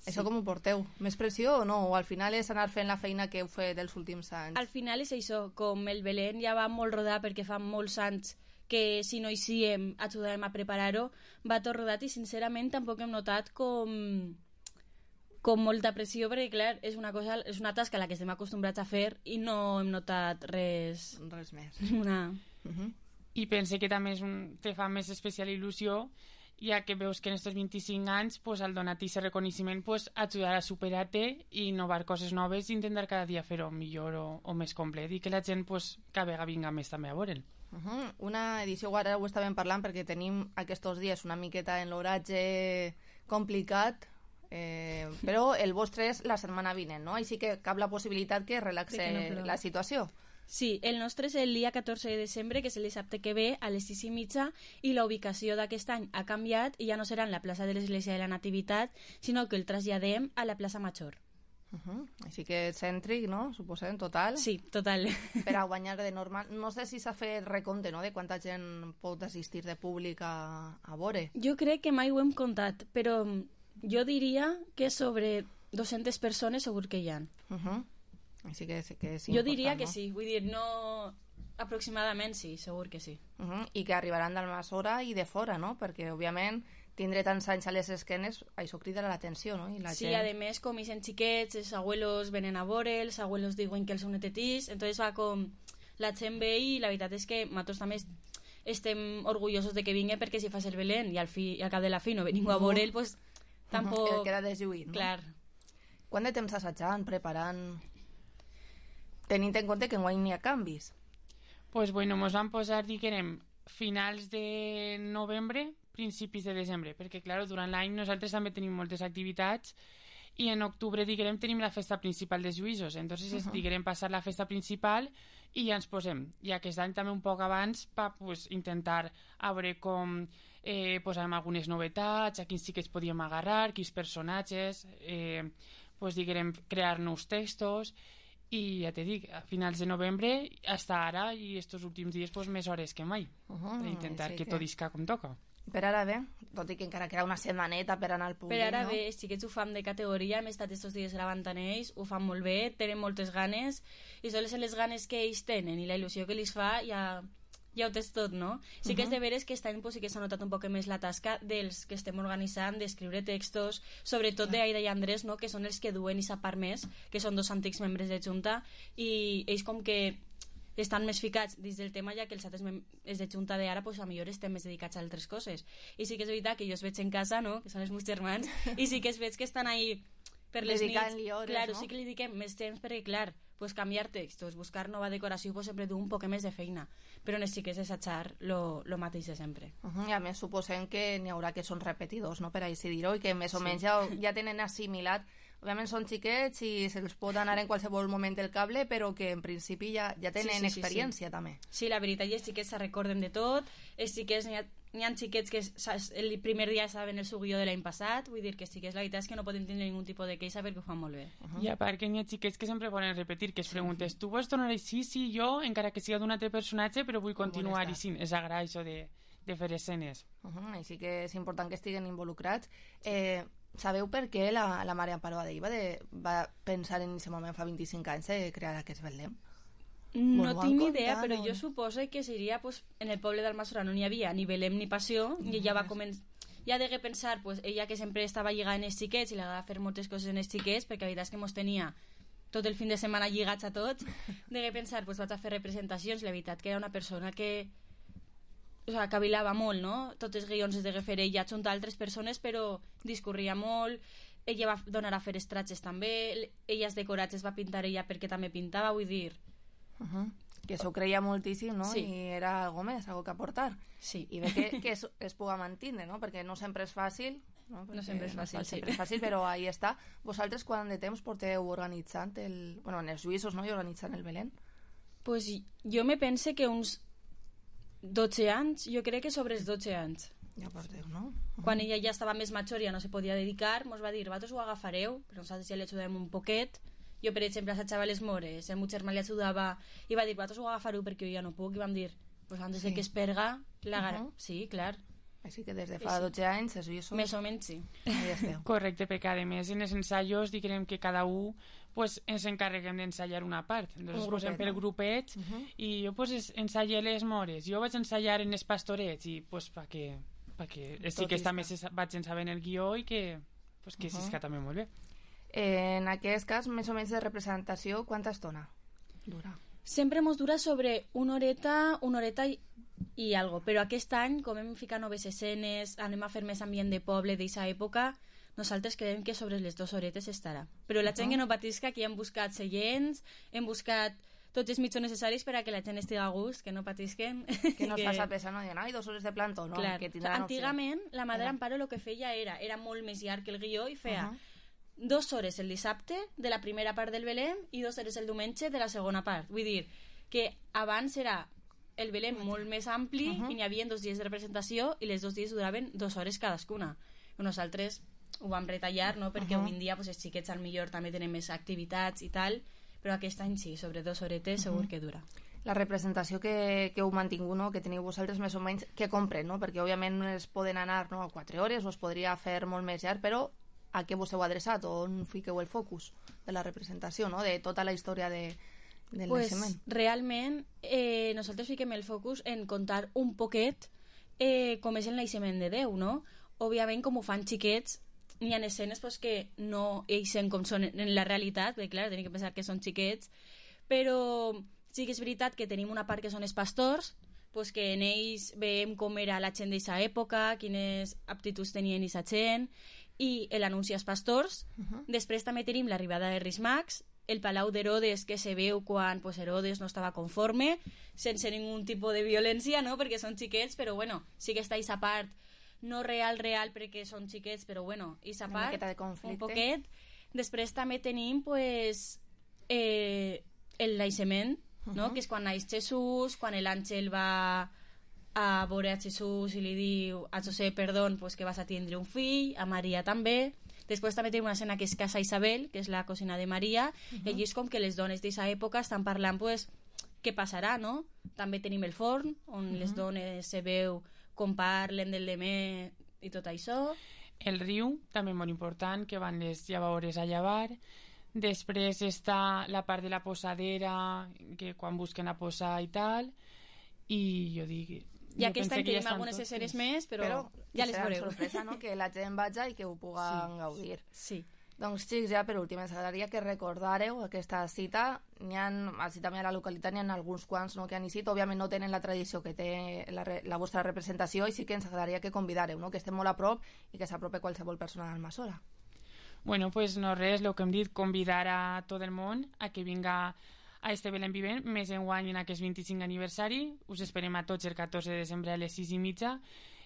Sí. Això com ho porteu? Més pressió o no? O al final és anar fent la feina que heu fet els últims anys? Al final és això, com el Belén ja va molt rodat perquè fa molts anys que si no hi siguem ajudàvem a preparar-ho, va tot rodat i sincerament tampoc hem notat com... com molta pressió, perquè clar, és una cosa, és una tasca a la que estem acostumbrats a fer i no hem notat res... Res més. Una... Uh -huh. I pense que també és un, te fa més especial il·lusió, ja que veus que en aquests vint-i-cinc anys pues, al donar-te aquest reconeixement pues, ajudar a superar-te i innovar coses noves i intentar cada dia fer-ho millor o, o més complet i que la gent pues, cada vegada vinga més també a veure'l. Uh -huh. Una edició, ara ho estàvem parlant perquè tenim aquests dies una miqueta en l'horatge complicat, Eh, però el vostre és la setmana vinent, no? Així que cap la possibilitat que relaxe que no la situació. Sí, el nostre és el dia catorze de desembre, que és el dissabte que ve, a les sis i mitja, i la ubicació d'aquest any ha canviat i ja no serà en la plaça de l'Església de la Nativitat, sinó que el traslladem a la plaça Major. Uh -huh. Així que cèntric, no? Suposem, total. Sí, total. Per a guanyar de normal. No sé si s'ha fet recompte, no?, de quanta gent pot assistir de públic a, a veure. Jo crec que mai ho hem comptat, però... jo diria que sobre dues-centes persones segur que hi ha. Uh -huh. Així que, que és jo important, diria que no? sí, vull dir, no... aproximadament sí, segur que sí. Uh -huh. I que arribaran d'Almassora i de fora, no? Perquè, òbviament, tindre tants anys a les esquenes, això crida l'atenció, no? I la sí, gent... a més, com ixen xiquets, els abuelos venen a veure, els abuelos diuen que els són netetís, entonces va com... la gent ve i la veritat és que nosaltres també estem orgullosos de que vingui perquè si fas el Belén i al, fi, i al cap de la fi no venim a veure'l, pues... Tampoc... El queda deslluït, no? Clar. Quant de temps assajant, preparant, tenint en compte que enguany n'hi ha canvis? Pues bueno, mos vam posar, diguem, finals de novembre, principis de desembre, perquè, clar, durant l'any nosaltres també tenim moltes activitats i en octubre, diguem, tenim la festa principal dels juïsos, entonces Uh-huh. diguem passar la festa principal i ja ens posem, i aquest any també un poc abans per pues, intentar a veure com eh, posàvem algunes novetats, a quins sí que es podíem agarrar, quins personatges, eh, pues, diguem, crear nous textos, i ja te dic, a finals de novembre fins ara i estos últims dies pues, més hores que mai Uh-huh, per intentar sí que que- tot isca com toca. Per ara bé, tot i que encara queda una setmaneta per anar al públic, Per ara no? bé, sí que ens ho fan de categoria, hem estat estos dies gravant amb ells, ho fan molt bé, tenen moltes ganes, i solen ser les ganes que ells tenen i la il·lusió que els fa ja, ja ho tens tot, no? Sí que és Mhm. de veres que aquest any pues, sí que s'ha notat un poc més la tasca dels que estem organitzant, d'escriure textos, sobretot d'Aida i Andrés, no? Que són els que duen i sa part més, que són dos antics membres de Junta, i ells com que estan més ficats dins del tema, ja que els altres membres de Junta d'ara pues, a millor estem més dedicats a altres coses. I sí que és veritat que jo els veig en casa, no? Que són els meus germans, i sí que es veig que estan ahí per les nits. Dedicant-li hores, Claro, no? sí que li dediquem més temps perquè, clar, pues, canviar textos, buscar nova decoració, pues, sempre du un poc més de feina. Però en els sí que és assajar lo, lo mateix de sempre. Uh-huh, I a més suposem que n'hi haurà que són repetidors, no?, per així dir-ho, i que més o Sí. menys ja, ja tenen assimilat. Òbviament són xiquets i se'ls pot anar en qualsevol moment el cable, però que en principi ja, ja tenen Sí, sí, sí, experiència sí. també. Sí, la veritat, i els xiquets se recorden de tot, els xiquets, n'hi ha, n'hi ha xiquets que saps, el primer dia saben el seu guió de l'any passat, vull dir que sí que és la veritat és que no poden tenir ningun tipus de queixa perquè ho fan molt bé. I a part que n'hi ha xiquets que sempre volen repetir, que es preguntes, tu vols tornar així? Sí, jo, encara que siga d'un altre personatge, però vull continuar i sí, és agrair això de, de fer escenes. Uh-huh, així que és important que estiguen involucrats. Eh, sabeu per què la, la Maria Amparo Adell va, de, va pensar en aquest moment fa vint-i-cinc anys de crear aquest Belém? No M'ho tinc han ni idea, contat, però no? jo suposo que seria pues, en el poble d'Almassora no n'hi havia ni Belém ni Passió, i ella va començar ja degué pensar, pues, ella que sempre estava lligada en els xiquets i li agradava fer moltes coses en els xiquets, perquè la veritat és que mos tenia tot el fin de setmana lligats a tots, degué pensar, pues, vaig a fer representacions, la veritat que era una persona que o sea, cavilava molt, no? Tots els guions es degué fer ella junt a altres persones, però discorria molt, ella va donar a fer estratges també, ella els decorats es va pintar ella perquè també pintava, vull dir... Uh-huh. Que s'ho creia moltíssim, no? Sí. I era algo més, algo que aportar. Sí. I bé que, que es, es puga mantenir, no? Perquè no sempre és fàcil, no? No sempre és fàcil, no sí. sempre és fàcil, però ahí està. Vosaltres quant de temps porteu organitzant el... Bueno, en els juïsos, no? I organitzant el Belén. Pues jo me pense que uns dotze anys, jo crec que sobre els dotze anys. Ja porteu, no? Quan ella ja estava més major, ja no se podia dedicar, mos va dir, vosaltres ho agafareu, però nosaltres ja li ajudem un poquet. Jo, per exemple, assajava les mores, el meu germà li ajudava, i va dir, vosaltres ho agafareu perquè jo ja no puc, i vam dir, pues antes Sí. de que es perga, la gar... Uh-huh. Sí, clar. Així que des de fa Sí. dotze anys, els juïsos... Més o menys, sí. Ahí esteu. Correcte, perquè a més en els ensaios diguem que cada un pues, ens encarreguem d'ensaiar una part. Entonces, Un posem grupet, per no? grupets Uh-huh. i jo pues, es- ensaie les mores, jo vaig ensaiar en els pastorets i pues, perquè, perquè sí Tot que isca. també se sa- vaig sabent el guió i que, pues, que Uh-huh. s'isca també molt bé. En aquest cas, més o menys de representació, quanta estona dura? Sempre mos dura sobre una horeta, una horeta i, i algo, però aquest any, com hem ficat noves escenes, anem a fer més ambient de poble d'aquesta època, nosaltres creiem que sobre les dues horetes estarà. Però la gent que no patisca, que hem buscat seients, hem buscat tots els mitjons necessaris per a que la gent estigui a gust, que no patisquen. Que no es faci pesar, no diuen, ai, dos hores de plantó, no? Clar. Que tindran opció. Antigament, la Madre Era. Amparo el que feia era, era molt més llarg que el guió i feia Uh-huh. dues hores el dissabte de la primera part del Belém i dues hores el diumenge de la segona part. Vull dir que abans era el Belém molt més ampli Uh-huh. i n'hi havia dos dies de representació i les dos dies duraven dues hores cadascuna. Nosaltres ho vam retallar, no? Perquè Uh-huh. avui en dia pues, els xiquets al millor també tenen més activitats i tal, però aquest any sí, sobre dues horetes segur Uh-huh. que dura. La representació que, que heu mantingut, no? Que teniu vosaltres més o menys, que compren, no? Perquè òbviament no es poden anar, no? A quatre hores o es podria fer molt més llarg, però a què vos heu adreçat o on fiqueu el focus de la representació, no? De tota la història de, del Pues, naixement. realment, eh, nosaltres fiquem el focus en contar un poquet eh, com és el naixement de Déu, no? Òbviament, com ho fan xiquets, n'hi ha escenes pues, que no eixen com són en la realitat, perquè clar, tenim que pensar que són xiquets, però sí que és veritat que tenim una part que són els pastors, pues que en ells veiem com era la gent d'aquesta època, quines aptituds tenien aquesta gent, i l'anunci als pastors. Uh-huh. Després també tenim l'arribada de Reis Mags, el Palau d'Herodes que se veu quan pues, Herodes no estava conforme, sense ningun tipus de violència, no? Perquè són xiquets, però bueno, sí que està aquesta part no real, real, perquè són xiquets, però bueno, aquesta Una part, miqueta de conflicte. un poquet. Després també tenim pues, eh, el naixement, no? Mhm. Que és quan naix Jesús, quan l'àngel va a veure a Jesús i li diu a José, perdó, pues, que vas a tindre un fill, a Maria també. Després també tenim una escena que és casa Isabel, que és la cosina de Maria, Mhm. i allí és com que les dones d'aquesta època estan parlant pues, què passarà, no? També tenim el forn, on Mhm. les dones se veu com parlen del demé i tot això. El riu, també molt important, que van les llavors a llevar. Després està la part de la posadera, que quan busquen a posar i tal. I jo dic... I aquesta en que tenim ja algunes tots, escenes sí. més, però, però ja les serà veureu. sorpresa, no? Que la gent vaja i que ho puguen Sí. gaudir. Sí. Doncs, xics, ja per últim, ens agradaria que recordareu aquesta cita. N'hi ha, així també a la localitat, n'hi ha alguns quants no, que han eixit. Òbviament no tenen la tradició que té la, re- la vostra representació i sí que ens agradaria que convidareu, no? Que estem molt a prop i que s'aprope qualsevol persona d'Almassora. Bueno, pues no res, el que hem dit, convidar a tot el món a que vinga a este Belén Vivent, més enguany en aquest vint-i-cinc aniversari. Us esperem a tots el catorze de desembre a les sis i mitja.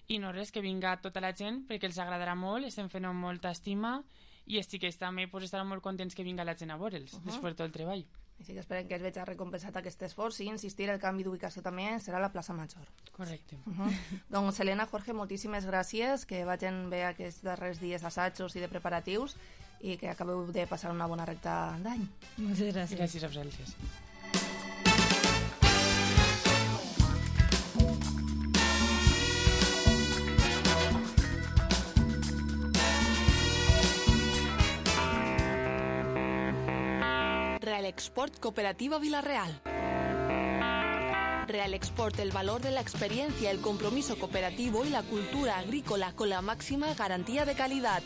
I no res, que vinga tota la gent, perquè els agradarà molt, estem fent amb molta estima, i els xiquets també pues, estaran molt contents que vinga la gent a veure'ls, uh -huh. després de tot el treball. Així que esperem que es veig recompensat aquest esforç i insistir, el canvi d'ubicació també serà a la plaça Major. Correcte. Uh -huh. Doncs, Helena, Jorge, moltíssimes gràcies, que vagin bé aquests darrers dies assajos i de preparatius i que acabeu de passar una bona recta d'any. Moltes gràcies. Gràcies a vosaltres. Real Export Cooperativa Villarreal. Real Export, el valor de la experiencia, el compromiso cooperativo y la cultura agrícola con la máxima garantía de calidad.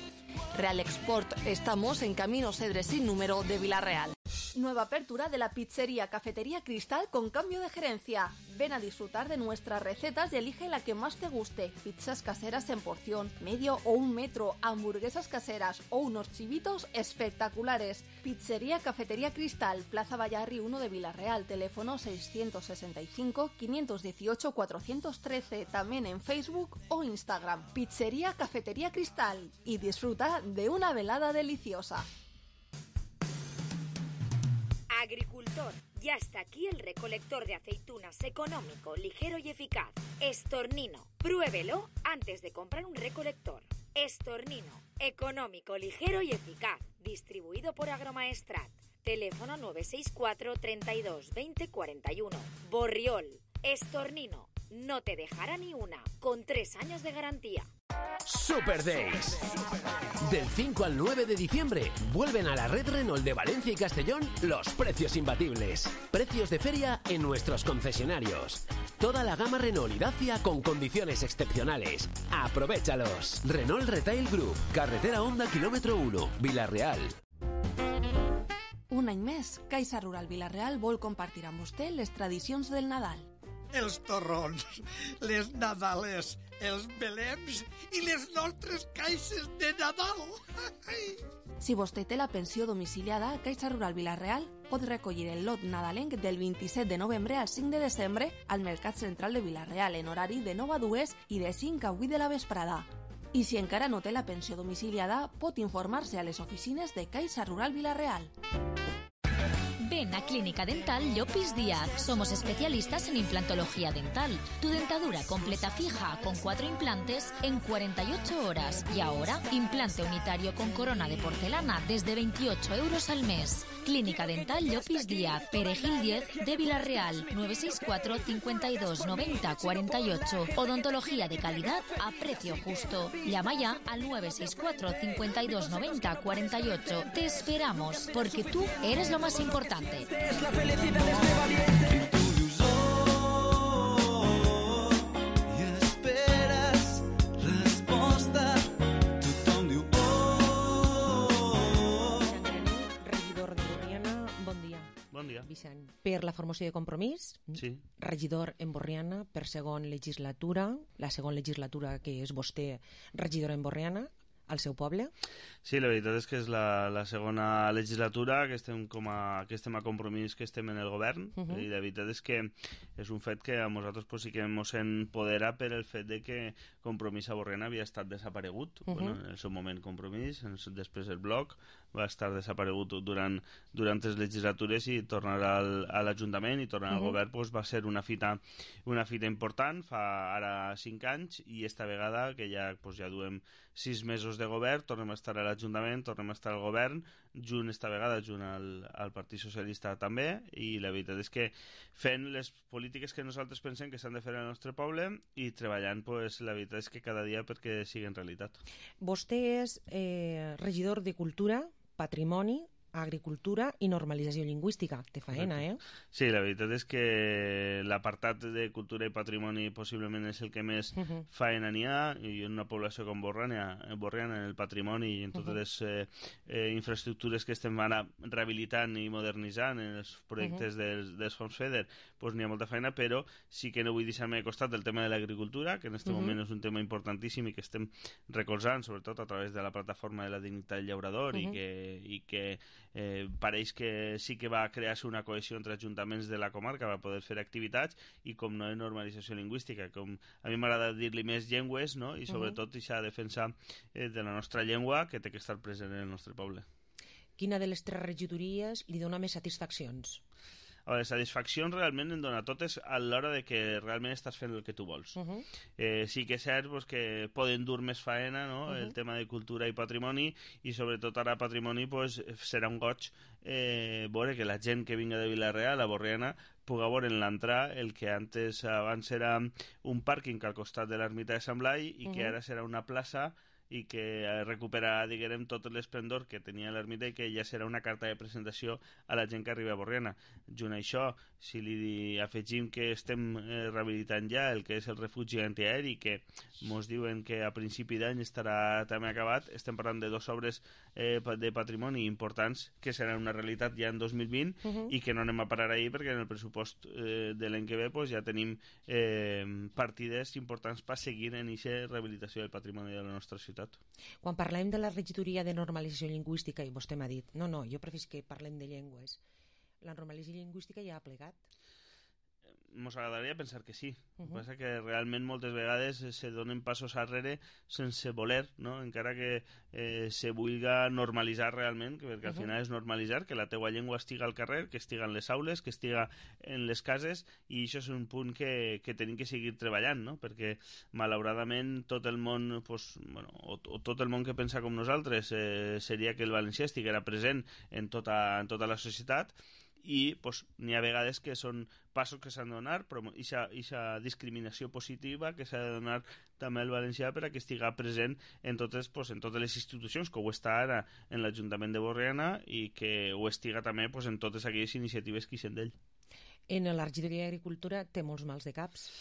Real Export, estamos en Camino Cedres sin número de Villarreal. Nueva apertura de la pizzería Cafetería Cristal con cambio de gerencia. Ven a disfrutar de nuestras recetas y elige la que más te guste. Pizzas caseras en porción, medio o un metro, hamburguesas caseras o unos chivitos espectaculares. Pizzería Cafetería Cristal, Plaza Vallarri uno de Villarreal, teléfono seiscientos sesenta y cinco, quinientos dieciocho, cuatrocientos trece, también en Facebook o Instagram. Pizzería Cafetería Cristal y disfruta de una velada deliciosa. Agricultor, ya está aquí el recolector de aceitunas económico, ligero y eficaz. Estornino, pruébelo antes de comprar un recolector. Estornino, económico, ligero y eficaz. Distribuido por Agromaestrat. Teléfono nueve seis cuatro, treinta y dos, veinte, cuarenta y uno. Borriol, Estornino, no te dejará ni una, con tres años de garantía. Super Days. Del cinco al nueve de diciembre vuelven a la red Renault de Valencia y Castellón los precios imbatibles. Precios de feria en nuestros concesionarios. Toda la gama Renault y Dacia con condiciones excepcionales. Aprovéchalos. Renault Retail Group, carretera Honda kilómetro uno, Villarreal. Un any més, Caixa Rural Villarreal vol compartir amb vostè les tradicions del Nadal. Els torrons, les nadales, els belems i les nostres caixes de Nadal. Si vostè té la pensió domiciliada, Caixa Rural Villarreal pot recollir el lot nadalenc del vint-i-set de novembre al cinc de desembre al Mercat Central de Villarreal en horari de nou a dues i de cinc a vuit de la vesprada. I si encara no té la pensió domiciliada, pot informar-se a les oficines de Caixa Rural Villarreal. Ven a Clínica Dental Llopis Díaz. Somos especialistas en implantología dental. Tu dentadura completa fija con cuatro implantes en cuarenta y ocho horas. Y ahora, implante unitario con corona de porcelana desde veintiocho euros al mes. Clínica Dental Llopis Díaz, Perejil diez de Villarreal, nueve seis cuatro, cincuenta y dos, noventa, cuarenta y ocho. Odontología de calidad a precio justo. Llama ya al nueve seis cuatro, cincuenta y dos, noventa, cuarenta y ocho. Te esperamos, porque tú eres lo más importante. Es la felicidad de este valiente. I esperes resposta. Tothom diu oh. Regidor de Borriana, bon dia. Bon dia. Vicent. Per la formació de Compromís, Sí. regidor en Borriana per segon legislatura, la segona legislatura que és vostè regidor en Borriana, al seu poble. Sí, la veritat és que és la, la segona legislatura que estem, com a, que estem a Compromís, que estem en el govern, Uh -huh. i la veritat és que és un fet que a nosaltres pues, sí que ens empodera per el fet de que Compromís a Borriana havia estat desaparegut. Uh -huh. Bueno, en el seu moment Compromís, en, després el Bloc, va estar desaparegut durant, durant les legislatures i tornar al, a l'Ajuntament i tornar al Mhm. govern pues, va ser una fita, una fita important fa ara cinc anys i esta vegada que ja, pues, ja duem sis mesos de govern, tornem a estar a l'Ajuntament, tornem a estar al govern, junt esta vegada, junt al, al Partit Socialista també, i la veritat és que fent les polítiques que nosaltres pensem que s'han de fer al nostre poble i treballant, pues, la veritat és que cada dia perquè siguin realitat. Vostè és eh, regidor de Cultura, Patrimoni, Agricultura i Normalització Lingüística. Té faena, eh? Sí, la veritat és que l'apartat de cultura i patrimoni possiblement és el que més uh -huh. faena n'hi ha, i en una població com Borriana, Borriana en el patrimoni i en totes uh -huh. les eh, eh, infraestructures que estem ara rehabilitant i modernitzant en els projectes uh -huh. dels, dels fons FEDER, pues n'hi ha molta feina, però sí que no vull deixar-me de costat el tema de l'agricultura, que en aquest uh -huh. moment és un tema importantíssim i que estem recolzant, sobretot a través de la plataforma de la dignitat del llaurador, uh -huh. i que, i que Eh, pareix que sí que va crear-se una cohesió entre ajuntaments de la comarca, va poder fer activitats i com no en normalització lingüística, com a mi m'agrada dir-li més llengües, no? I sobretot uh -huh. aquesta defensa eh, de la nostra llengua que té que estar present en el nostre poble. Quina de les tres regidories li dona més satisfaccions? A veure, satisfaccions realment en dona totes a l'hora de que realment estàs fent el que tu vols. Uh -huh. eh, sí que és cert pues, que poden dur més faena, no? Uh -huh. El tema de cultura i patrimoni, i sobretot ara patrimoni pues, serà un goig eh, veure que la gent que vinga de Vila-real a Borriana puga veure en l'entrar el que antes abans era un pàrquing al costat de l'ermita de Sant Blai i uh -huh. que ara serà una plaça i que recuperarà, diguem, tot l'esplendor que tenia l'ermita i que ja serà una carta de presentació a la gent que arriba a Borriana. Junt a això, si li afegim que estem eh, rehabilitant ja el que és el refugi antiaeri, que mos diuen que a principi d'any estarà també acabat, estem parlant de dues obres eh, de patrimoni importants que seran una realitat ja en dos mil vint uh -huh. i que no anem a parar ahir perquè en el pressupost eh, de l'any que ve pues, ja tenim eh, partides importants per seguir en aquesta rehabilitació del patrimoni de la nostra ciutat. Quan parlem de la regidoria de normalització lingüística, i vostè m'ha dit, no, no, jo preferís que parlem de llengües, la normalització lingüística ja ha plegat? Mos agradaria pensar que sí. Uh -huh. El que passa que realment moltes vegades se donen passos arrere sense voler, no? Encara que eh, se vulga normalitzar realment, perquè al Uh -huh. final és normalitzar que la teua llengua estiga al carrer, que estiga en les aules, que estiga en les cases, i això és un punt que, que tenim que seguir treballant, no? Perquè malauradament tot el món, pues, bueno, o, o tot el món que pensa com nosaltres eh, seria que el valencià estiguera present en tota, en tota la societat, i pues, n'hi ha vegades que són passos que s'han de donar, però aquesta discriminació positiva que s'ha de donar també al valencià per a que estiga present en totes, pues, en totes les institucions, que ho està ara en l'Ajuntament de Borriana i que ho estiga també pues, en totes aquelles iniciatives que hi sent d'ell. En la regidoria d'Agricultura té molts mals de caps.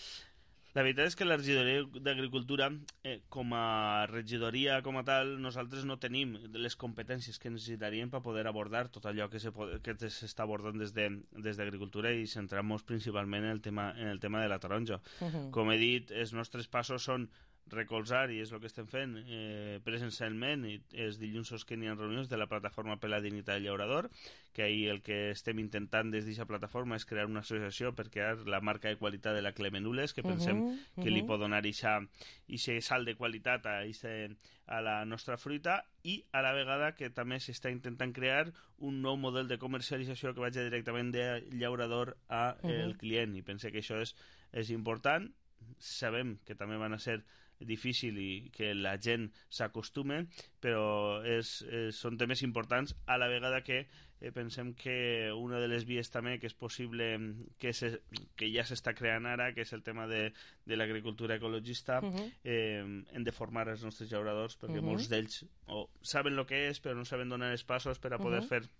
La veritat és que la regidoria d'Agricultura, eh, com a regidoria com a tal, nosaltres no tenim les competències que necessitaríem per poder abordar tot allò que s'està abordant des de, des d'Agricultura i centrant-nos principalment en el tema, en el tema de la taronja. Uh -huh. Com he dit, els nostres passos són recolzar, i és el que estem fent eh, presencialment, i els dilluns que n'hi ha reunions de la plataforma per la dignitat del llaurador, que ahir el que estem intentant des d'aquesta plataforma és crear una associació per crear la marca de qualitat de la Clemenules, que pensem uh -huh, uh -huh. que li pot donar aquest salt de qualitat a, ixe, a la nostra fruita, i a la vegada que també s'està intentant crear un nou model de comercialització que vagi directament de llaurador a uh -huh. el client, i pense que això és, és important. Sabem que també van a ser difícil i que la gent s'acostume, però és, és, són temes importants, a la vegada que eh, pensem que una de les vies també que és possible que, se, que ja s'està creant ara, que és el tema de, de l'agricultura ecologista, uh -huh. eh, hem de formar els nostres llauradors, perquè uh -huh. molts d'ells o saben el que és però no saben donar els passos per a poder uh -huh. fer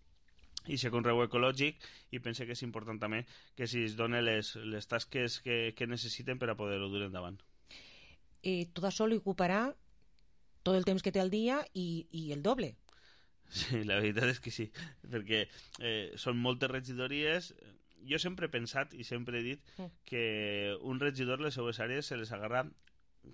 i ser conreu ecològic, i pense que és important també que es donen les, les tasques que, que necessiten per a poder-ho dur endavant. Eh, tot això li ocuparà tot el temps que té al dia i, i el doble. Sí, la veritat és que sí, perquè eh, són moltes regidories. Jo sempre he pensat i sempre he dit que un regidor les seues àrees se les agarra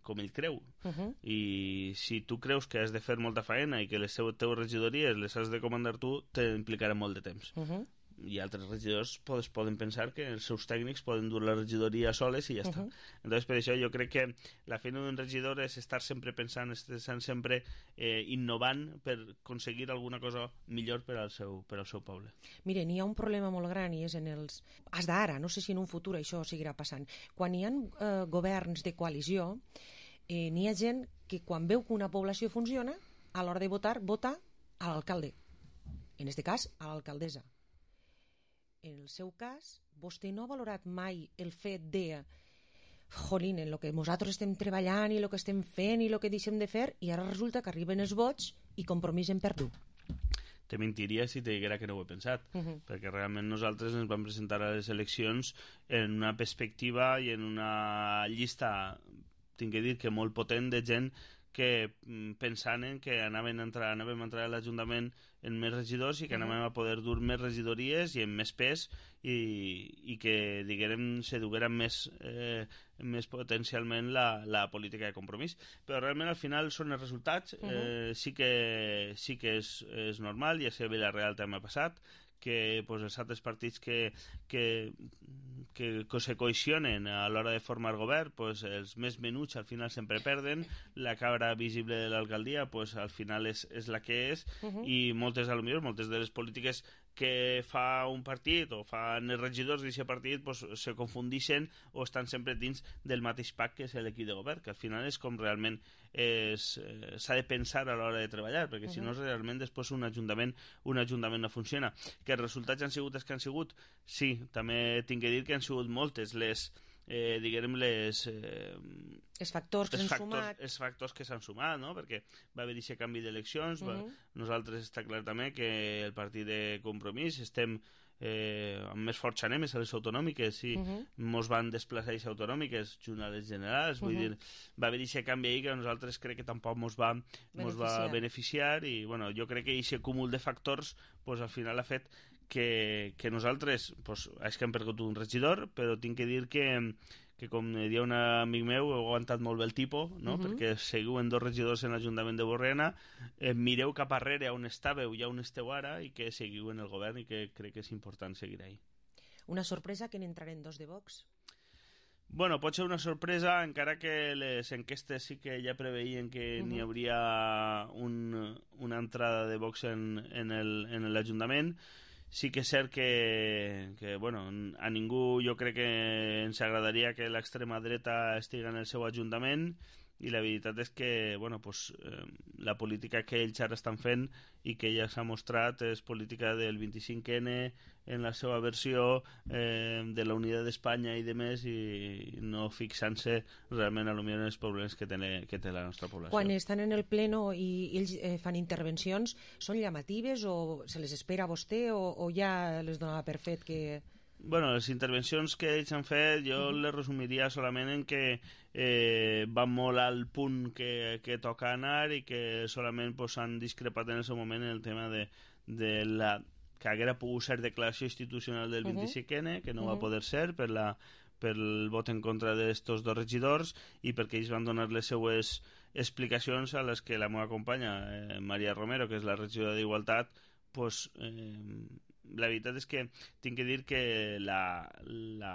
com ell creu, uh -huh. i si tu creus que has de fer molta feina i que les teues regidories les has de comandar tu, t'implicarà molt de temps. Uh -huh. i altres regidors pues, poden pensar que els seus tècnics poden dur la regidoria soles i ja està. Uh-huh. Entonces, per això jo crec que la feina d'un regidor és estar sempre pensant, estar sempre eh, innovant per aconseguir alguna cosa millor per al seu, per al seu poble. Miren, hi ha un problema molt gran i és en els... Has d'ara, no sé si en un futur això seguirà passant. Quan hi ha eh, governs de coalició, eh, n'hi ha gent que quan veu que una població funciona, a l'hora de votar, vota a l'alcalde. En aquest cas, a l'alcaldessa. En el seu cas, vostè no ha valorat mai el fet de jolín, en el que nosaltres estem treballant i el que estem fent i el que deixem de fer, i ara resulta que arriben els vots i Compromís en perdut. Te mentiria si te diguera que no ho he pensat, uh-huh. perquè realment nosaltres ens vam presentar a les eleccions en una perspectiva i en una llista, tinc que dir que molt potent, de gent que pensaven que anaven a entrar, anàvem a entrar a l'Ajuntament en més regidors i que anàvem a poder dur més regidories i amb més pes i, i que, diguem, se duguera més, eh, més potencialment la, la política de Compromís. Però realment al final són els resultats. Uh-huh. eh, sí que, sí que és, és normal, ja sé, a Vilareal també ha passat, que pues, els altres partits que, que, que, que se cohesionen a l'hora de formar govern, pues, els més menuts al final sempre perden, la cabra visible de l'alcaldia pues, al final és, és la que és, uh-huh. i moltes, a lo millor, moltes de les polítiques que fa un partit o fan els regidors d'aquest partit pues, se confundixen o estan sempre dins del mateix pack que és l'equip de govern, que al final és com realment s'ha de pensar a l'hora de treballar, perquè uh-huh. si no realment després un ajuntament, un ajuntament no funciona. Que els resultats han sigut els que han sigut? Sí, també tinc que dir que han sigut moltes les eh, diguem les eh, els factors que s'han sumat els factors que s'han sumat, no? Perquè va haver aquest canvi d'eleccions, uh-huh. nosaltres està clar també que el partit de Compromís estem eh, amb més força anem a les autonòmiques i uh-huh. mos van desplaçar a les autonòmiques junt a les generals, vull uh-huh. dir, va haver aquest canvi ahir que nosaltres crec que tampoc mos va beneficiar, mos va beneficiar i bueno, jo crec que aquest cúmul de factors pues, al final ha fet que, que nosaltres pues, és que hem perdut un regidor, però tinc que dir que que com deia un amic meu, heu aguantat molt bé el tipus, no? Uh-huh. Perquè seguiu en dos regidors en l'Ajuntament de Borriana, eh, mireu cap arrere on estàveu i on esteu ara i que seguiu en el govern i que crec que és important seguir ahí. Una sorpresa que n'entraren dos de Vox? Bueno, pot ser una sorpresa, encara que les enquestes sí que ja preveien que uh-huh. n'hi hauria un, una entrada de Vox en, en, el, en l'Ajuntament. Sí que és cert que, que bueno, a ningú jo crec que ens agradaria que l'extrema dreta estigui en el seu ajuntament i la veritat és que bueno, pues, eh, la política que ells ara estan fent i que ja s'ha mostrat és política del vint-i-cinc ene en la seva versió eh, de la unitat d'Espanya i de més i no fixant-se realment a lo millor en els problemes que té, que té la nostra població. Quan estan en el pleno i ells eh, fan intervencions, són llamatives o se les espera a vostè o, o ja les donava per fet que... Bueno, les intervencions que ells han fet jo uh-huh. les resumiria solament en que eh, van molt al punt que, que toca anar i que solament pues, han discrepat en el seu moment en el tema de, de la que haguera pogut ser declaració institucional del vint-i-cinc ene, que no uh-huh. va poder ser per la per el vot en contra d'estos dos regidors i perquè ells van donar les seues explicacions a les que la meva companya, eh, Maria Romero, que és la regidora d'Igualtat, pues, eh, la veritat és que tinc que dir que la, la,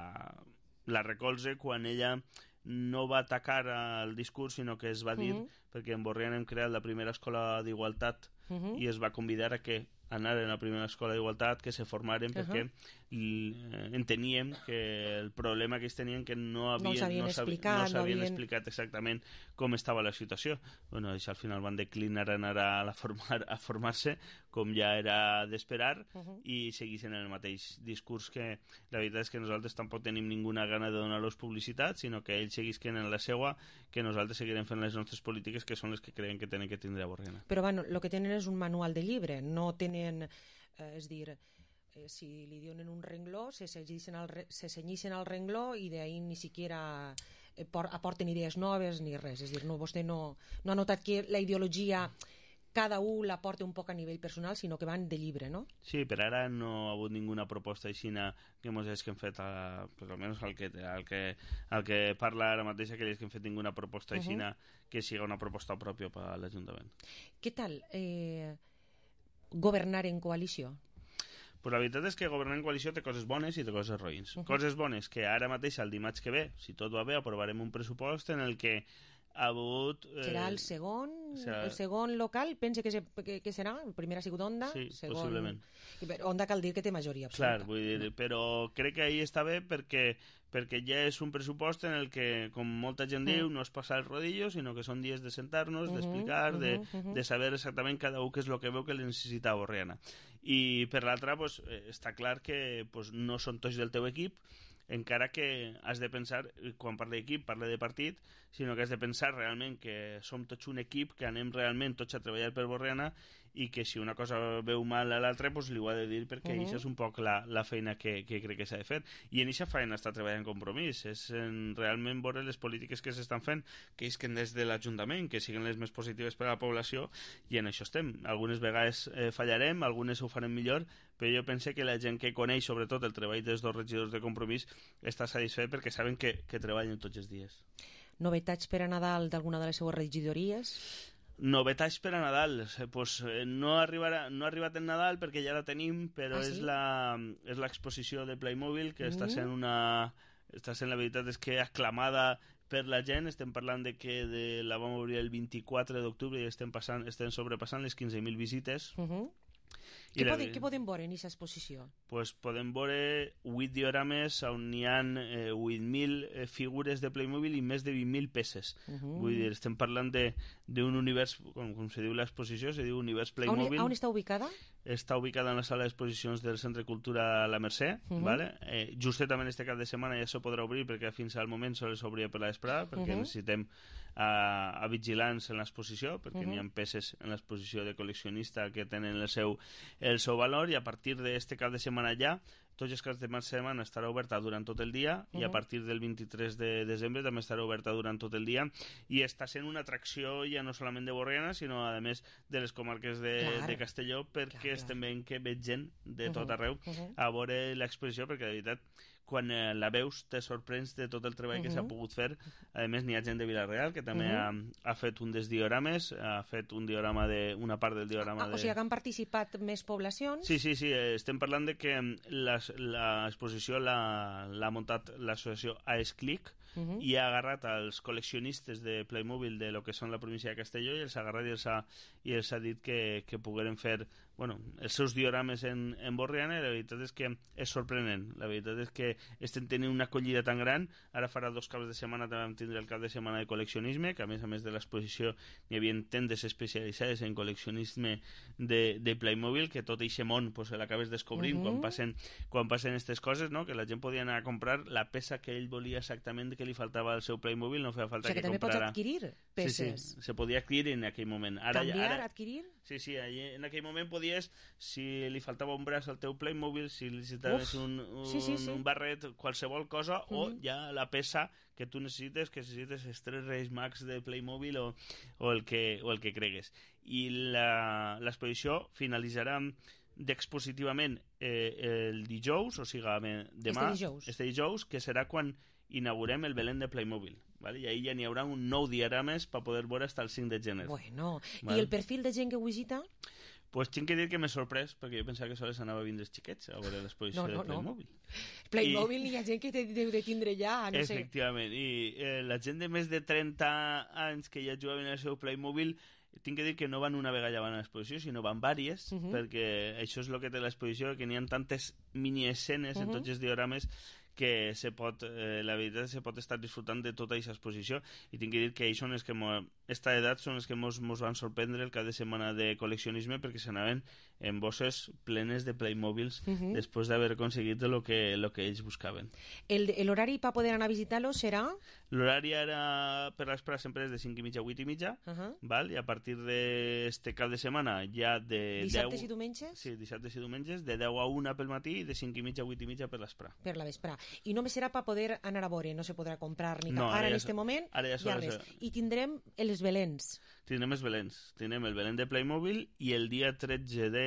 la recolze quan ella no va atacar el discurs, sinó que es va dir, uh-huh. perquè en Borriana hem creat la primera escola d'igualtat uh-huh. i es va convidar a que anar a la primera escola d'igualtat, que se formaren, uh-huh. perquè eh, enteníem que el problema que ells tenien que no havien, no s'havien no explicat, no s'havien no havien... explicat exactament com estava la situació. Bueno, això al final van declinar anar a, la formar, a formar-se, com ja era d'esperar, uh-huh. i seguissin en el mateix discurs que la veritat és que nosaltres tampoc tenim ninguna gana de donar-los publicitat, sinó que ells seguisquen en la seua, que nosaltres seguirem fent les nostres polítiques, que són les que creiem que tenen que tindre a Borriana. Però bueno, el que tenen és un manual de llibre, no tenen, eh, és dir, eh, si li donen un rengló, se cenyixen al, se cenyixen al rengló i d'ahí ni siquiera eh, por, aporten idees noves ni res, és dir, no, vostè no, no ha notat que la ideologia cada un la porta un poc a nivell personal, sinó que van de llibre, no? Sí, per ara no ha hagut ninguna proposta aixina que mos hagi fet, a, per almenys el que, el, que, el que parla ara mateix, que hagi fet ninguna proposta aixina uh-huh. que siga una proposta pròpia per a l'Ajuntament. Què tal eh, governar en coalició? Pues la veritat és que governar en coalició té coses bones i té coses roïns. Uh -huh. Coses bones, que ara mateix, el dimarts que ve, si tot va bé, aprovarem un pressupost en el que ha hagut... Eh, serà el segon, serà... el segon local, pense que, se, que, que serà, el primer ha sigut Onda, sí, segon... possiblement. Onda cal dir que té majoria absoluta. Clar, vull dir, però crec que ahí està bé perquè, perquè ja és un pressupost en el que, com molta gent mm. diu, no és passar el rodillo, sinó que són dies de sentar-nos, uh -huh, d'explicar, uh -huh, de, uh -huh. de saber exactament cada un què és el que veu que li necessita a Borriana. I per l'altra, pues, està clar que pues, no són tots del teu equip, encara que has de pensar, quan parla d'equip, parla de partit, sinó que has de pensar realment que som tots un equip, que anem realment tots a treballar per Borriana i que si una cosa veu mal a l'altra pues, li ho ha de dir perquè uh -huh. això és un poc la, la feina que, que crec que s'ha de fer. I en aquesta feina està treballant Compromís, és en realment veure les polítiques que s'estan fent, que isquen des de l'Ajuntament, que siguin les més positives per a la població, i en això estem. Algunes vegades eh, fallarem, algunes ho farem millor, però jo penso que la gent que coneix sobretot el treball dels dos regidors de Compromís està satisfet perquè saben que, que treballen tots els dies. Novetats per a Nadal d'alguna de les seues regidories? Novetats per a Nadal, pues, no, arribarà, no ha arribat el Nadal perquè ja la tenim, però ah, sí? és la és l'exposició de Playmobil que mm. està sent una està sent la veritat és que aclamada per la gent. Estem parlant de que de, la vam obrir el vint-i-quatre d'octubre i estem, passant, estem sobrepassant les quinze mil visites. Uh -huh. Què, la... podem, què podem veure en aquesta exposició? Pues podem veure vuit diorames on hi ha eh, vuit mil eh, figures de Playmobil i més de vint mil peces. Uh -huh. Vull dir, estem parlant d'un univers, com, com se diu l'exposició, se diu univers Playmobil. On, on està ubicada? Està ubicada en la sala d'exposicions del Centre Cultura La Mercè, uh -huh. ¿vale? eh, justament este cap de setmana ja se podrà obrir perquè fins al moment sols s'obria per la vesprada, perquè uh -huh. necessitem a, a vigilants en l'exposició, perquè uh -huh. n'hi ha peces en l'exposició de col·leccionista que tenen el seu, el seu valor, i a partir d'este cap de setmana ja tots els caps de setmana estarà oberta durant tot el dia, uh -huh. i a partir del vint-i-tres de desembre també estarà oberta durant tot el dia, i està sent una atracció ja no solament de Borriana, sinó a més de les comarques de, clar, de Castelló, perquè clar, estem veient que ve gent de tot arreu uh -huh. a veure l'exposició, perquè de veritat quan eh, la veus te sorprens de tot el treball uh -huh. que s'ha pogut fer. A més n'hi ha gent de Vila-real que també uh -huh. ha, ha fet un dels diorames, ha fet un diorama de, una part del diorama ah, de... O sigui que han participat més poblacions? Sí, sí, sí, estem parlant de que l'exposició l'ha muntat l'associació AESClick uh -huh. i ha agarrat els col·leccionistes de Playmobil de lo que són la província de Castelló i els ha agarrat i els ha, i els ha dit que, que pogueren fer bueno, els seus diorames en, en Borriana, i la veritat és que és sorprenent. La veritat és que estem tenint una acollida tan gran. Ara farà dos caps de setmana també vam tindre el cap de setmana de col·leccionisme, que a més a més de l'exposició hi havia tendes especialitzades en col·leccionisme de, de Playmobil, que tot eixe món pues, l'acabes descobrint uh -huh. quan passen quan passen aquestes coses, no? Que la gent podia anar a comprar la peça que ell volia exactament que li faltava al seu Playmobil, no feia falta o sigui, que, que comprara... també pots adquirir peces. Sí, sí, se podia adquirir en aquell moment. Ara, Canviar, ara... adquirir? Sí, sí, en aquell moment podies, si li faltava un braç al teu Playmobil, si necessitaves Uf, un, un, sí, sí, sí. un barret, qualsevol cosa, mm -hmm. o ja la peça que tu necessites, que necessites els tres Reis Mags de Playmobil o, o, el, que, o el que cregues. I l'exposició finalitzarà d'expositivament eh, el dijous, o sigui, demà, este dijous. este dijous, que serà quan inaugurem el Belén de Playmobil, ¿vale? I ahí ja n'hi haurà un nou diagrames per poder veure fins al cinc de gener. Bueno, ¿vale? I el perfil de gent que ho visita? Pues tinc que dir que m'he sorprès, perquè jo pensava que sols anava a vindre els xiquets a veure l'exposició no, no, de Playmobil. No. Playmobil I... hi ha gent que deu de tindre ja, no Efectivament, sé. i eh, la gent de més de trenta anys que ja jugaven al seu Playmobil, tinc que dir que no van una vegada ja van a l'exposició, sinó van vàries, uh -huh. perquè això és el que té l'exposició, que n'hi ha tantes mini-escenes uh -huh. en tots els diorames que se pot, eh, la veritat se pot estar disfrutant de tota aquesta exposició, i tinc que dir que ells són els que esta edat són els que mos, mos van sorprendre el cap de setmana de col·leccionisme, perquè s'anaven en bosses plenes de Playmobils uh -huh. després d'haver aconseguit el que, lo que ells buscaven. L'horari per poder anar a visitar-lo serà? L'horari ara per les praes sempre és de cinc i mitja a vuit i mitja, uh -huh. val? I a partir d'este cap de setmana ja de dissabtes deu... i diumenges? Sí, dissabtes i diumenges, de deu a una pel matí i de cinc i mitja a vuit i mitja per l'esprà. Per la vesprà. I només serà per poder anar a veure, no se podrà comprar ni cap. No, ara, ara en ja este moment, ara ja ja res. I tindrem els Belens. Tindrem els Belens. Tindrem el Belén de Playmobil i el dia tretze de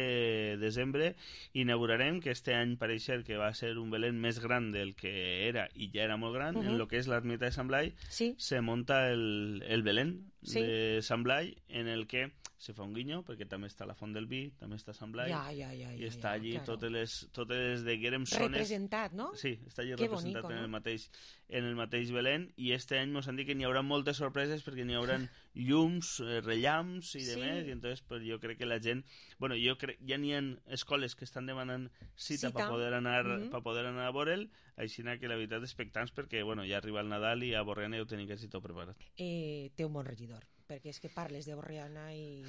desembre inaugurarem, que este any pareix ser que va ser un Belén més gran del que era, i ja era molt gran, uh -huh. en el que és l'ermita de Sant Blai, sí. se monta el, el Belén Sí. de Sant Blai, en el que se fa un guinyo, perquè també està la Font del Vi, també està Sant Blai, Ja, ja, ja, i ja, està ja, allí claro. totes les, totes les de Guerem zones... Representat, no? Sí, està allí Qué representat bonico, en, no? el mateix, en el mateix Belén, i este any mos han dit que n'hi haurà moltes sorpreses perquè n'hi haurà llums, eh, rellamps i Sí. demés, i entonces pues, jo crec que la gent... Bueno, jo crec ja n'hi ha escoles que estan demanant cita, Cita. per poder anar Mhm. per poder anar a veure'l, així que la veritat expectants perquè bueno, ja arriba el Nadal i a Borriana ja ho tenim quasi tot preparat. Eh, té un bon regidor, perquè és que parles de Borriana i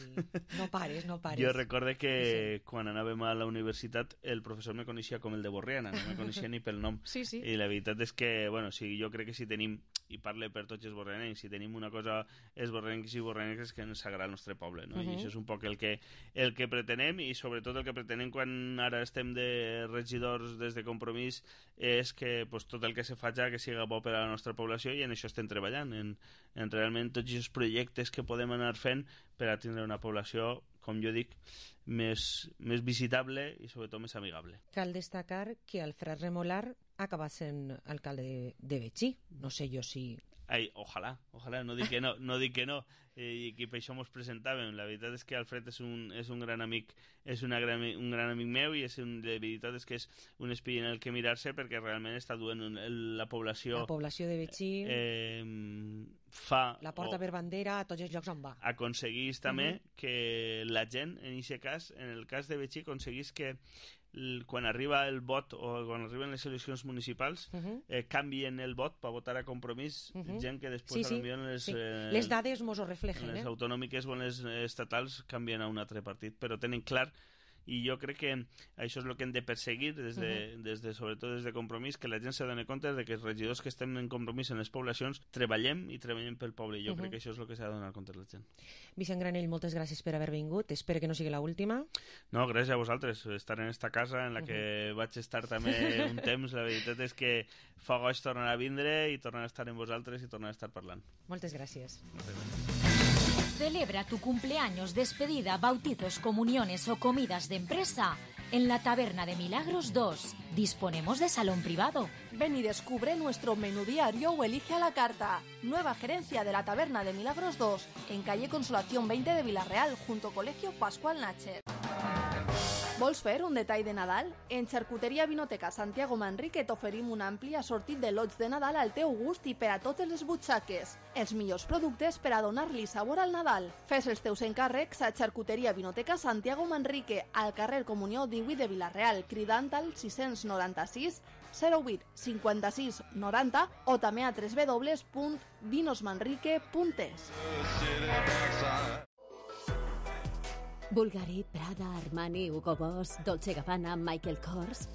no pares, no pares. Jo recorde que sí. quan anàvem a la universitat el professor me coneixia com el de Borriana, no me coneixia ni pel nom. Sí, sí. I la veritat és que, bueno, sí, jo crec que si tenim, i parle per tots els borrianencs, si tenim una cosa els borrianencs i borrianencs és que ens agrada el nostre poble, no? Uh -huh. I això és un poc el que, el que pretenem, i sobretot el que pretenem quan ara estem de regidors des de Compromís és que pues, tot el que se faci que siga bo per a la nostra població, i en això estem treballant, en, en realment tots els projectes que podem anar fent per a tindre una població, com jo dic, més, més visitable i sobretot més amigable. Cal destacar que Alfred Remolar acaba sent alcalde de Betxí. No sé jo si... Ai, ojalà, ojalà, no dic que no, no dic que no, eh, i que per això mos presentàvem. La veritat és que Alfred és un, és un gran amic, és una gran, un gran amic meu, i és un, de veritat és que és un espill en el que mirar-se, perquè realment està duent un, el, la població... La població de Betxí... Eh, fa... La porta o, per bandera a tots els llocs on va. Aconseguís també Uh -huh. que la gent, en aquest cas, en el cas de Betxí, aconseguís que quan arriba el vot o quan arriben les eleccions municipals uh -huh. eh, canvien el vot per votar a Compromís uh -huh. gent que després sí, sí, en les, sí. eh, les dades mos ho reflejen, les eh? autonòmiques o les estatals canvien a un altre partit, però tenen clar, i jo crec que això és el que hem de perseguir des de, uh -huh. des de, sobretot des de Compromís, que la gent se doni compte de que els regidors que estem en Compromís en les poblacions treballem i treballem pel poble, i jo uh -huh. crec que això és el que s'ha de donar compte a la gent. Vicent Granell, moltes gràcies per haver vingut, espero que no sigui l'última. No, gràcies a vosaltres, estar en esta casa en la que uh -huh. vaig estar també un temps. La veritat és que fa goig tornar a vindre i tornar a estar amb vosaltres i tornar a estar parlant. Moltes gràcies. Moltes gràcies. Celebra tu cumpleaños, despedida, bautizos, comuniones o comidas de empresa en la Taberna de Milagros dos. Disponemos de salón privado. Ven y descubre nuestro menú diario o elige a la carta. Nueva gerencia de la Taberna de Milagros dos, en calle Consolación veinte de Villarreal, junto Colegio Pascual Nacher. Vols fer un detall de Nadal? En Xarcuteria Vinoteca Santiago Manrique t'oferim un ampli assortit de lots de Nadal al teu gust i per a totes les butxaques. Els millors productes per a donar-li sabor al Nadal. Fes els teus encàrrecs a Xarcuteria Vinoteca Santiago Manrique, al carrer Comunió divuit de Villarreal, cridant al sis nou sis zero vuit cinquanta-sis noranta o també a w w w punt vinosmanrique punt es. Bulgari, Prada, Armani, Hugo Boss, Dolce Gabbana, Michael Kors.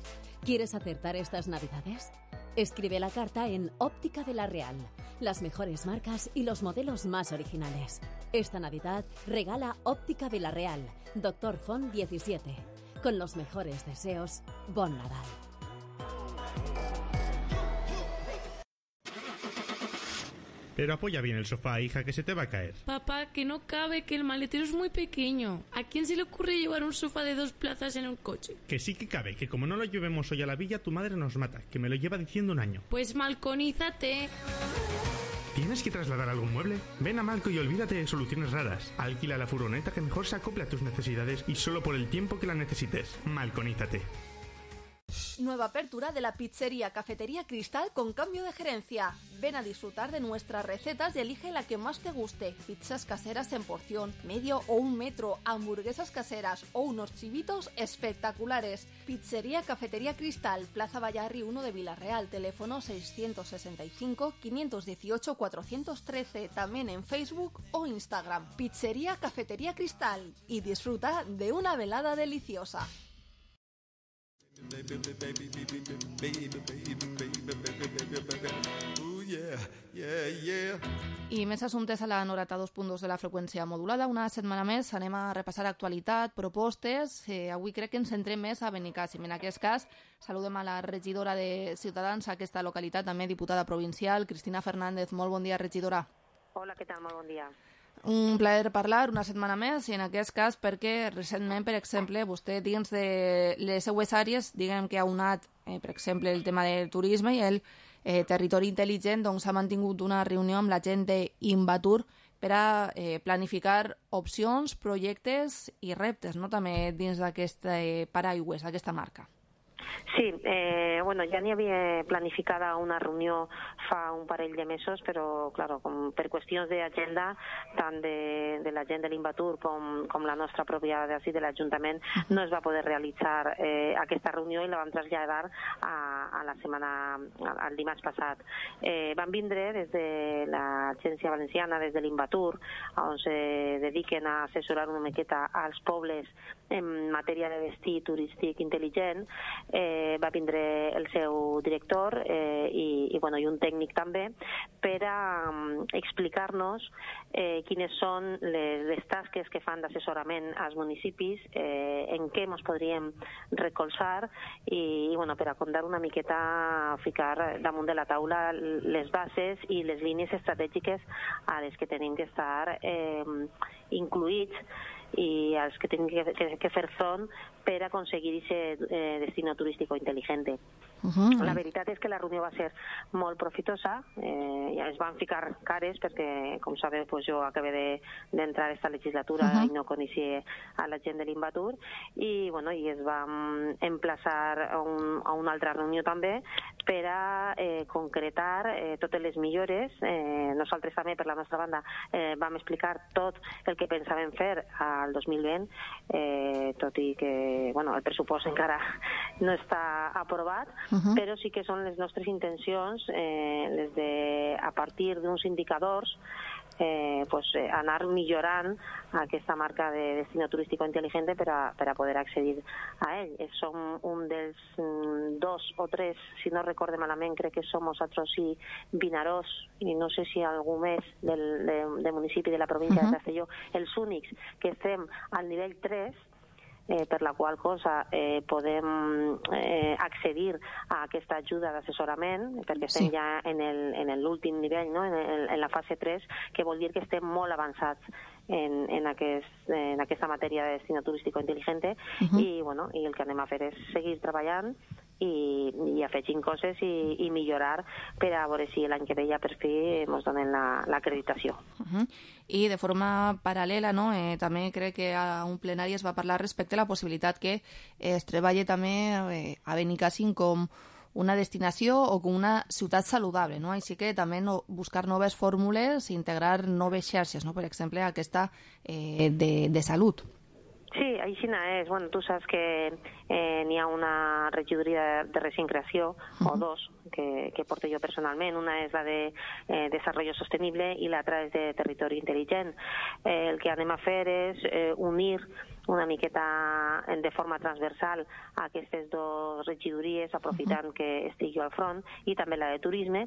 ¿Quieres acertar estas navidades? Escribe la carta en Óptica de la Real. Las mejores marcas y los modelos más originales. Esta Navidad regala Óptica de la Real, Doctor Font diecisiete. Con los mejores deseos, Bon Nadal. Pero apoya bien el sofá, hija, que se te va a caer. Papá, que no cabe, que el maletero es muy pequeño. ¿A quién se le ocurre llevar un sofá de dos plazas en un coche? Que sí que cabe, que como no lo llevemos hoy a la villa, tu madre nos mata, que me lo lleva diciendo un año. Pues malconízate. ¿Tienes que trasladar algún mueble? Ven a Malco y olvídate de soluciones raras. Alquila la furgoneta que mejor se acople a tus necesidades y solo por el tiempo que la necesites. Malconízate. Nueva apertura de la pizzería Cafetería Cristal con cambio de gerencia. Ven a disfrutar de nuestras recetas y elige la que más te guste. Pizzas caseras en porción, medio o un metro, hamburguesas caseras o unos chivitos espectaculares. Pizzería Cafetería Cristal, Plaza Vallarri uno de Villarreal, teléfono seiscientos sesenta y cinco, quinientos dieciocho, cuatrocientos trece, también en Facebook o Instagram. Pizzería Cafetería Cristal y disfruta de una velada deliciosa. Baby, baby, baby, baby, baby, baby, baby, baby, ooh yeah, yeah, yeah. I més assumptes a la noranta-dos punt dos de la freqüència modulada. Una setmana més anem a repassar actualitat, propostes. Eh, avui crec que ens centrem més a Benicàssim. En aquest cas, saludem a la regidora de Ciutadans a aquesta localitat, també diputada provincial, Cristina Fernández. Molt bon dia, regidora. Hola, què tal? Molt bon dia. Un plaer parlar una setmana més, i en aquest cas perquè recentment, per exemple, vostè dins de les seues àrees, diguem que ha unat, eh, per exemple, el tema del turisme i el eh, territori intel·ligent, doncs ha mantingut una reunió amb la gent d'Invatur, per a eh, planificar opcions, projectes i reptes, no? També dins d'aquest eh, paraigües, d'aquesta marca. Sí, eh, bueno, ja n'hi havia planificada una reunió fa un parell de mesos, però, claro, com per qüestions d'agenda, tant de, de la gent de l'Invatur com, com la nostra pròpia d'ací de l'Ajuntament, no es va poder realitzar eh, aquesta reunió i la vam traslladar a, a la setmana, al dimarts passat. Eh, van vindre des de l'Agència Valenciana, des de l'Invatur, on se dediquen a assessorar una miqueta als pobles en matèria de destí turístic intel·ligent. Eh, va vindre el seu director eh, i, i, bueno, i un tècnic també per a um, explicar-nos eh, quines són les, les tasques que fan d'assessorament als municipis, eh, en què ens podríem recolzar i, i bueno, per a contar una miqueta, ficar damunt de la taula les bases i les línies estratègiques a les que tenim que estar eh, incluïts i als que tenim que, que, que fer front per aconseguir aquest eh, destino turístico intel·ligente. Uh-huh. La veritat és que la reunió va ser molt profitosa, eh, ja es van ficar cares perquè, com sabeu, pues jo acabé d'entrar de, esta legislatura uh-huh. i no coneixia a la gent de l'Invatur i, bueno, i es van emplaçar a, un, a una altra reunió també per a eh, concretar eh, totes les millores. Eh, nosaltres també, per la nostra banda, eh, vam explicar tot el que pensàvem fer al dos mil vint, eh, tot i que, bueno, el pressupost encara no està aprovat, uh-huh. però sí que són les nostres intencions, eh, les de, a partir d'uns indicadors, eh, pues, eh, anar millorant aquesta marca de destino turístico intel·ligente per a, per a poder accedir a ell. Eh, som un dels mm, dos o tres, si no recorde malament, crec que som nosaltres i Vinaròs, i no sé si algú més del de, de municipi de la província uh-huh. de Castelló, els únics que estem al nivell tres, Eh, per la qual cosa eh, podem eh, accedir a aquesta ajuda d'assessorament, perquè estem sí. ja en l'últim nivell, no? en, el, en la fase tres, que vol dir que estem molt avançats en, en, aquest, en aquesta matèria de destino turístico intel·ligente uh-huh. i, bueno, i el que anem a fer és seguir treballant i, i afegint coses i, i millorar per a veure si l'any que ve ja per fi ens donen l'acreditació. La, uh-huh. I de forma paral·lela, no? eh, també crec que a un plenari es va parlar respecte a la possibilitat que es treballi també eh, a Benicàssim com una destinació o com una ciutat saludable, no? Així que també no, buscar noves fórmules i integrar noves xarxes, no? Per exemple, aquesta eh, de, de salut. Sí, així és. Bueno, tu saps que eh, n'hi ha una regidoria de, de recent creació, uh-huh. o dos, que, que porto jo personalment. Una és la de eh, Desarrollo Sostenible i l'altra és de Territori Intel·ligent. Eh, el que anem a fer és eh, unir una miqueta de forma transversal a aquestes dues regidories, aprofitant uh-huh. que estic jo al front, i també la de Turisme,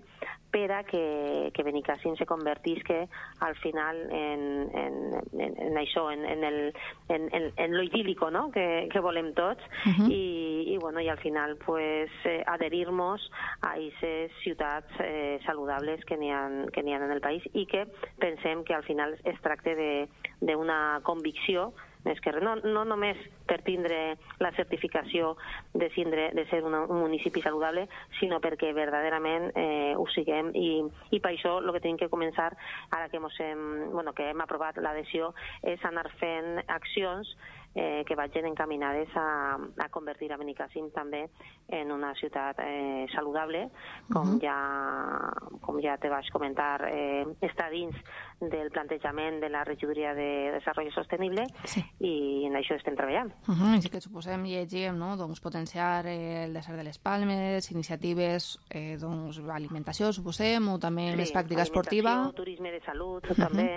per a que, que Benicàssim se convertisca al final en, en, en, en això, en, en, el, en, en, en lo idílico, no? que, que volem tots, uh-huh. i, i, bueno, i al final pues, eh, adherir-nos a aquestes ciutats eh, saludables que n'hi ha, que n'hi ha en el país i que pensem que al final es tracta d'una convicció més que no, no només per tindre la certificació de, cindre, de ser una, un municipi saludable, sinó perquè verdaderament eh, ho siguem i, i per això el que tenim que començar, ara que, hem, bueno, que hem aprovat l'adhesió, és anar fent accions eh, que vagin encaminades a, a convertir a Benicàssim també en una ciutat eh, saludable, com, uh-huh. ja, com ja te vaig comentar, eh, està dins del plantejament de la regidoria de Desarrollo Sostenible sí. i en això estem treballant. Uh-huh. Així que suposem i llegim, no? doncs, potenciar eh, el desert de les Palmes, iniciatives, eh, doncs, alimentació, suposem, o també sí, més pràctica esportiva. Turisme de salut, uh-huh. també.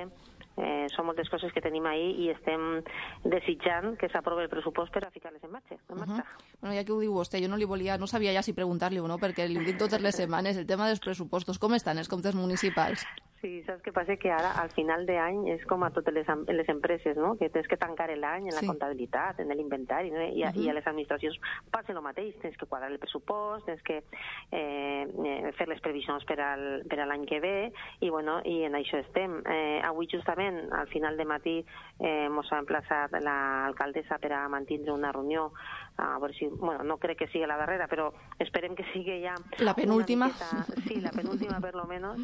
Eh, són moltes coses que tenim ahí i estem desitjant que s'aprovi el pressupost per a ficar-les en marxa. En marxa. Uh-huh. Bueno, ja que ho diu vostè, jo no li volia, no sabia ja si preguntar-li o no, perquè li ho dic totes les setmanes, el tema dels pressupostos, com estan els comptes municipals? Sí, saps què passa? Que ara, al final d'any, és com a totes les, les empreses, no? Que tens que tancar l'any en la sí. comptabilitat, en l'inventari, no? I, uh-huh. i a les administracions passa el mateix, tens que quadrar el pressupost, tens que eh, fer les previsions per, al, per a l'any que ve, i, bueno, i en això estem. Eh, avui, justament, al final de matí, eh, ens ha emplaçat l'alcaldessa per a mantindre una reunió a veure si, bueno, no crec que sigui la darrera, però esperem que sigui ja la penúltima, miqueta, sí, la penúltima per lo menos,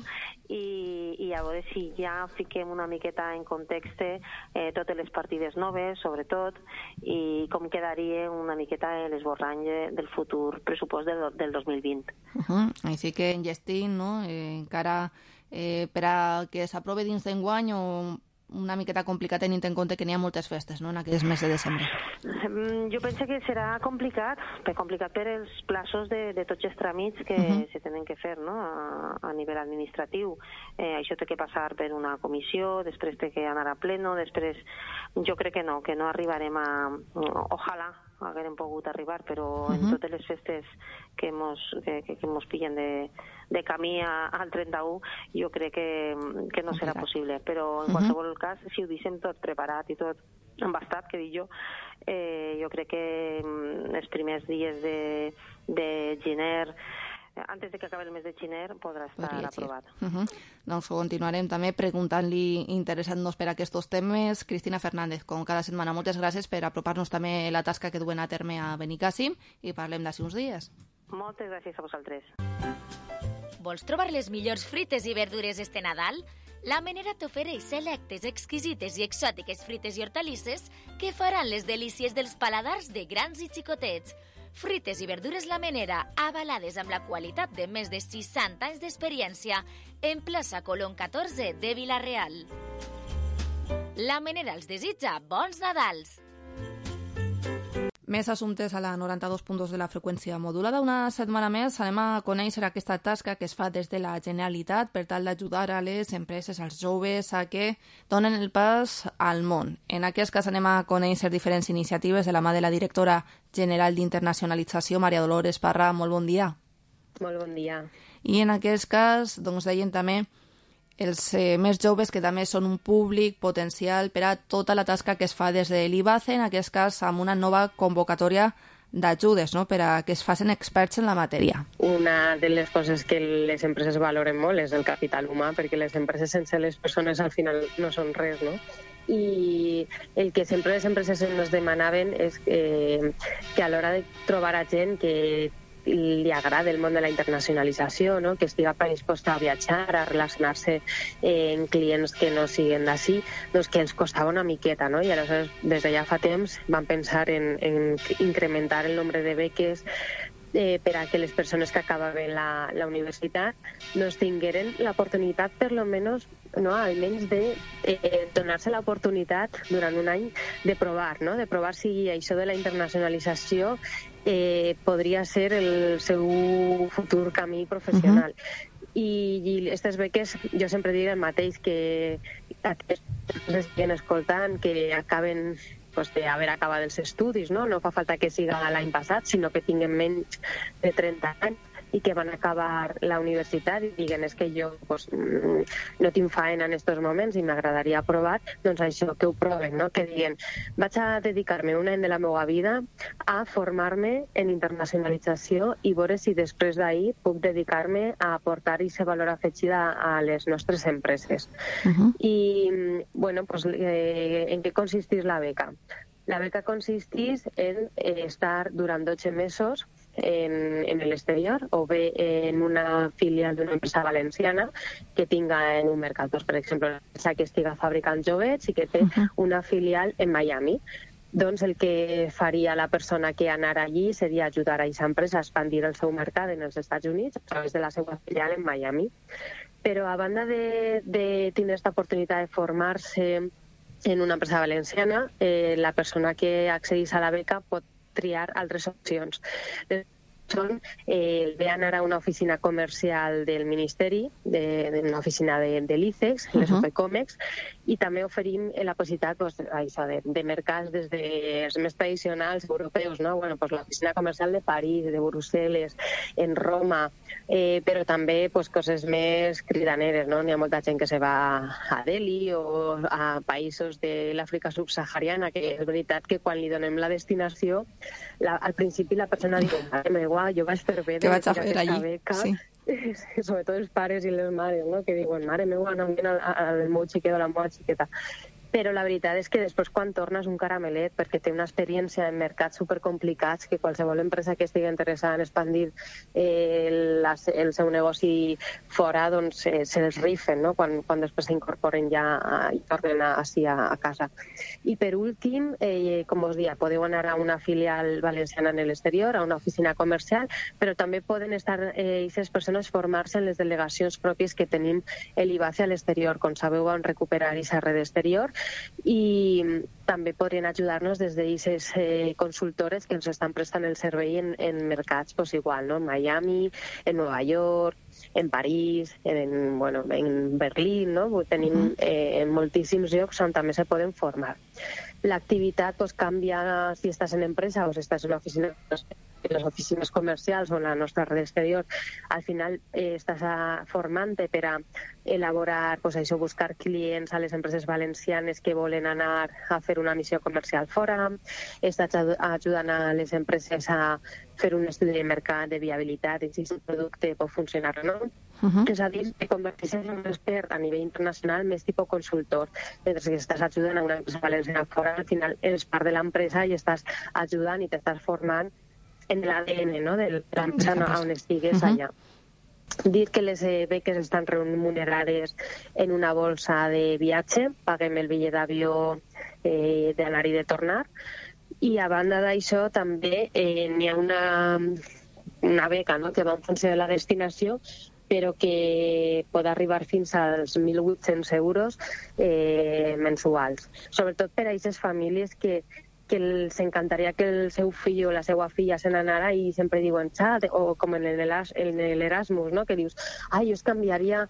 i, i a veure si ja fiquem una miqueta en context eh, totes les partides noves, sobretot, i com quedaria una miqueta l'esborrany del futur pressupost del, del dos mil vint. Uh -huh. Així que enllestim, no? Eh, encara eh, per a que s'aprove dins d'enguany o una miqueta complicat tenint en compte que n'hi ha moltes festes, no?, en aquests mesos de desembre. Jo penso que serà complicat, per complicat per els plaços de, de tots els tràmits que uh-huh. se tenen que fer, no?, a, a nivell administratiu. Eh, això té que passar per una comissió, després té que anar a pleno, després jo crec que no, que no arribarem a... Ojalà haguérem pogut arribar, però uh-huh. en totes les festes que mos, que, que, que mos pillen de, de camí a, al trenta-u, jo crec que, que no serà possible. Però en uh-huh. qualsevol cas, si ho deixem tot preparat i tot embastat, que dic jo, eh, jo crec que els primers dies de, de gener, antes de que acabi el mes de gener, podrà estar Podria aprovat. Uh -huh. Doncs continuarem també preguntant-li, interessant-nos per aquests temes. Cristina Fernández, com cada setmana, moltes gràcies per apropar-nos també la tasca que duen a terme a Benicàssim i parlem d'ací uns dies. Moltes gràcies a vosaltres. Vols trobar les millors fruites i verdures este Nadal? La Menera t'ofereix selectes, exquisites i exòtiques fruites i hortalisses que faran les delícies dels paladars de grans i xicotets. Fruites i verdures La Menera, avalades amb la qualitat de més de seixanta anys d'experiència, en plaça Colón catorze de Vila-real. La Menera els desitja bons Nadals! Més assumptes a la noranta-dos punt dos de la freqüència modulada. Una setmana més anem a conèixer aquesta tasca que es fa des de la Generalitat per tal d'ajudar a les empreses, als joves, a que donen el pas al món. En aquest cas anem a conèixer diferents iniciatives de la mà de la directora general d'Internacionalització, Maria Dolores Parra. Molt bon dia. Molt bon dia. I en aquest cas, doncs, deien també els eh, més joves, que també són un públic potencial per a tota la tasca que es fa des de l'I B A C E, en aquest cas amb una nova convocatòria d'ajudes, no?, per a que es facin experts en la matèria. Una de les coses que les empreses valoren molt és el capital humà, perquè les empreses sense les persones al final no són res, no? I el que sempre les empreses ens demanaven és eh, que a l'hora de trobar a gent que li agrada el món de la internacionalització, no?, que estiga predisposta a viatjar, a relacionar-se eh, amb clients que no siguin d'ací, doncs que ens costava una miqueta, no? I aleshores, des de ja fa temps, vam pensar en, en incrementar el nombre de beques eh, per a que les persones que acabaven la, la universitat doncs tingueren l'oportunitat, per lo menos, no, almenys de eh, donar-se l'oportunitat durant un any de provar, no?, de provar si això de la internacionalització eh, podria ser el seu futur camí professional. Uh-huh. I, i aquestes beques, jo sempre dic el mateix, que aquestes que estiguen escoltant, que acaben pues, d'haver acabat els estudis, no? No fa falta que siga l'any passat, sinó que tinguin menys de trenta anys i que van acabar la universitat i diguen és que jo pues, no tinc faena en aquests moments i m'agradaria provar, doncs això, que ho proven, no? Que diguen, vaig a dedicar-me un any de la meva vida a formar-me en internacionalització i veure si després d'ahir puc dedicar-me a aportar aquest valor afegit a les nostres empreses. Uh-huh. I, bueno, pues, eh, en què consisteix la beca? La beca consisteix en eh, estar durant dotze mesos en, en l'exterior o bé en una filial d'una empresa valenciana que tinga en un mercat, doncs, per exemple, una empresa que estiga fabricant joguets i que té una filial en Miami. Doncs el que faria la persona que anara allí seria ajudar a aquesta empresa a expandir el seu mercat en els Estats Units a través de la seva filial en Miami. Però a banda de, de tenir aquesta oportunitat de formar-se en una empresa valenciana, eh, la persona que accedeix a la beca pot triar altres opcions. Són eh, ve anar a una oficina comercial del Ministeri, de, de una oficina de, de l'I C E X, uh-huh. les OPECOMEX, i també oferim la possibilitat pues, això, de, de mercats des dels més tradicionals europeus, no? Bueno, pues, l'oficina comercial de París, de Brussel·les, en Roma, eh, però també pues, coses més cridaneres, no? N'hi ha molta gent que se va a Delhi o a països de l'Àfrica subsahariana, que és veritat que quan li donem la destinació, la, al principi la persona diu, mare meva, jo vaig fer bé de aquesta beca, sí. Sobretot els pares i les mares, no? Que diuen, mare meva, no em viene al, al meu xiquet o la meva xiqueta. però la veritat és que després quan torna és un caramelet, perquè té una experiència en mercats supercomplicats que qualsevol empresa que estigui interessada en expandir eh, la, el seu negoci fora, doncs eh, se'ls rifen, no? quan, quan després s'incorporen ja a, i tornen a, així a, a casa. I per últim, eh, com us dia, podeu anar a una filial valenciana en l'exterior, a una oficina comercial, però també poden estar eh, aquestes persones formar-se en les delegacions pròpies que tenim l'I B A C E a l'exterior. Com sabeu, vam recuperar aquesta red exterior i també podrien ajudar-nos des d'aquestes eh, consultores que ens estan prestant el servei en, en mercats pues, igual, no? En Miami, en Nova York, en París, en, bueno, en Berlín, no? Tenim eh, en moltíssims llocs on també se poden formar. L'activitat pues, canvia si estàs en empresa o si estàs en oficina, en les oficines comercials o en la nostra red exterior. Al final eh, estàs formant-te per a elaborar, pues, això, buscar clients a les empreses valencianes que volen anar a fer una missió comercial fora, estàs ajudant a les empreses a fer un estudi de mercat de viabilitat i si el producte pot funcionar o no. Uh-huh. És a dir, que converteixes en un expert a nivell internacional més tipus consultor, mentre que estàs ajudant a una empresa valenciana fora, al final eres part de l'empresa i estàs ajudant i t'estàs formant en l'A D N, no?, de l'empresa on estigues uh-huh. allà. Dir que les beques estan remunerades en una bolsa de viatge, paguem el bitllet d'avió eh, d'anar i de tornar, i a banda d'això també eh, n'hi ha una, una beca, no?, que va en funció de la destinació, però que pot arribar fins als mil vuit-cents euros eh, mensuals. Sobretot per a aquestes famílies que que els encantaria que el seu fill o la seva filla se n'anara i sempre diuen xat, o com en l'Erasmus, no?, que dius, ai, jo es canviaria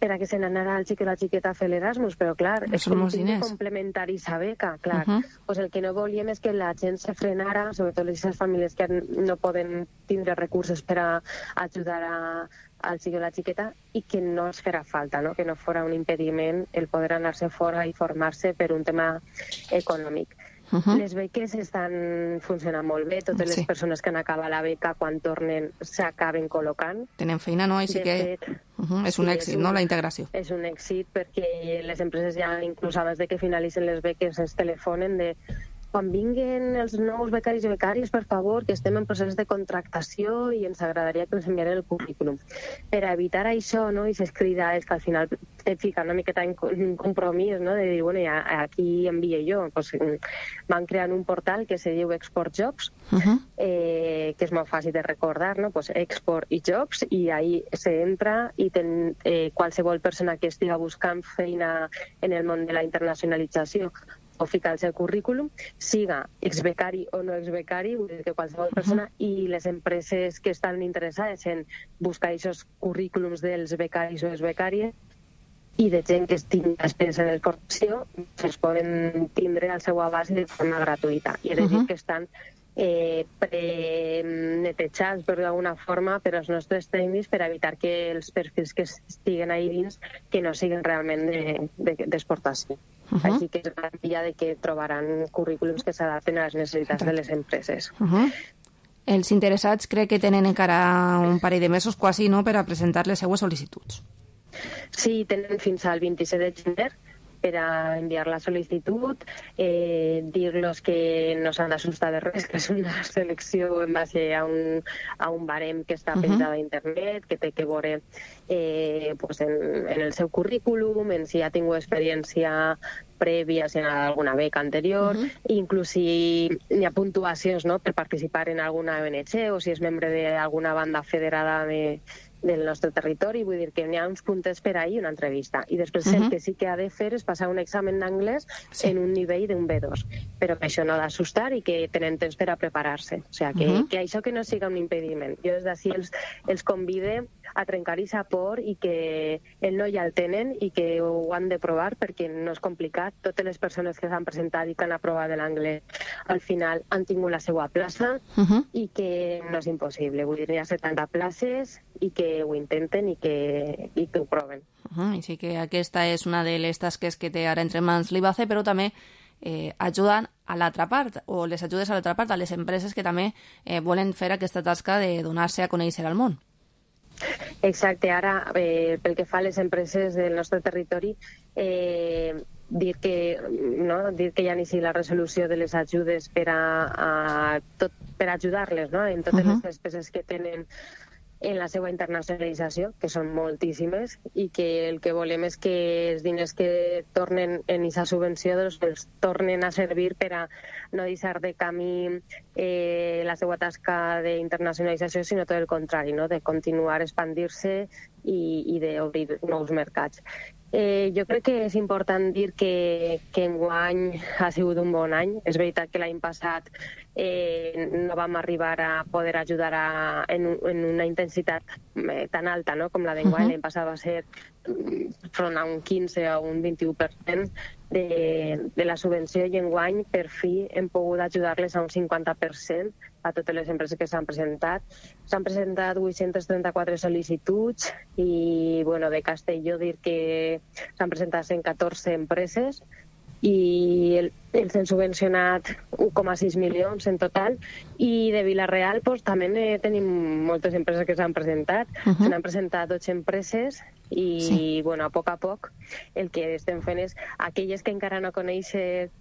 per a que se n'anara el xic i la xiqueta a fer l'Erasmus, però clar, és com un complementari sa beca, clar. Uh -huh. Pues el que no volíem és que la gent se frenara, sobretot les famílies que no poden tindre recursos per a ajudar a al xic i la xiqueta, i que no es farà falta, no?, que no fora un impediment el poder anar-se fora i formar-se per un tema econòmic. Uh-huh. Les beques estan funcionant molt bé, totes sí. les persones que han acabat la beca quan tornen s'acaben col·locant. Tenen feina, no? Així que fet, uh-huh. és un sí, èxit, és un, no?, la integració. És un èxit perquè les empreses ja, inclús abans de que finalitzen les beques, ens telefonen de quan vinguen els nous becaris i becàries, per favor, que estem en procés de contractació i ens agradaria que ens enviaren el currículum. Per a evitar això, no?, i s'escrida és que al final et fica una miqueta en compromís, no?, de dir, bueno, ja aquí envie jo. Pues, van creant un portal que se diu Export Jobs, uh-huh. eh, que és molt fàcil de recordar, no?, pues Export i Jobs, i ahí se entra i ten, eh, qualsevol persona que estiga buscant feina en el món de la internacionalització o ficar el seu currículum, siga exbecari o no exbecari, vull dir que qualsevol persona, uh-huh. i les empreses que estan interessades en buscar aquests currículums dels becaris o exbecàries i de gent que tingui experiència en formació, es poden tindre al seu abast de forma gratuïta. I és a dir, uh-huh. que estan eh, pre-netejats, per d'alguna forma, per als nostres tècnics per evitar que els perfils que estiguen ahí dins que no siguin realment d'exportació. De, de, Uh-huh. Així que és garantida de que trobaran currículums que s'adapten a les necessitats de les empreses. Uh-huh. Els interessats crec que tenen encara un parell de mesos quasi, no?, per a presentar les seues sol·licituds. Sí, tenen fins al vint-i-set de gener per a enviar la sol·licitud, eh, dir-los que no s'han d'assustar de res, que és una selecció en base a un, a un barem que està penjat uh-huh. a internet, que té que veure eh, pues en, en el seu currículum, en si ha tingut experiència prèvia, si ha alguna beca anterior, uh-huh. inclús si hi ha puntuacions, no?, per participar en alguna O N G o si és membre d'alguna banda federada de del nostre territori, vull dir que n'hi ha uns puntets per ahir una entrevista. I després uh-huh. el que sí que ha de fer és passar un examen d'anglès sí. en un nivell d'un B dos, però que això no ha d'assustar i que tenen temps per a preparar-se. O sigui, que, uh-huh. que això que no siga un impediment. Jo des d'ací els, els convide a trencar aquesta por i que el no ja el tenen i que ho han de provar perquè no és complicat. Totes les persones que s'han presentat i que han aprovat l'anglès al final han tingut la seva plaça uh-huh. i que no és impossible. Vull dir, hi ha setanta places i que ho intenten i que, i que ho proven. Uh-huh. I sí que aquesta és una de les tasques que té ara entre mans l'I B A C E, però també eh, ajuden a l'altra part, o les ajudes a l'altra part, a les empreses que també eh, volen fer aquesta tasca de donar-se a conèixer al món. Exacte, ara eh, pel que fa a les empreses del nostre territori, eh, dir que, no? dir que ja inici la resolució de les ajudes per a, a tot, per ajudar-les, no? En totes uh-huh. les despeses que tenen en la seva internacionalització, que són moltíssimes, i que el que volem és que els diners que tornen en aquesta subvenció doncs, els tornen a servir per a no deixar de camí eh, la seva tasca d'internacionalització, sinó tot el contrari, no? De continuar expandir-se i, i d'obrir nous mercats. Eh, jo crec que és important dir que, que enguany ha sigut un bon any. És veritat que l'any passat eh, no vam arribar a poder ajudar a, en, en una intensitat eh, tan alta, no? Com la d'enguany. Uh-huh. L'any passat va ser front a un quinze o un vint-i-u per cent de, de la subvenció, i enguany per fi hem pogut ajudar-les a un cinquanta per cent a totes les empreses que s'han presentat. S'han presentat vuit-centes trenta-quatre sol·licituds i, bueno, de Castelló dir que s'han presentat cent catorze empreses i el, els han subvencionat un coma sis milions en total, i de Vila-real pues, també eh, tenim moltes empreses que s'han presentat. Uh-huh. Se n'han presentat dotze empreses i, sí. bueno, a poc a poc el que estem fent és aquelles que encara no coneixen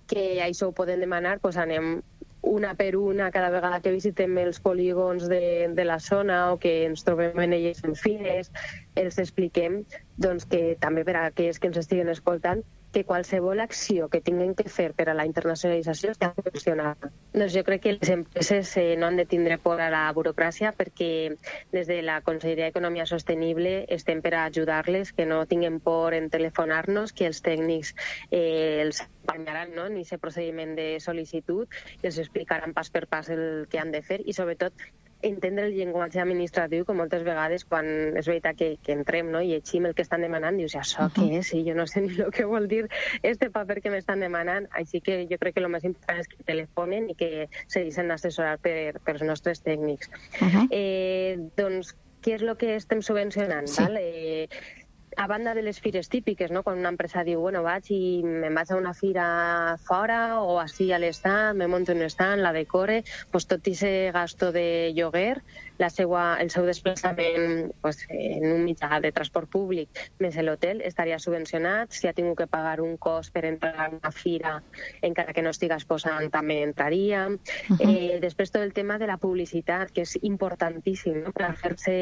que això ho poden demanar, pues anem una per una cada vegada que visitem els polígons de, de la zona o que ens trobem en elles en fires, els expliquem doncs, que també per a aquells que ens estiguen escoltant, que qualsevol acció que tinguin que fer per a la internacionalització està funcionant. Doncs jo crec que les empreses eh, no han de tindre por a la burocràcia, perquè des de la Conselleria d'Economia Sostenible estem per a ajudar-les, que no tinguin por en telefonar-nos, que els tècnics eh, els acompanyaran, no? en aquest procediment de sol·licitud i els explicaran pas per pas el que han de fer, i sobretot entendre el llenguatge administratiu, que moltes vegades quan és veritat que, que entrem, no? i llegim el que estan demanant, dius, això què és? I jo no sé ni el que vol dir este paper que m'estan demanant. Així que jo crec que el més important és que telefonen i que se deixen assessorar per, per els nostres tècnics. Uh-huh. eh, doncs, què és el que estem subvencionant? Sí. Val? Eh, a banda de les fires típiques, no? Quan una empresa diu, bueno, vaig i me'n vaig a una fira fora o així a l'estat, me monto un estat, la decore, pues tot aquest gasto de lloguer, la seua, el seu desplaçament pues, en un mitjà de transport públic més l'hotel estaria subvencionat. Si ha tingut que pagar un cost per entrar a una fira, encara que no estigués posant, també entraria. Uh-huh. Eh, després tot el tema de la publicitat, que és importantíssim, no? Per fer-se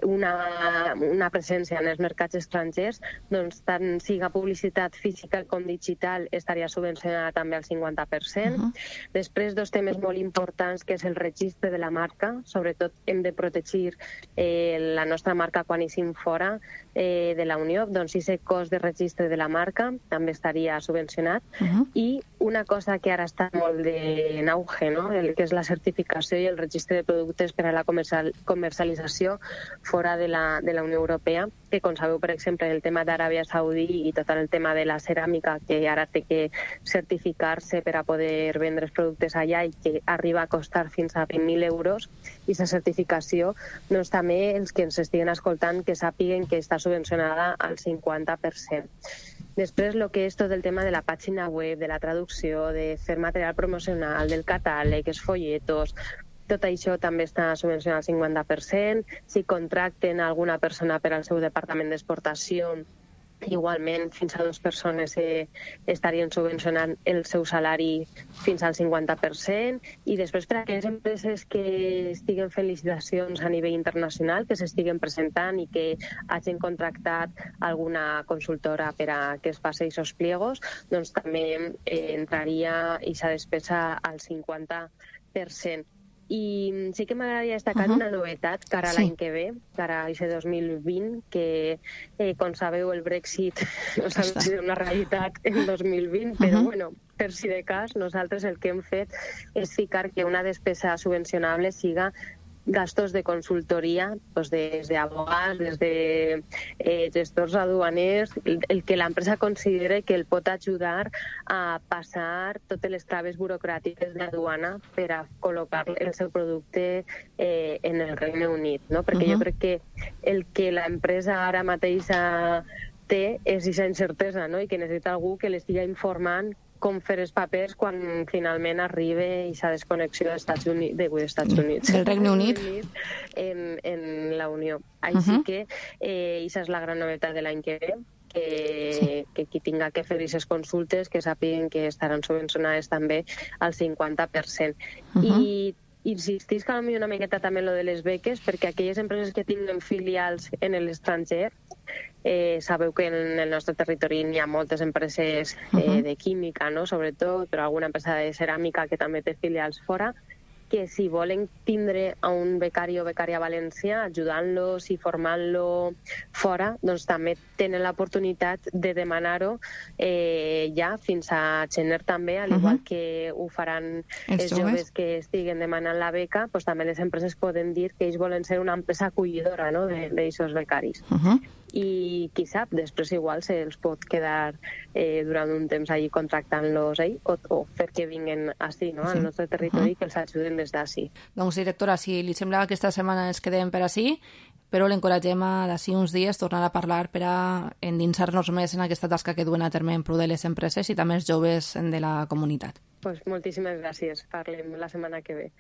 una, una presència en els mercats estrangers, doncs tant siga publicitat física com digital estaria subvencionada també al cinquanta per cent. Uh-huh. Després dos temes molt importants, que és el registre de la marca. Sobretot hem de protegir eh, la nostra marca quan eixim fora eh, de la Unió, doncs aquest cost de registre de la marca també estaria subvencionat. Uh-huh. I una cosa que ara està molt de, en auge, no? el que és la certificació i el registre de productes per a la comercial, comercialització fora de la, de la Unió Europea, que com sabeu, per exemple, el tema d'Aràbia Saudí i tot el tema de la ceràmica, que ara té que certificar-se per a poder vendre els productes allà i que arriba a costar fins a vint mil euros, i aquesta certificació, doncs també els que ens estiguen escoltant que sàpiguen que està subvencionada al cinquanta per cent. Després, el que és tot el tema de la pàgina web, de la traducció, de fer material promocional, del catàleg, els folletos, tot això també està subvencionat al cinquanta per cent. Si contracten alguna persona per al seu departament d'exportació, igualment fins a dues persones eh, estarien subvencionant el seu salari fins al cinquanta per cent. I després, per a aquelles empreses que estiguen fent licitacions a nivell internacional, que s'estiguen presentant i que hagin contractat alguna consultora per a que es faci aquests pliegos, doncs també eh, entraria aquesta despesa al cinquanta per cent. I sí que m'agradaria destacar uh-huh. una novetat cara a l'any sí. que ve, cara a aquest dos mil vint, que, eh, com sabeu, el Brexit no sabem si és una realitat en dos mil vint, uh-huh. però, bueno, per si de cas, nosaltres el que hem fet és ficar que una despesa subvencionable siga gastos de consultoria, pues des d'abogats, des de eh, gestors aduaners, el, el que l'empresa considere que el pot ajudar a passar totes les traves burocràtiques d'aduana per a col·locar el seu producte eh, en el Regne Unit, no? Perquè uh-huh. jo crec que el que l'empresa ara mateix té és aquesta incertesa, no? I que necessita algú que l'estigui informant com fer els papers quan finalment arriba aquesta desconnexió dels Estats Units, de, de Estats Units, del Regne Unit en, en la Unió. Així uh-huh. que eh, aquesta és la gran novetat de l'any que ve, que, que qui tinga que fer aquestes consultes que sàpiguen que estaran subvencionades també al cinquanta per cent. Uh-huh. I insistisc a mi una miqueta també en lo de les beques, perquè aquelles empreses que tinguen filials en l'estranger, eh, sabeu que en el nostre territori hi ha moltes empreses eh, uh-huh. de química, no? Sobretot, però alguna empresa de ceràmica que també té filials fora, que si volen tindre a un becari o becària valencià ajudant-los i formant-lo fora, doncs també tenen l'oportunitat de demanar-ho eh, ja fins a gener també, al igual uh-huh. que ho faran els, els joves que estiguen demanant la beca, doncs també les empreses poden dir que ells volen ser una empresa acollidora, no?, d'aquests becaris. Uh-huh. I qui sap, després igual se'ls pot quedar eh, durant un temps allí contractant-los eh, o, o fer que vinguen així, no?, al nostre territori, uh-huh. que els ajuden des d'ací. Doncs, directora, si li sembla que aquesta setmana ens quedem per així, però l'encoratgem a d'ací uns dies tornar a parlar per a endinsar-nos més en aquesta tasca que duen a terme en pro de les empreses i també els joves de la comunitat. Pues moltíssimes gràcies. Parlem la setmana que ve.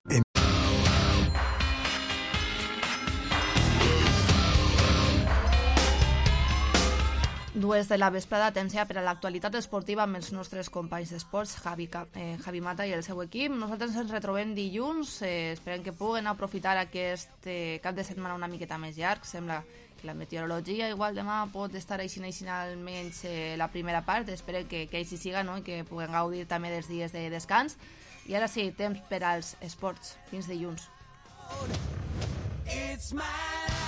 Dues de la vesprada, temps ja per a l'actualitat esportiva amb els nostres companys d'esports, Javi, eh, Javi Mata i el seu equip. Nosaltres ens retrobem dilluns, eh, esperem que puguen aprofitar aquest eh, cap de setmana una miqueta més llarg. Sembla que la meteorologia igual demà pot estar així així almenys eh, la primera part, esperem que, que així siga, no?, i que puguen gaudir també dels dies de descans. I ara sí, temps per als esports. Fins dilluns.